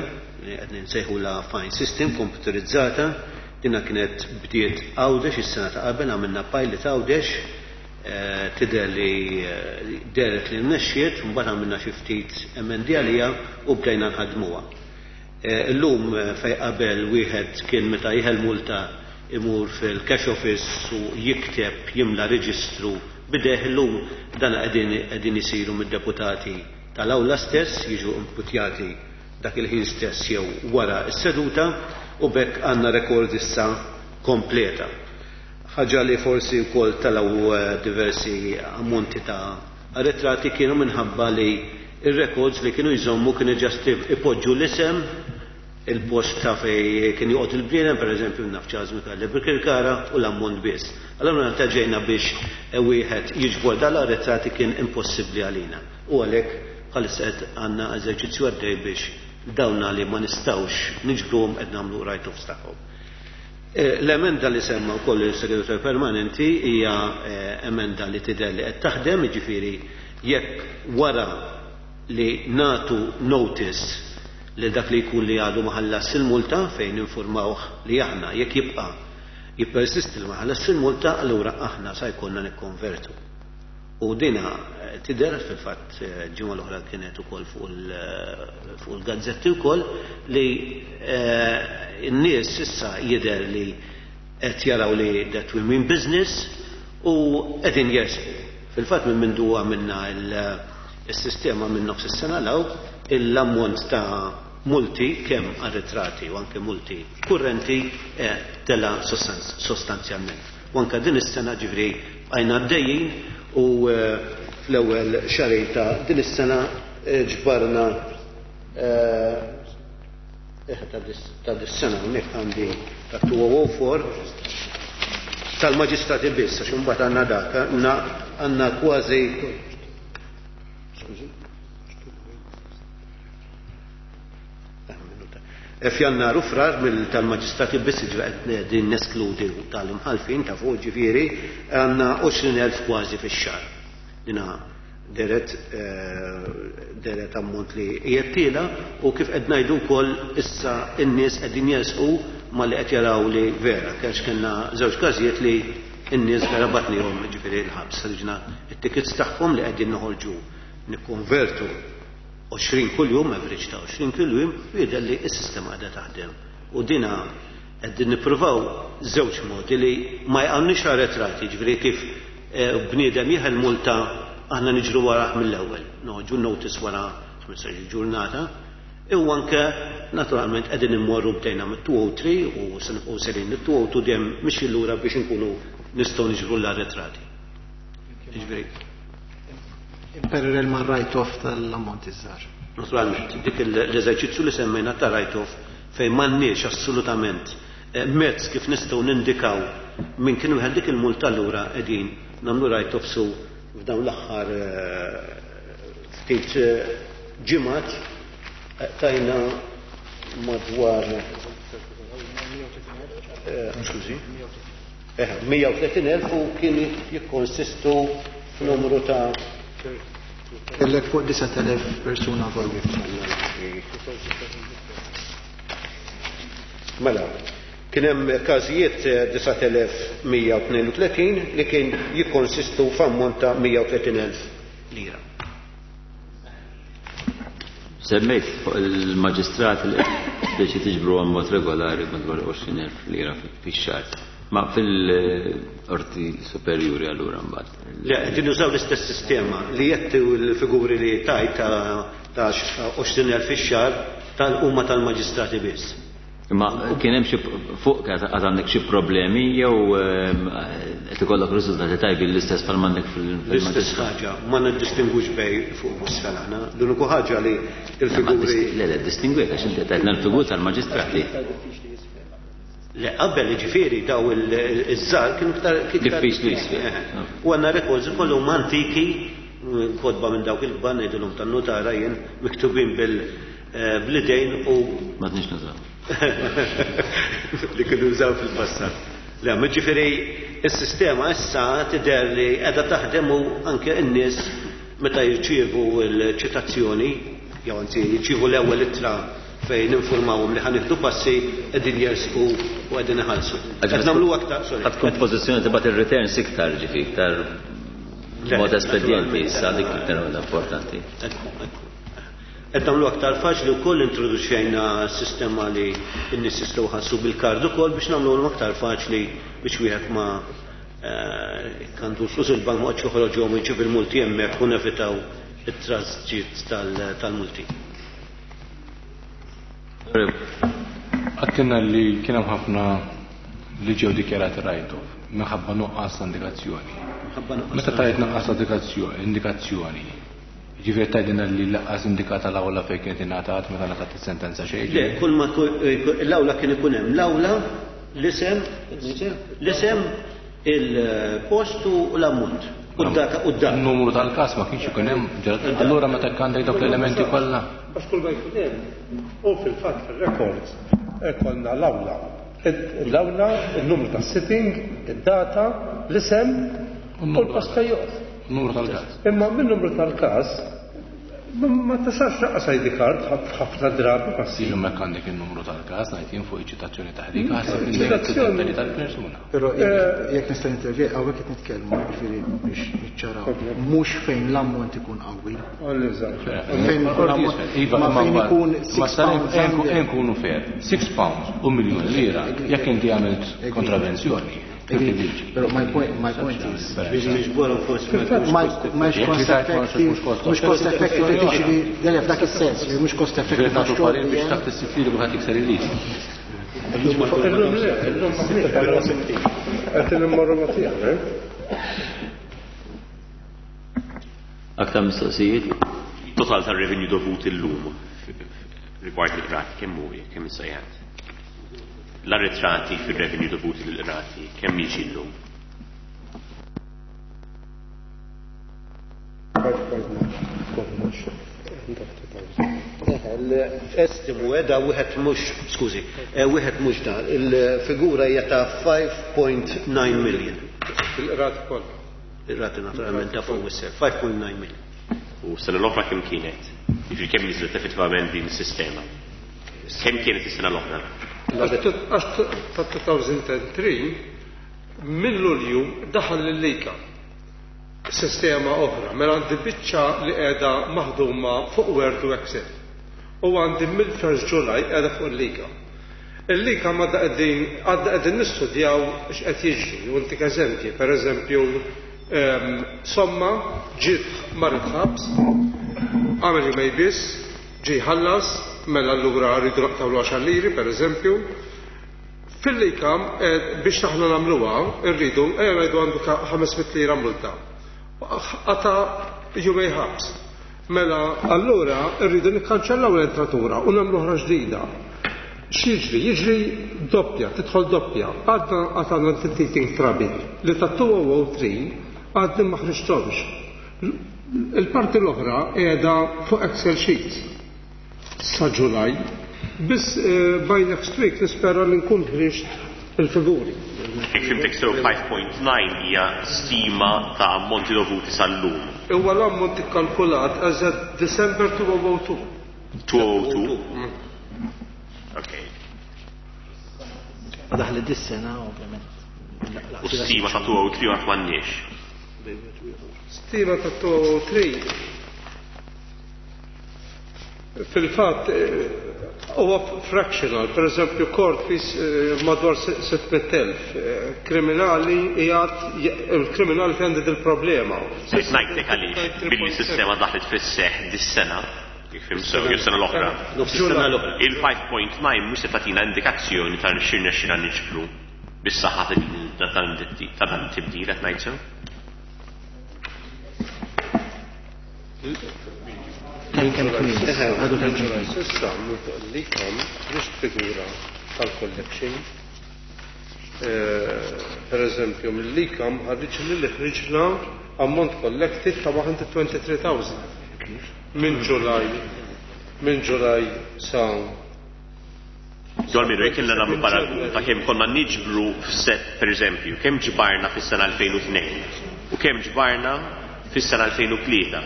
li qed nsejħula fine system komputerizzata. Dina kienet bdiet Għawdex is-sena ta' qabel, għamilna pilot Għawdex, tidher li dehret li rnexxiet, mbagħad għamilna xi ftit emendi għaliha u bdejna nħadmuha. Illum fej qabel wieħed kien meta jeħel multa imur fil-cash office u jikteb jimla reġistru bideh, illum dan qegħdin isiru mid-deputati tal-awla stess, jiġu imputjati dak il-ħin stess jew wara s-seduta, u bekk għandna rekord issa kompleta. Ħaġa li forsi wkoll talaw diversi ammonti ta' arretrati kienu minħabba li ir-records li kienu jżommu kienu ġast ipoġġu l-isem, il-post ta' fej kien joqgħod il-bniedem, pereżempju naf Charles Micallef Birkirkara, u l-ammont biss. Allura meta ġejna biex wieħed jiġbor dal-arretrati kien impossibbli għalina. U għalhekk bħalissa qed għandna eżerċizzju għaddej biex dawna li ma nistgħux niġbruhom qed nagħmlu write-offs tagħhom. L-emenda li semma wkoll il-segretarju permanenti hija emenda li tidher li qed taħdem, jiġifieri jekk wara li natu notice li dak li jkun li għadu ma ħallas il-multa fejn informawh li aħna jekk jibqa' jippersisti li ma ħallas il-multa, allura aħna sa jkollna nikkonvertu. U dina tidher fil-fatt ġimgħa l-oħra kienet ukoll fuq il-gazzetti wkoll li n-nies issa jidher li qed jaraw li that we mean business u qegħdin jersqu. Fil-fatt minn mindu għamilna il-sistema minn nofs is-sena law, l-ammont ta' multi kemm arretrati u anke multi kurrenti tela sostanzjalment. U anke din is-sena ġifri għajna għaddejjin u fl-ewwel xahar ta' din is-sena ġbarna ta' dis-sena hawnhekk għandi ta' two oh four tal-maġistrati biss, għax imbagħad għandna dak, għandna kważi f'Jannar u Frar tal-maġistrati biss, ġifieri din neskludi tal-imħalfin ta' fuq, ġifieri għandna għoxrin elf kważi fix-xahar. Dina deret deret ammont li qiegħed u kif qed ngħidu wkoll issa n-nies qegħdin jersqu malli qed jaraw li vera, għax kellna żewġ każijiet li n-nies vera batnihom ġifieri l-ħabs, ħriġna t-tickets tagħhom li qegħdin noħorġu nikkonvertu għoxrin kuljum, average ta' għoxrin kuljum, u jidher li s-sistema qiegħda taħdem. U dina qegħdin nippruvaw żewġ modi li ma jqgħunniex arretrati, ġifieri kif bniedem jeħel multa aħna niġru warah mill-ewwel, noħorġu notice wara ħmistax-il ġurnata, u anke naturalment qegħdin immorru bdejna mit-two oh three u se nibqgħu serin mit-two oh two dejjem mixi lura biex inkunu nistgħu niġbru l-arretrati. Ġifieri Impererel ma' write-off tal-ammont iż-żgħar. Naturalment, dik l-eżerċizzju li semmejna ta' write-off fejn m'għandniex assolutament mezz kif nistgħu nindikaw minn kien wieħed dik il-multa, allura qegħdin nagħmlu write-off su f'dawn l-aħħar ftit ġimgħat tajna madwar skużi mija u tletin elf u kien jikkonsistu f'numru ta' Kellek fuq disat elef persuna involuti. Mela, kien hemm każijiet disat elef mija u tnejn u tletin li kien jikkonsistu f'ammont ta' mija u tletin elf lira. Semmejt fuq il-maġistrat li speċi tiġbru għal mod regolari madwar għoxrin elf lira fix-xahar. Ma fil-qorti superjuri allura mbagħad. Le, qegħdin nużaw l-istess sistema li jettu l-figuri li tajt ta' għoxrin elf fix-xahar tal-huma tal-maġistrati biss. Imma kien hemm xi fuq għad għandek xi problemi jew qed ikollok riżultati tajbin l-istess bħal m'għandek fil-maġistrat? L-istess ħaġa, ma niddistingwux bej fuq u isfel aħna. L-uniku ħaġa li l-figuri Le, le, distingwejt għax inti tajtna l-figur tal-maġistrati. Le, qabel ġifieri daw iż-żgħar kienu iktar diffiċli jisfel. U għandna records ukoll huma antiki, kotba minn dawk il-kbar ngħidilhom tan-nutara jien miktubin bil-idejn u Ma tniex nużaw. Li kienu użaw fil-passat. Le, ma ġifieri s-sistema issa tidher li qiegħda taħdem u anke n-nies meta jirċievu l-ċitazzjoni jew anzi jirċievu l-ewwel ittra fejn ninformawhom li ħa nieħdu passi, qegħdin jersqu u qegħdin iħallsu. Qed nagħmlu aktar, sorry. Ħa tkun pożizzjoni tibgħat ir-returns iktar, ġifi, iktar mod espedjenti issa, dik iktar importanti. Qed nagħmlu aktar faċli wkoll, introduċejna sistema li n-nies jistgħu jħallsu bil-kard ukoll biex nagħmluhom aktar faċli biex wieħed ma għandu l-flus il-bank ma joħroġhom, jġib il-multi hemmhekk u nevitaw it-trażġiet tal-multi. Għedtilna li kien hemm ħafna li ġew dikjarati write-off minħabba nuqqas ta' indikazzjoni. Meta tajt nuqqas ta' indikazzjoni, ġifieri tgħidilna li lanqas indikata l-awla fejn kienet ingħatat meta ngħatat is-sentenza xejn? Le, kull ma l-awla kien ikun hemm l-awla, l-isem, l-isem, il-post u l-ammont. U d-data, u d-data. Il-numru tal-każ ma kienx ikun hemm. Allura meta għandek dawk l-elementi kollha? Għax kull ma jkun hemm, u fil-fatt fil-records ikollna l-awla. L-awla, il-numru tas-sitting, id-data, l-isem u l-post fejn joqgħod. Numru tal-każ. Imma min-numru tal-każ ma tasalx lanqas I D card ħafna drabi passi. Jiġu mek għandek il-numru tal-każ, ngħid jien fuq iċ-ċitazzjoni taħdik, ħaseb id-dettalji tal-persuna. Però jekk nista' nintervjeni, hawnhekk qed nitkellmu, ġifieri biex niċċaraw, mhux fejn l-ammont ikun qawwi. Fejn Iva, ma fejn ikun ma nkunu fair, six pounds u miljun lira, jekk inti għamilt kontravenzjoni. Però my point, my point is, mhux cost effective, mhux cost effective, tiġri dejjem f'dak is-sens, mhux cost effective. Nagħtu parir biex taħt is-sitt kulħadd jikser il-liġi. Illum le, illum qed immorru ma tiegħek. Aktar mistoqsijiet? Total tar-revenue dovut illum rigward il-qrati kemm hu, kemm issejjaħ? L-arretrati fil-revenue dovuti lill-qrati kemm jiġi llum? Estimu da wieħed mhux, skużi, wieħed mhux da, il-figura hija ta' five point nine million. Il-qrati kollha. Il-qrati naturalment ta' fuq isser, five point nine million. U sena l-oħra kemm kienet? Jiġifieri kemm niżlet effettivament din is-sistema? Kemm kienet is-sena l-oħra? Għax ta' elfejn u tlieta minn Lulju daħal l-LICAM sistema oħra, mela għandi biċċa li qiegħda maħduma fuq Word u Excel. U għandi mill-first July qiegħda fuq il-LICAM. Il-LICAM għadna qegħdin għadna qegħdin nistudjaw x'qed jiġri. U ntik eżempji, per eżempju, somma ġiet marret ħabs, għamel jumejn biss, ġie ħallas, mela allura rridu naqtgħu għaxar liri, per eżempju. Fil-LICAM, biex aħna nagħmluha, rridu, ejja ngħidu għandu ħames mitt lira multa. Qata' jumejn ħabs. Mela, allura rridu nikkanċellaw l-entratura u nagħmlu oħra ġdida. X'jiġri? Jiġri doppja, tidħol doppja. Għadna għadna teething trouble li ta' elfejn u tlieta għadni ma ħriġthomx. Il-parti l-oħra qiegħda fuq Excel sheet sa July. Biss by next week nispera li nkun ħriġt il-figuri. Jekk fhimtek sew, five point nine hija stima ta' ammonti dovuti sal-lum. Huwa l-ammont ikkalkulat as at December two thousand two. two oh two? Ok. Daħli dis-sena, ovvjament. U stima ta' two oh three għad m'għandniex. Stima ta' two oh three fil-fatt huwa fractional, per eżempju court fees madwar sitt mitt elf, kriminali jgħat, il-kriminali fi għandi il-problema. Ngħidlek għaliex, billi sistema daħlet fis-seħ dis-sena, jekk fhimt sew, jew sena l-oħra. Il-five point nine mhux se tagħtina indikazzjoni ta' x'irnexxina niġbru bis-saħħa ta' dan tibdil, qed ngħid sew? S'issa, minn fuq il-LICAM, ħriġt figura tal-collection. Per eżempju, mill-LICAM ħarriġ li ħriġna ammont collected ta' one hundred twenty-three thousand. Minn July, minn July sa Jew almenu jekk kellna nagħmlu paragun ta' kemm konna niġbru f'set, per eżempju, kemm ġbarna fis-sena elfejn u tnejn u kemm ġbarna fis-sena elfejn u tlieta.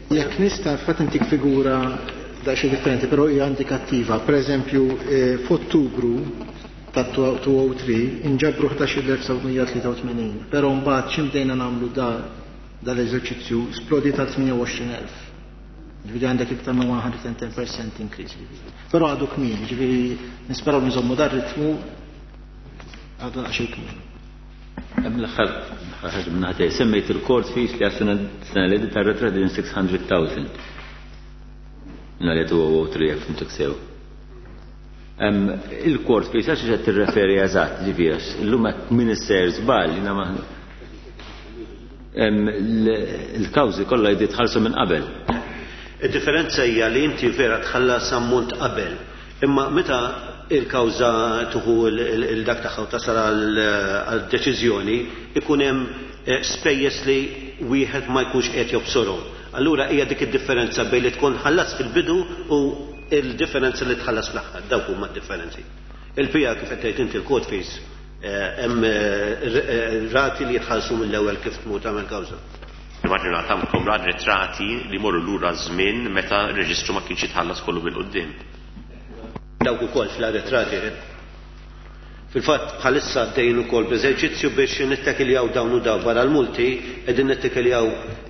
Jekk nista' fatt intik figura daqsxejn differenti, però hija indikattiva. Per eżempju, f'Ottubru ta' two oh three inġabru ħdax-il elf sebgħamija tlieta u tmenin, però mbagħad xi bdejna nagħmlu dal-eżerċizzju splodi ta' tmienja u għoxrin elf. Ġifieri għandek iktar minn one hundred and ten percent increase. Però għadu kmieni, ġifieri nisperaw nżommu dar ritmu għadu daqsxejn kmieni. Hemm l-aħħar ħaġa minn ħadd semmejt il-court fees li għas-sena li għaddiet tar-retra din six hundred thousand. Nhar li two oh three jekk fimtek sew. Il-court fees għax qed tirreferi eżatt, ġifieri għax illum hekk min isser żball jiena ma il-kawżi kollha jdi tħallsu minn qabel. Id-differenza hija li inti vera tħallas ammont qabel, imma meta il-kawża tuħu il-dak tagħha u tasal għal-deċiżjoni ikun hemm spejjeż li wieħed ma jkunx qed jobsorhom. Allura hija dik id-differenza bejn li tkun ħallas fil-bidu u il-differenza li tħallas fl-aħħar, dawk huma d-differenzi. Il-pija kif qed tgħid inti l-court fees hemm rati li jitħallsu mill-ewwel kif tmur tagħmel kawża. Immaġina tagħmlkom retrati li morru lura żmien meta r-reġistru ma kienx jitħallas kollu bil-quddiem. Dawk ukoll fl-arretrati. Fil-fatt bħalissa għaddejjin ukoll b'eżerċizzju biex nittakiljaw dawn u daw barra l-multi, qegħdin nittakiljaw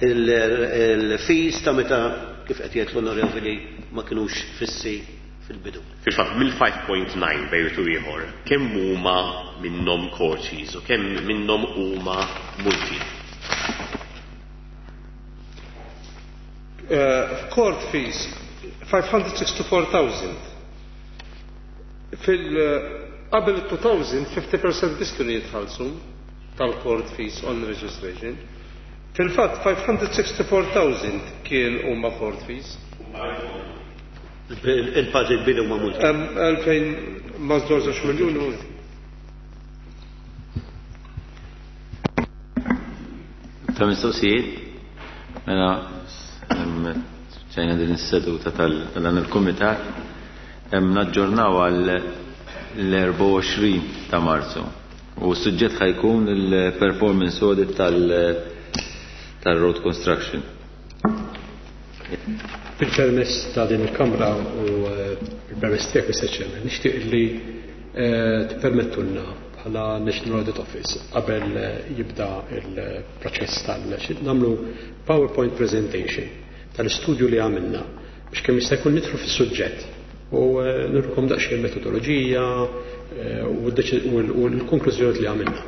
il-fees ta' meta kif qed jgħid l-onorevoli ma kinux fissi fil-bidu. Fil-fatt mill-five point nine bejn u ieħor, kemm huma minnhom court fees u kemm minnhom huma multi? Court fees five hundred sixty-four thousand. Fil qabel two thousand fifty percent biss kienu jitħallsu tal-court fees on registration. Fil-fatt five hundred sixty-four thousand kien huma court fees. Il-parti kbir huma multi. Għalfejn ma żewġ miljun multi. Ta' mistoqsijiet? Mela ċajna din is-seduta tal-dan il-kumitat hemm naġġornaw għal l-erbgħa u għoxrin ta' Marzu. U s-suġġett ħajkun il-performance audit tal-, tal-road construction. Bil-permess ta' din il-Kamra u il-permess tiegħek, Mister Chairman, nixtieq li tippermettulna bħala National Audit Office qabel jibda il-proċess tal- nagħmlu PowerPoint presentation tal-istudju li għamilna biex kemm jista' jkun nidħlu fis-suġġett u nurkom daqsxejn metodoloġija u l-konklużjoni li għamilna.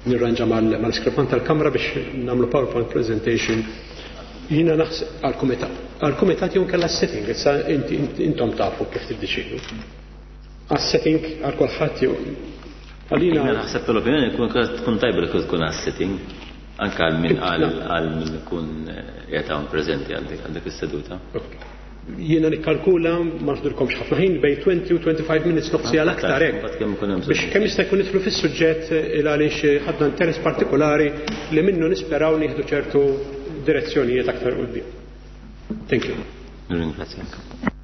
Nirranġa mal-iskripant tal-Kamra biex nagħmlu PowerPoint presentation. Jiena naħseb għall-kumitat. Għall-kumitat jew kellha setting, issa intom tafu kif tiddeċidu. Għas-setting għal kulħadd jew għalina Jiena naħseb tal-opinjoni tkun tajba li tkun għas-setting anke għal min għal min ikun qiegħed hawn preżenti għal dik is-seduta. Jiena nikkalkula ma nħdurkomx ħafna ħin bejn twenty u twenty-five minutes nofsi għal aktar hekk. Biex kemm jista' jkun nidħlu fis-suġġett il għaliex ħadna interess partikolari li minnu nisperaw nieħdu ċertu direzzjonijiet aktar quddiem. Thank you. Ringrazzjak.